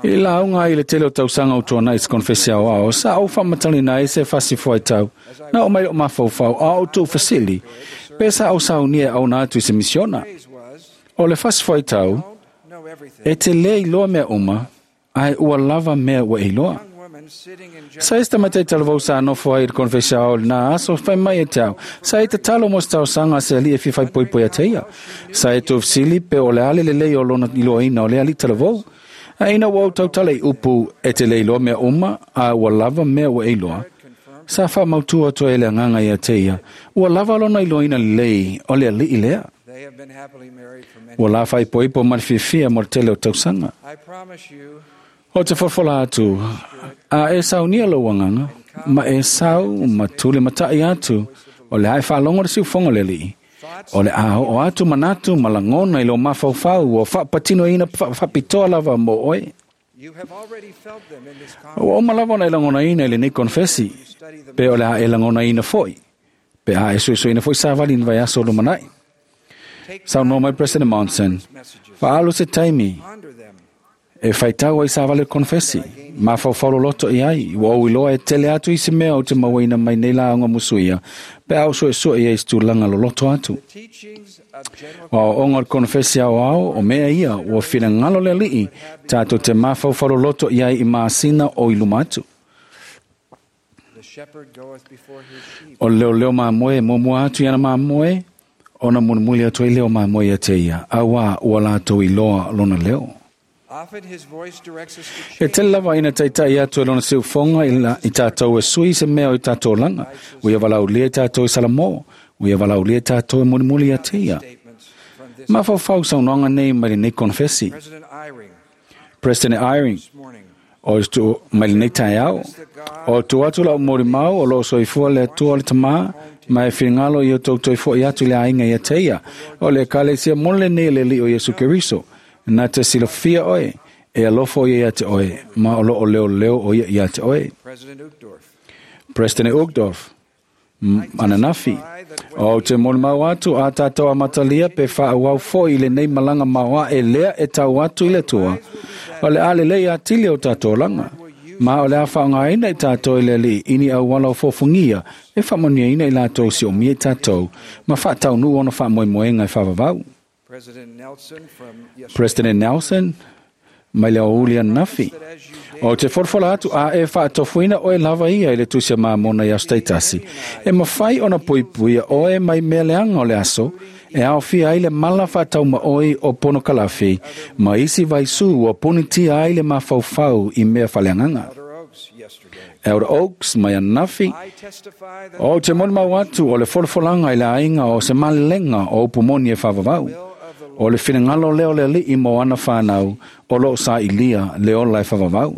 I le lauga ai i le tele o tausaga o tuanai i se konefesi aoao, sa ou faamatalaina ai se fasi fuaitau na oo mai loʻu mafaufau a o tuufesili pe sa ou saunia e auna atu i se misiona. O le fasi fuaitau, e te lē iloa mea uma, ae ua lava mea ua e iloa. Sa i se tamaitai talavou sa nofo ai i le konefesi aoao i lenā aso fai mai e te ao, sa e tatalo mo se talosaga a se alii e fia faipoipoia te ia. Sa e tuufesili pe o le a le lelei o lona iloaina o le alii talavou. A ina ua ou tautala i upu e te lē iloa mea uma, a ua lava mea ua e iloa, sa faamautu atu ai e le agaga ia te ia, ua lava lona iloaina lelei o le alii lea. Ua la faaipoipo ma le fiafia mo le tele o tausaga. O te folafola atu, a e saunia lou agaga, ma e sau ma tule mataʻi atu, o le a e faalogo le siufoga o le alii. O le a oo atu manatu ma lagona i lou mafaufau ua faapatinoina faapitoa lava mo oe. Ua uma lava ona e lagonaina i lenei konefesi, pe o le a e lagonaina foʻi, pe a e suesueina foʻi savali i ni vaiaso o lumanaʻi. Saunoa mai President Monson, faaalu se taimi e faitau ai savali o le konefesi, mafaufau loloto i ai, ua ou iloa e tele atu isi mea ou te mauaina mai nei lauga musuia, pe a ou suesue i ai i se tulaga loloto atu. O aoaoga o le konefesi aoao, o mea ia ua finagalo le alii tatou te mafaufau loloto i ai i masina o i luma atu. O le leoleo mamoe e muamua atu i ana mamoe, ona mulimuli atu ai lea o mamoe ia te ia, auā ua latou iloa lona leo. E tele lava ina taitai atu e lona siufoga i tatou e sui se mea o i tatou olaga, ua ia valaaulia i tatou e Salamo, ua ia valaaulia i tatou e mulimuli ia te ia. Mafaufau saunoaga nei mai lenei konefesi. President Eyring, o tu mai lenei taeao, o tu atu lau molimau o loo soifua le Atua o le Tamā, ma e finagalo ia outou toe foʻi atu i le aiga ia te ia, o le Ekalesia moni lenei e le Alii o Iesu Keriso, na te silafia oe, e alofa o ia ia te oe, ma o loo leoleo o ia ia te oe. President Uchtdorf, ananafi, o te molimau atu a tatou amatalia pe faaauau foʻi i lenei malaga maoaʻe lea e tau atu i le Atua, o le a lelei atili o tatou olaga, ma o le a faaaogaina i tatou e le Alii i ni auala o fofogia e faamanuiaina i latou siomia i tatou ma faataunuu ona faamoemoega e faavavau. President Nelson, mai le aoauli ananafi, o te folafola atu a e faatofuina oe lava ia i le tusi a Mamona i aso taitasi, e mafai ona puipuia oe mai mea leaga o le aso, e aofia ai le mala faataumaoi o ponokalafi ma isi vaisū ua punitia ai le mafaufau i mea faaleagaga. Elder Oaks mai ananafi, o te molimau atu o le folafolaga i le aiga o se malelega o upu moni e faavavau. O le finagalo lea o le alii mo ana whanau o loo sailia le ola e faavavau.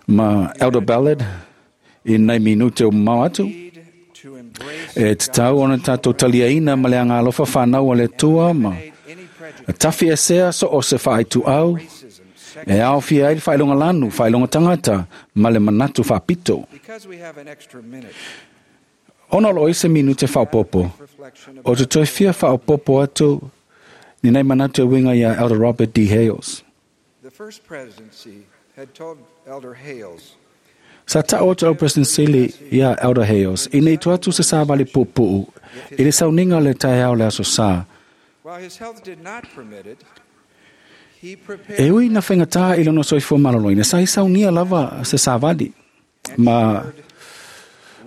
Ma Elder Ballard, i nei minute o mamao atu, e tatau ona tatou taliaina ma le agalofa whanau o le Atua ma tafi esea so o se faaituau, e aofia ai le faailoga lanu, faailoga tagata ma le manatu faapito. Ona o loo i se minute faaopoopo, o te toe fia faaopoopo atu ni nai manatu e uiga iā Elder Robert D. Hales. The first presidency had told Elder Hales Sa ta'o atu au President Sili iā Elder Hales ina i tua atu se savali puupuu i le sauniga o le taeao o le aso sā. While his health did not permit it, he E prepared ui na faigata i lona soifua maloloina, sa i saunia lava se savali ma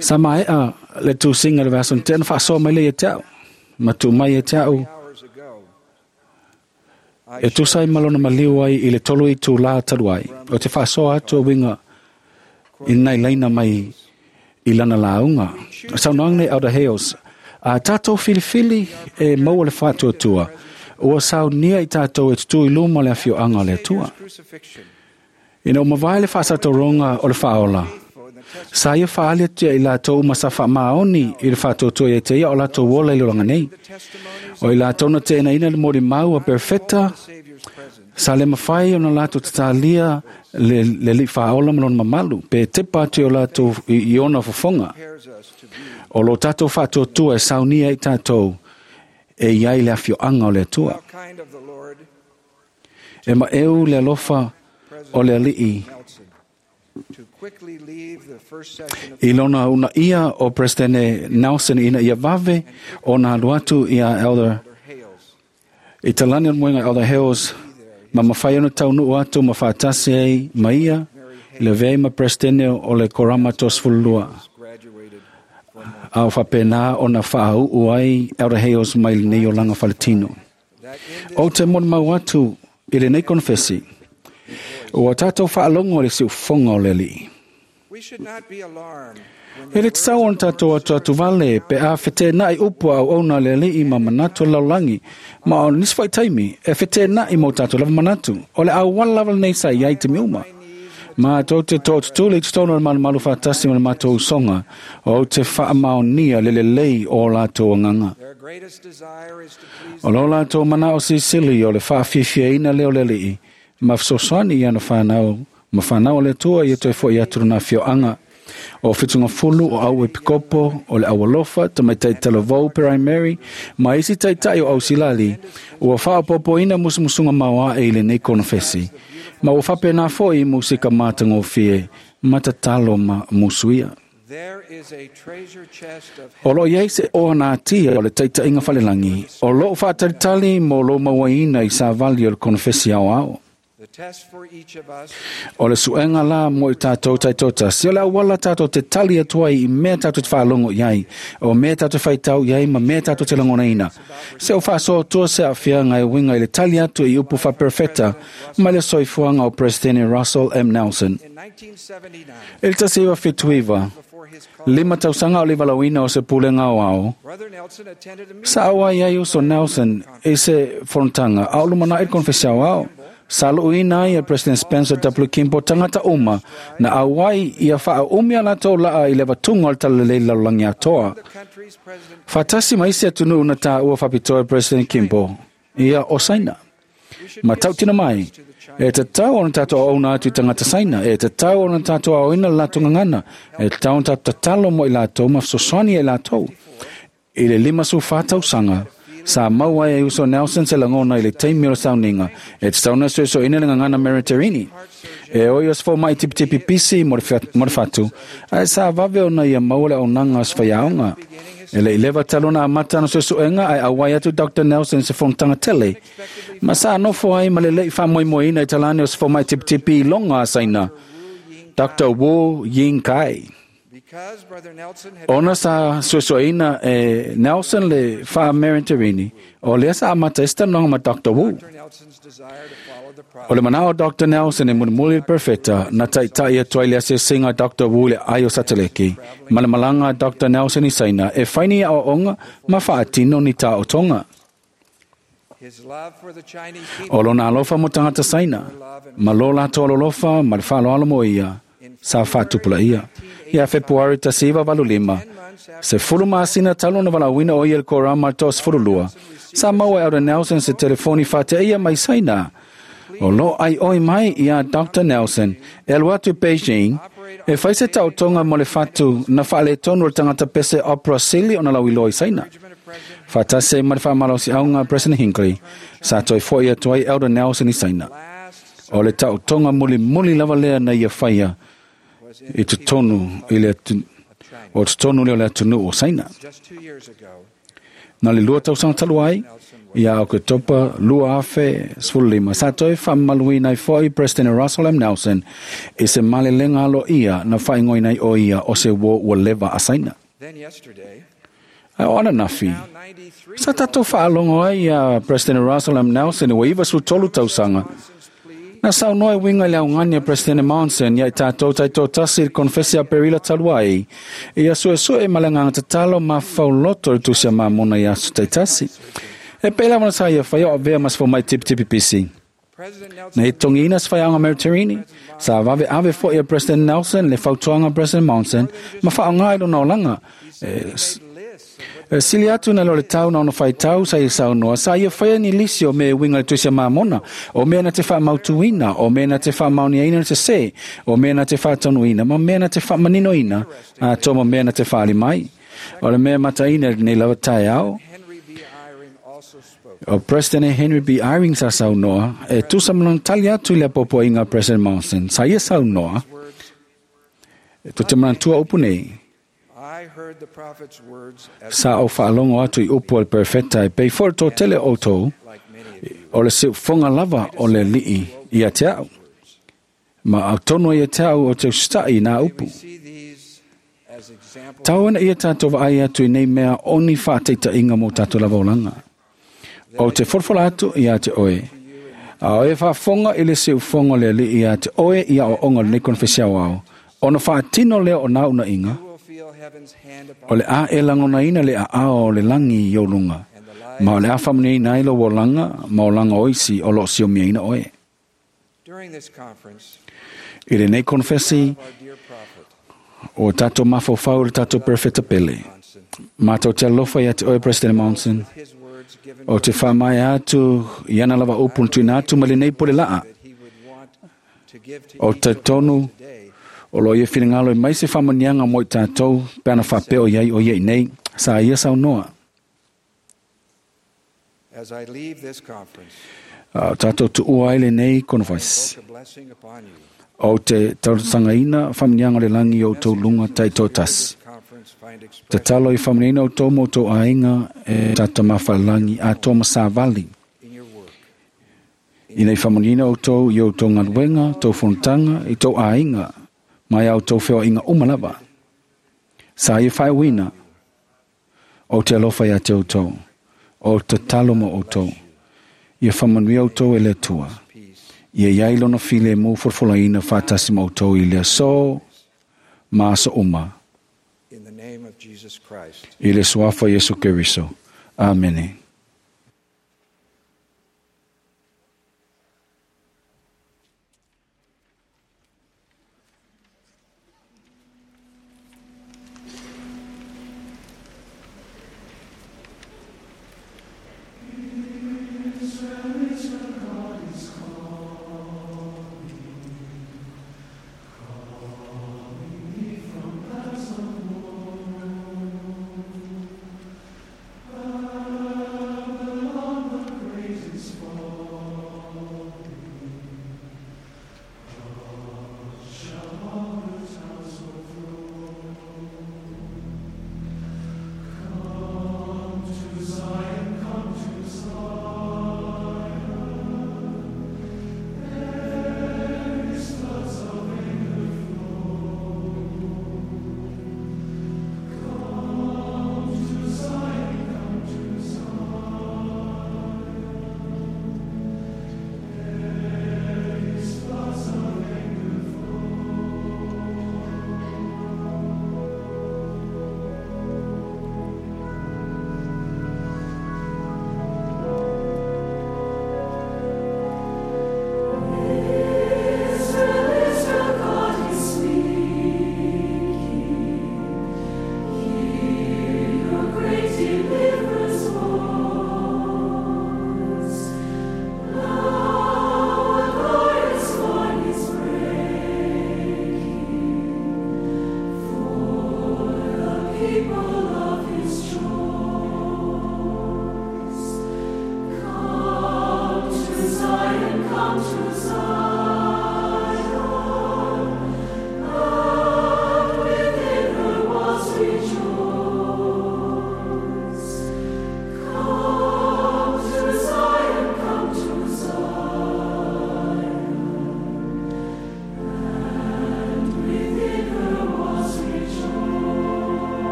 sa mae'a le tusiga le vaiaso na tea na faasoa mai lea ia te a'u ma tuu mai ia te a'u hours ago. I e tusa ai ma lona maliu ai i le 3 itulā talu ai o te faasoa atu e uiga i nai laina mai i lana lauga. Saunoaga nei Elder Hales, a tātou filifili e maua le faatuatua, ua saunia i tātou e tutū i luma o le afioaga o le Atua. crucifixion Ina ua mavae le faasatauroga o le faaola, sa ia faaali atu ia i latou uma sa faamaoni i le faatuatua ia te ia o latou ola i le olaga nei. O i latou na teenaina le molimau a perfeta, Savior's presence. sa le mafai ona latou tatalia le alii faaola ma lona mamalu, pe tepa atu i o latou i ona fofoga. Prepares us to be O lo tātou faatuatua e saunia i tātou e iai le afioaga o le Atua. how kind of the Lord E maeu le alofa o le alii Nelson to quickly leave the first session of i lona unaia o Presidente Nelson ina ia vave ona alu atu ia Elder Elder Hales. i talani o le moega Elder Hales ma mafai ona taunuu atu ma faatasi ai ma ia i le vea ma Presidente o le Korama 32. Graduated from A o faapena ona faauu ai Elder Hales mai lenei olaga faletino. that in O te molimau atu i lenei konefesi, ua tātou faalogo i le siufofoga o le alii. we should not be alarmed when E le tatau ona tātou atu atu vale pe a fetena'i upu a auauna a le alii ma manatu o le lalolagi, ma o nisi fo'i taimi e fetena'i mo tātou lava manatu. O le auala lava lenei sa iai taimi uma. Ma tou te to'atutuli i totonu o le malumalu faatasi ma le matou usoga, o te faamaonia le lelei o latou agaga. their greatest desire is to please O lo latou manao silisili o le faafiafiaina lea o le alii, ma fesoasoani i ana whanau, ma whanau o le Atua ia toe fo'i atu lona afioaga. O Fitungafulu, o au Epikopo, o le Aualofa, tamaitai talavou Primary, ma isi taitai o Ausilali, ua faaopoopoina musumusuga maoae i lenei konofesi. Ma ua faapena fo'i musika matagofie, ma tatalo ma musuia. There is a treasure chest of O loo iai se oa na atia o le taitaiga falelagi, o loo faatalitali mo lou mauaina i savali o le konofesi aoao. the test for each of us O le suega la mo i tātou taitotasi, o le auala tātou te tali atu ai i mea tātou te faalogo i ai, o mea tātou te faitau i ai ma mea tātou te lagonaina. Se o faasoatua se aafiaga e uiga i le tali atu i upu faaperefeta mai le soifuaga o Presidente Russell M. Nelson. in 1979 I le 1979, before his call 5 tausaga o le valauina o se pulega o ao, Brother Nelson attended a meeting sa au ai ai uso Nelson i se fonotaga a o lumana'i le konefesi aoao. Sa lu'uina ai e President Spencer W. Kimball tagata uma na auai ia faaumi a latou laa i le avatuga o le talalelei i le lalolagi atoa. the country's president Faatasi ma isi atunuu na tāua faapitoa e President Kimball, ia o Saina. Ma tautina mai, e tatau ona tātou auauna atu i tagata Saina, e tatau ona tātou aoina le latou gagana, e tatau ona tātou tatalo mo i latou ma fesoasoani ai latou. I le 54 tausaga, sa maua ai e uso Nelson se lagona i le taimi o le sauniga, e tatau ona soesoeina le gagana Mediterranean. E oi o se fomai tipitipi pisi mo le fatu, ae sa vave ona ia maua le auaunaga o se faiaoga. E le i leva talu ona amata ana suesuega ae auai atu Dr. Nelson i se fonotaga tele. Ma sa nofo ai ma le le'i faamoemoeina i talane o se fomai tipitipi i loga a Saina, Dr. Wu Yingkai. because Brother Nelson had Ona sa suesueina e Nelson le faa-Mediterranean, o lea sa amata ai se talanoaga ma Dr. Wu. Dr. Nelson's desire to follow the O prophet le manao o Dr. Nelson e mulimuli le perfeta na taitai atu ai le asiasiga a Dr. Wu i le ai o Sateleki. Ma le malaga a Dr. Nelson i Saina e fai ni aoaoga ma faatino ni taotoga. his love for the Chinese people O lona alofa mo tagata Saina, ma lo latou alolofa ma le faaaloalo mo ia, sa faatupulaia. Ia Fepuari 1985, se 10 masina talu ona valaauina o ia i le korama le 32, sa maua e Elder Nelson se telefoni faateia mai Saina. O loo ai oi mai ia Dr. Nelson e alu atu i Beijing E fai se taotoga mo le fatu na faaletonu o le tagata pese Opera Sili ona lauiloa i Saina. Faatasi ai ma le faamalosiauga President Hinckley, sa toe fo'i atu ai Elder Nelson i Saina. O le taotoga mulimuli lava lea na ia faia i totonu i le o totonu lea o le atunuu o Saina. Na le 2 tausaga talu ai, ia Oketopa 2015, sa toe faamamaluina ai fo'i President Russell M. Nelson i se malelega aloaia na faaigoaina ai o ia o se uo ua leva a Saina. Ae o ananafi, sa tatou faalogo ai ia President Russell M. Nelson ua 93 tausaga. Na saunoa e uiga i le augani a President Monson ia i tatou taitoatasi i le konfesi a Aperila talu ai, ia suesue ma le agaga tatalo ma fauloto i le tusi a Mamona i aso taitasi. E pei lava ona sa ia faia o avea ma se fomai tipitipi pisi. Na i togiina se faiaoga Mary Terini, sa vave ave fo'i a President Nelson le fautuaga a President Monson ma faaaoga i lona olaga. E sili atu na lo le tau na ona faitau sa ia saunoa, sa ia faia ni lisi o mea e uiga i le tusi a Mamona, o mea na te faamautuina, o mea na te faamaoniaina le sesē, o mea na te faataunuina, ma mea na te faamaninoina, atoa ma mea na te faali mai. O le mea mataina i lenei lava taeao, o President Henry B. Eyring sa saunoa, e tusa ma lona tali atu i le apoapoaiga a President Monson. Sa ia saunoa, e tou te manatua upu nei, sa ou faalogo atu i upu a le perofeta e pei foi le toatele o outou, o le siufofoga lava o le alii ia te au. Ma atonu ai ia te au o te usita'i i nā upu. Tau ana ia tatou vaai atu i nei mea o ni faataitaiga mo tatou lava olaga. O te folafola atu ia te oe. A o e faafofoga i le siufofoga o le alii ia te oe i aoaoga o lenei konefesi aoao, ona faatino lea o nā unaiga, o le a e lagonaina le aao o le lagi i ou luga, ma o le a faamanuiaina ai lou olaga ma olaga o isi o loo siomiaina oe. I lenei konefesi, o tatou mafaufau i le tatou perofeta pele. Matou te alofa ia te oe President Monson, o te faamaea atu i ana lava upu na tuuina atu mai lenei pole laa. O te tonu o lo ia finagalo e mai se faamanuiaga mo i tatou pe ana faapea o iai o ia i nei, sa ia saunoa. A o tatou tuua ai lenei konefesi, o te talosagaina faamanuiaga o le lagi i outou luga taitoatasi. Tatalo i faamanuiaina outou ma outou aiga e tatou mafalagi atoa ma savali. Ina i faamanuiaina outou i outou galuega, tou fonotaga, i tou aiga, mai a outou feoaiga uma lava. Sa ia faaiuina, o te alofa ia te outou, o tatalo mo outou. Ia faamanuia outou e le Atua. Ia iai lona filemu folafolaina faatasi ma outou i le aso ma aso uma. I le suafa Iesu Keriso. Amene.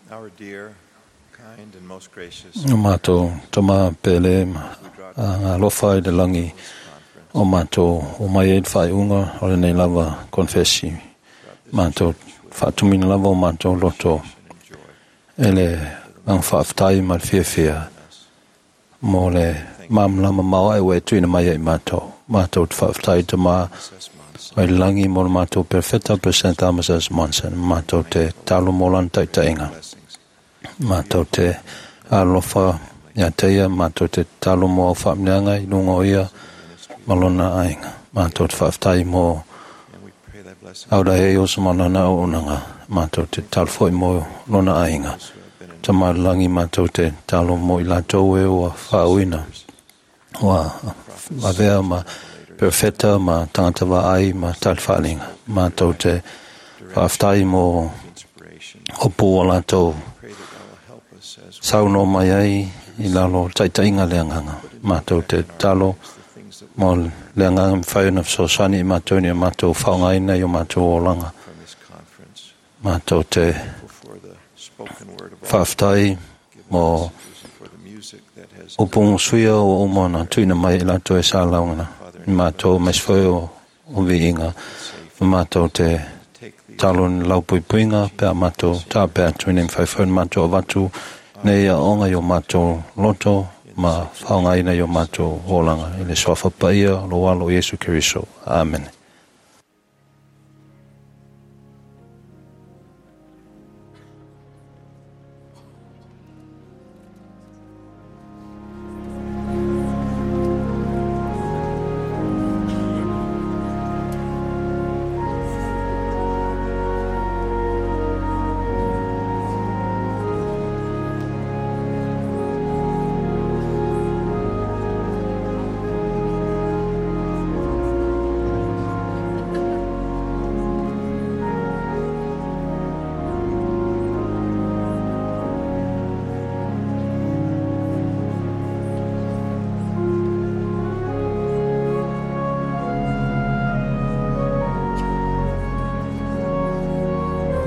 Our dear, kind and most gracious O mātou tama pele ma a ngā lofa i le langi o mātou o mai e le whaiunga o le nei lava konfesi. Mātou whaatumina lava o mātou loto e le ang whaaftai ma le fiafia mo le mamlama maua e ue tuina mai e mātou. Mātou te whaaftai te mā o le langi mo le mātou perfecta percent Thomas Monson. Mātou te talo mo lan taitainga. Mātou te alofa ia te ia, mātou te talo mo au whaamneanga i lunga o ia malona ainga. Mātou te whaaftai mo aura e o samanana o unanga. Mātou te talo foi mo lona ainga. Ta malangi mātou te talo mo i lātou e o whaauina. Ua avea ma perfecta ma tangata vaai ma talwhalinga. Mātou te whaaftai mo opu o lātou sauno mai ai i lalo taitainga le anganga. Mātou te talo mo le anganga mwhai ona whasosani i mātou ni o mātou whaongaina i o mātou olanga. Mātou te whaaftai mo upungu suia o umona tuina mai i lātou e sa laungana. I mātou maisfoi o viinga. Mātou te talo ni laupuipuinga pea mātou tā pea tuina i mwhaiwhai mātou avatu nei a onga i o mātou loto ma whaongaina i o mātou olanga. I le soafa paia lo alo Iesu Keriso. Amen.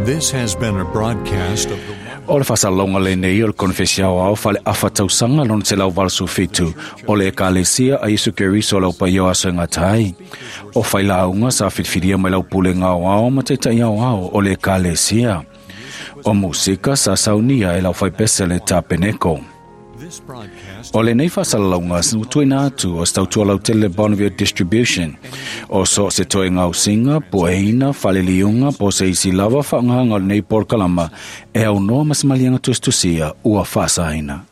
This has been a broadcast of the O le whasalonga le nei o le konfesiao au whale afa tausanga lona te lau valsu fitu o le ekalesia a Iesu Keriso lau pai o aso ngā tai. O whailaunga sa whitwhiria mai lau pule ngā ao ma te tai ao ao o le ekalesia. O musika sa saunia e lau whaipese le tapeneko. O le nei whasalalaunga snu tuina atu o stautua lau tele Bonneville Distribution. O so se toe ngau singa, po eina, whaleliunga, po se isi lava whaangahanga o le nei porkalama e au noa masamalianga tustusia ua whasaina.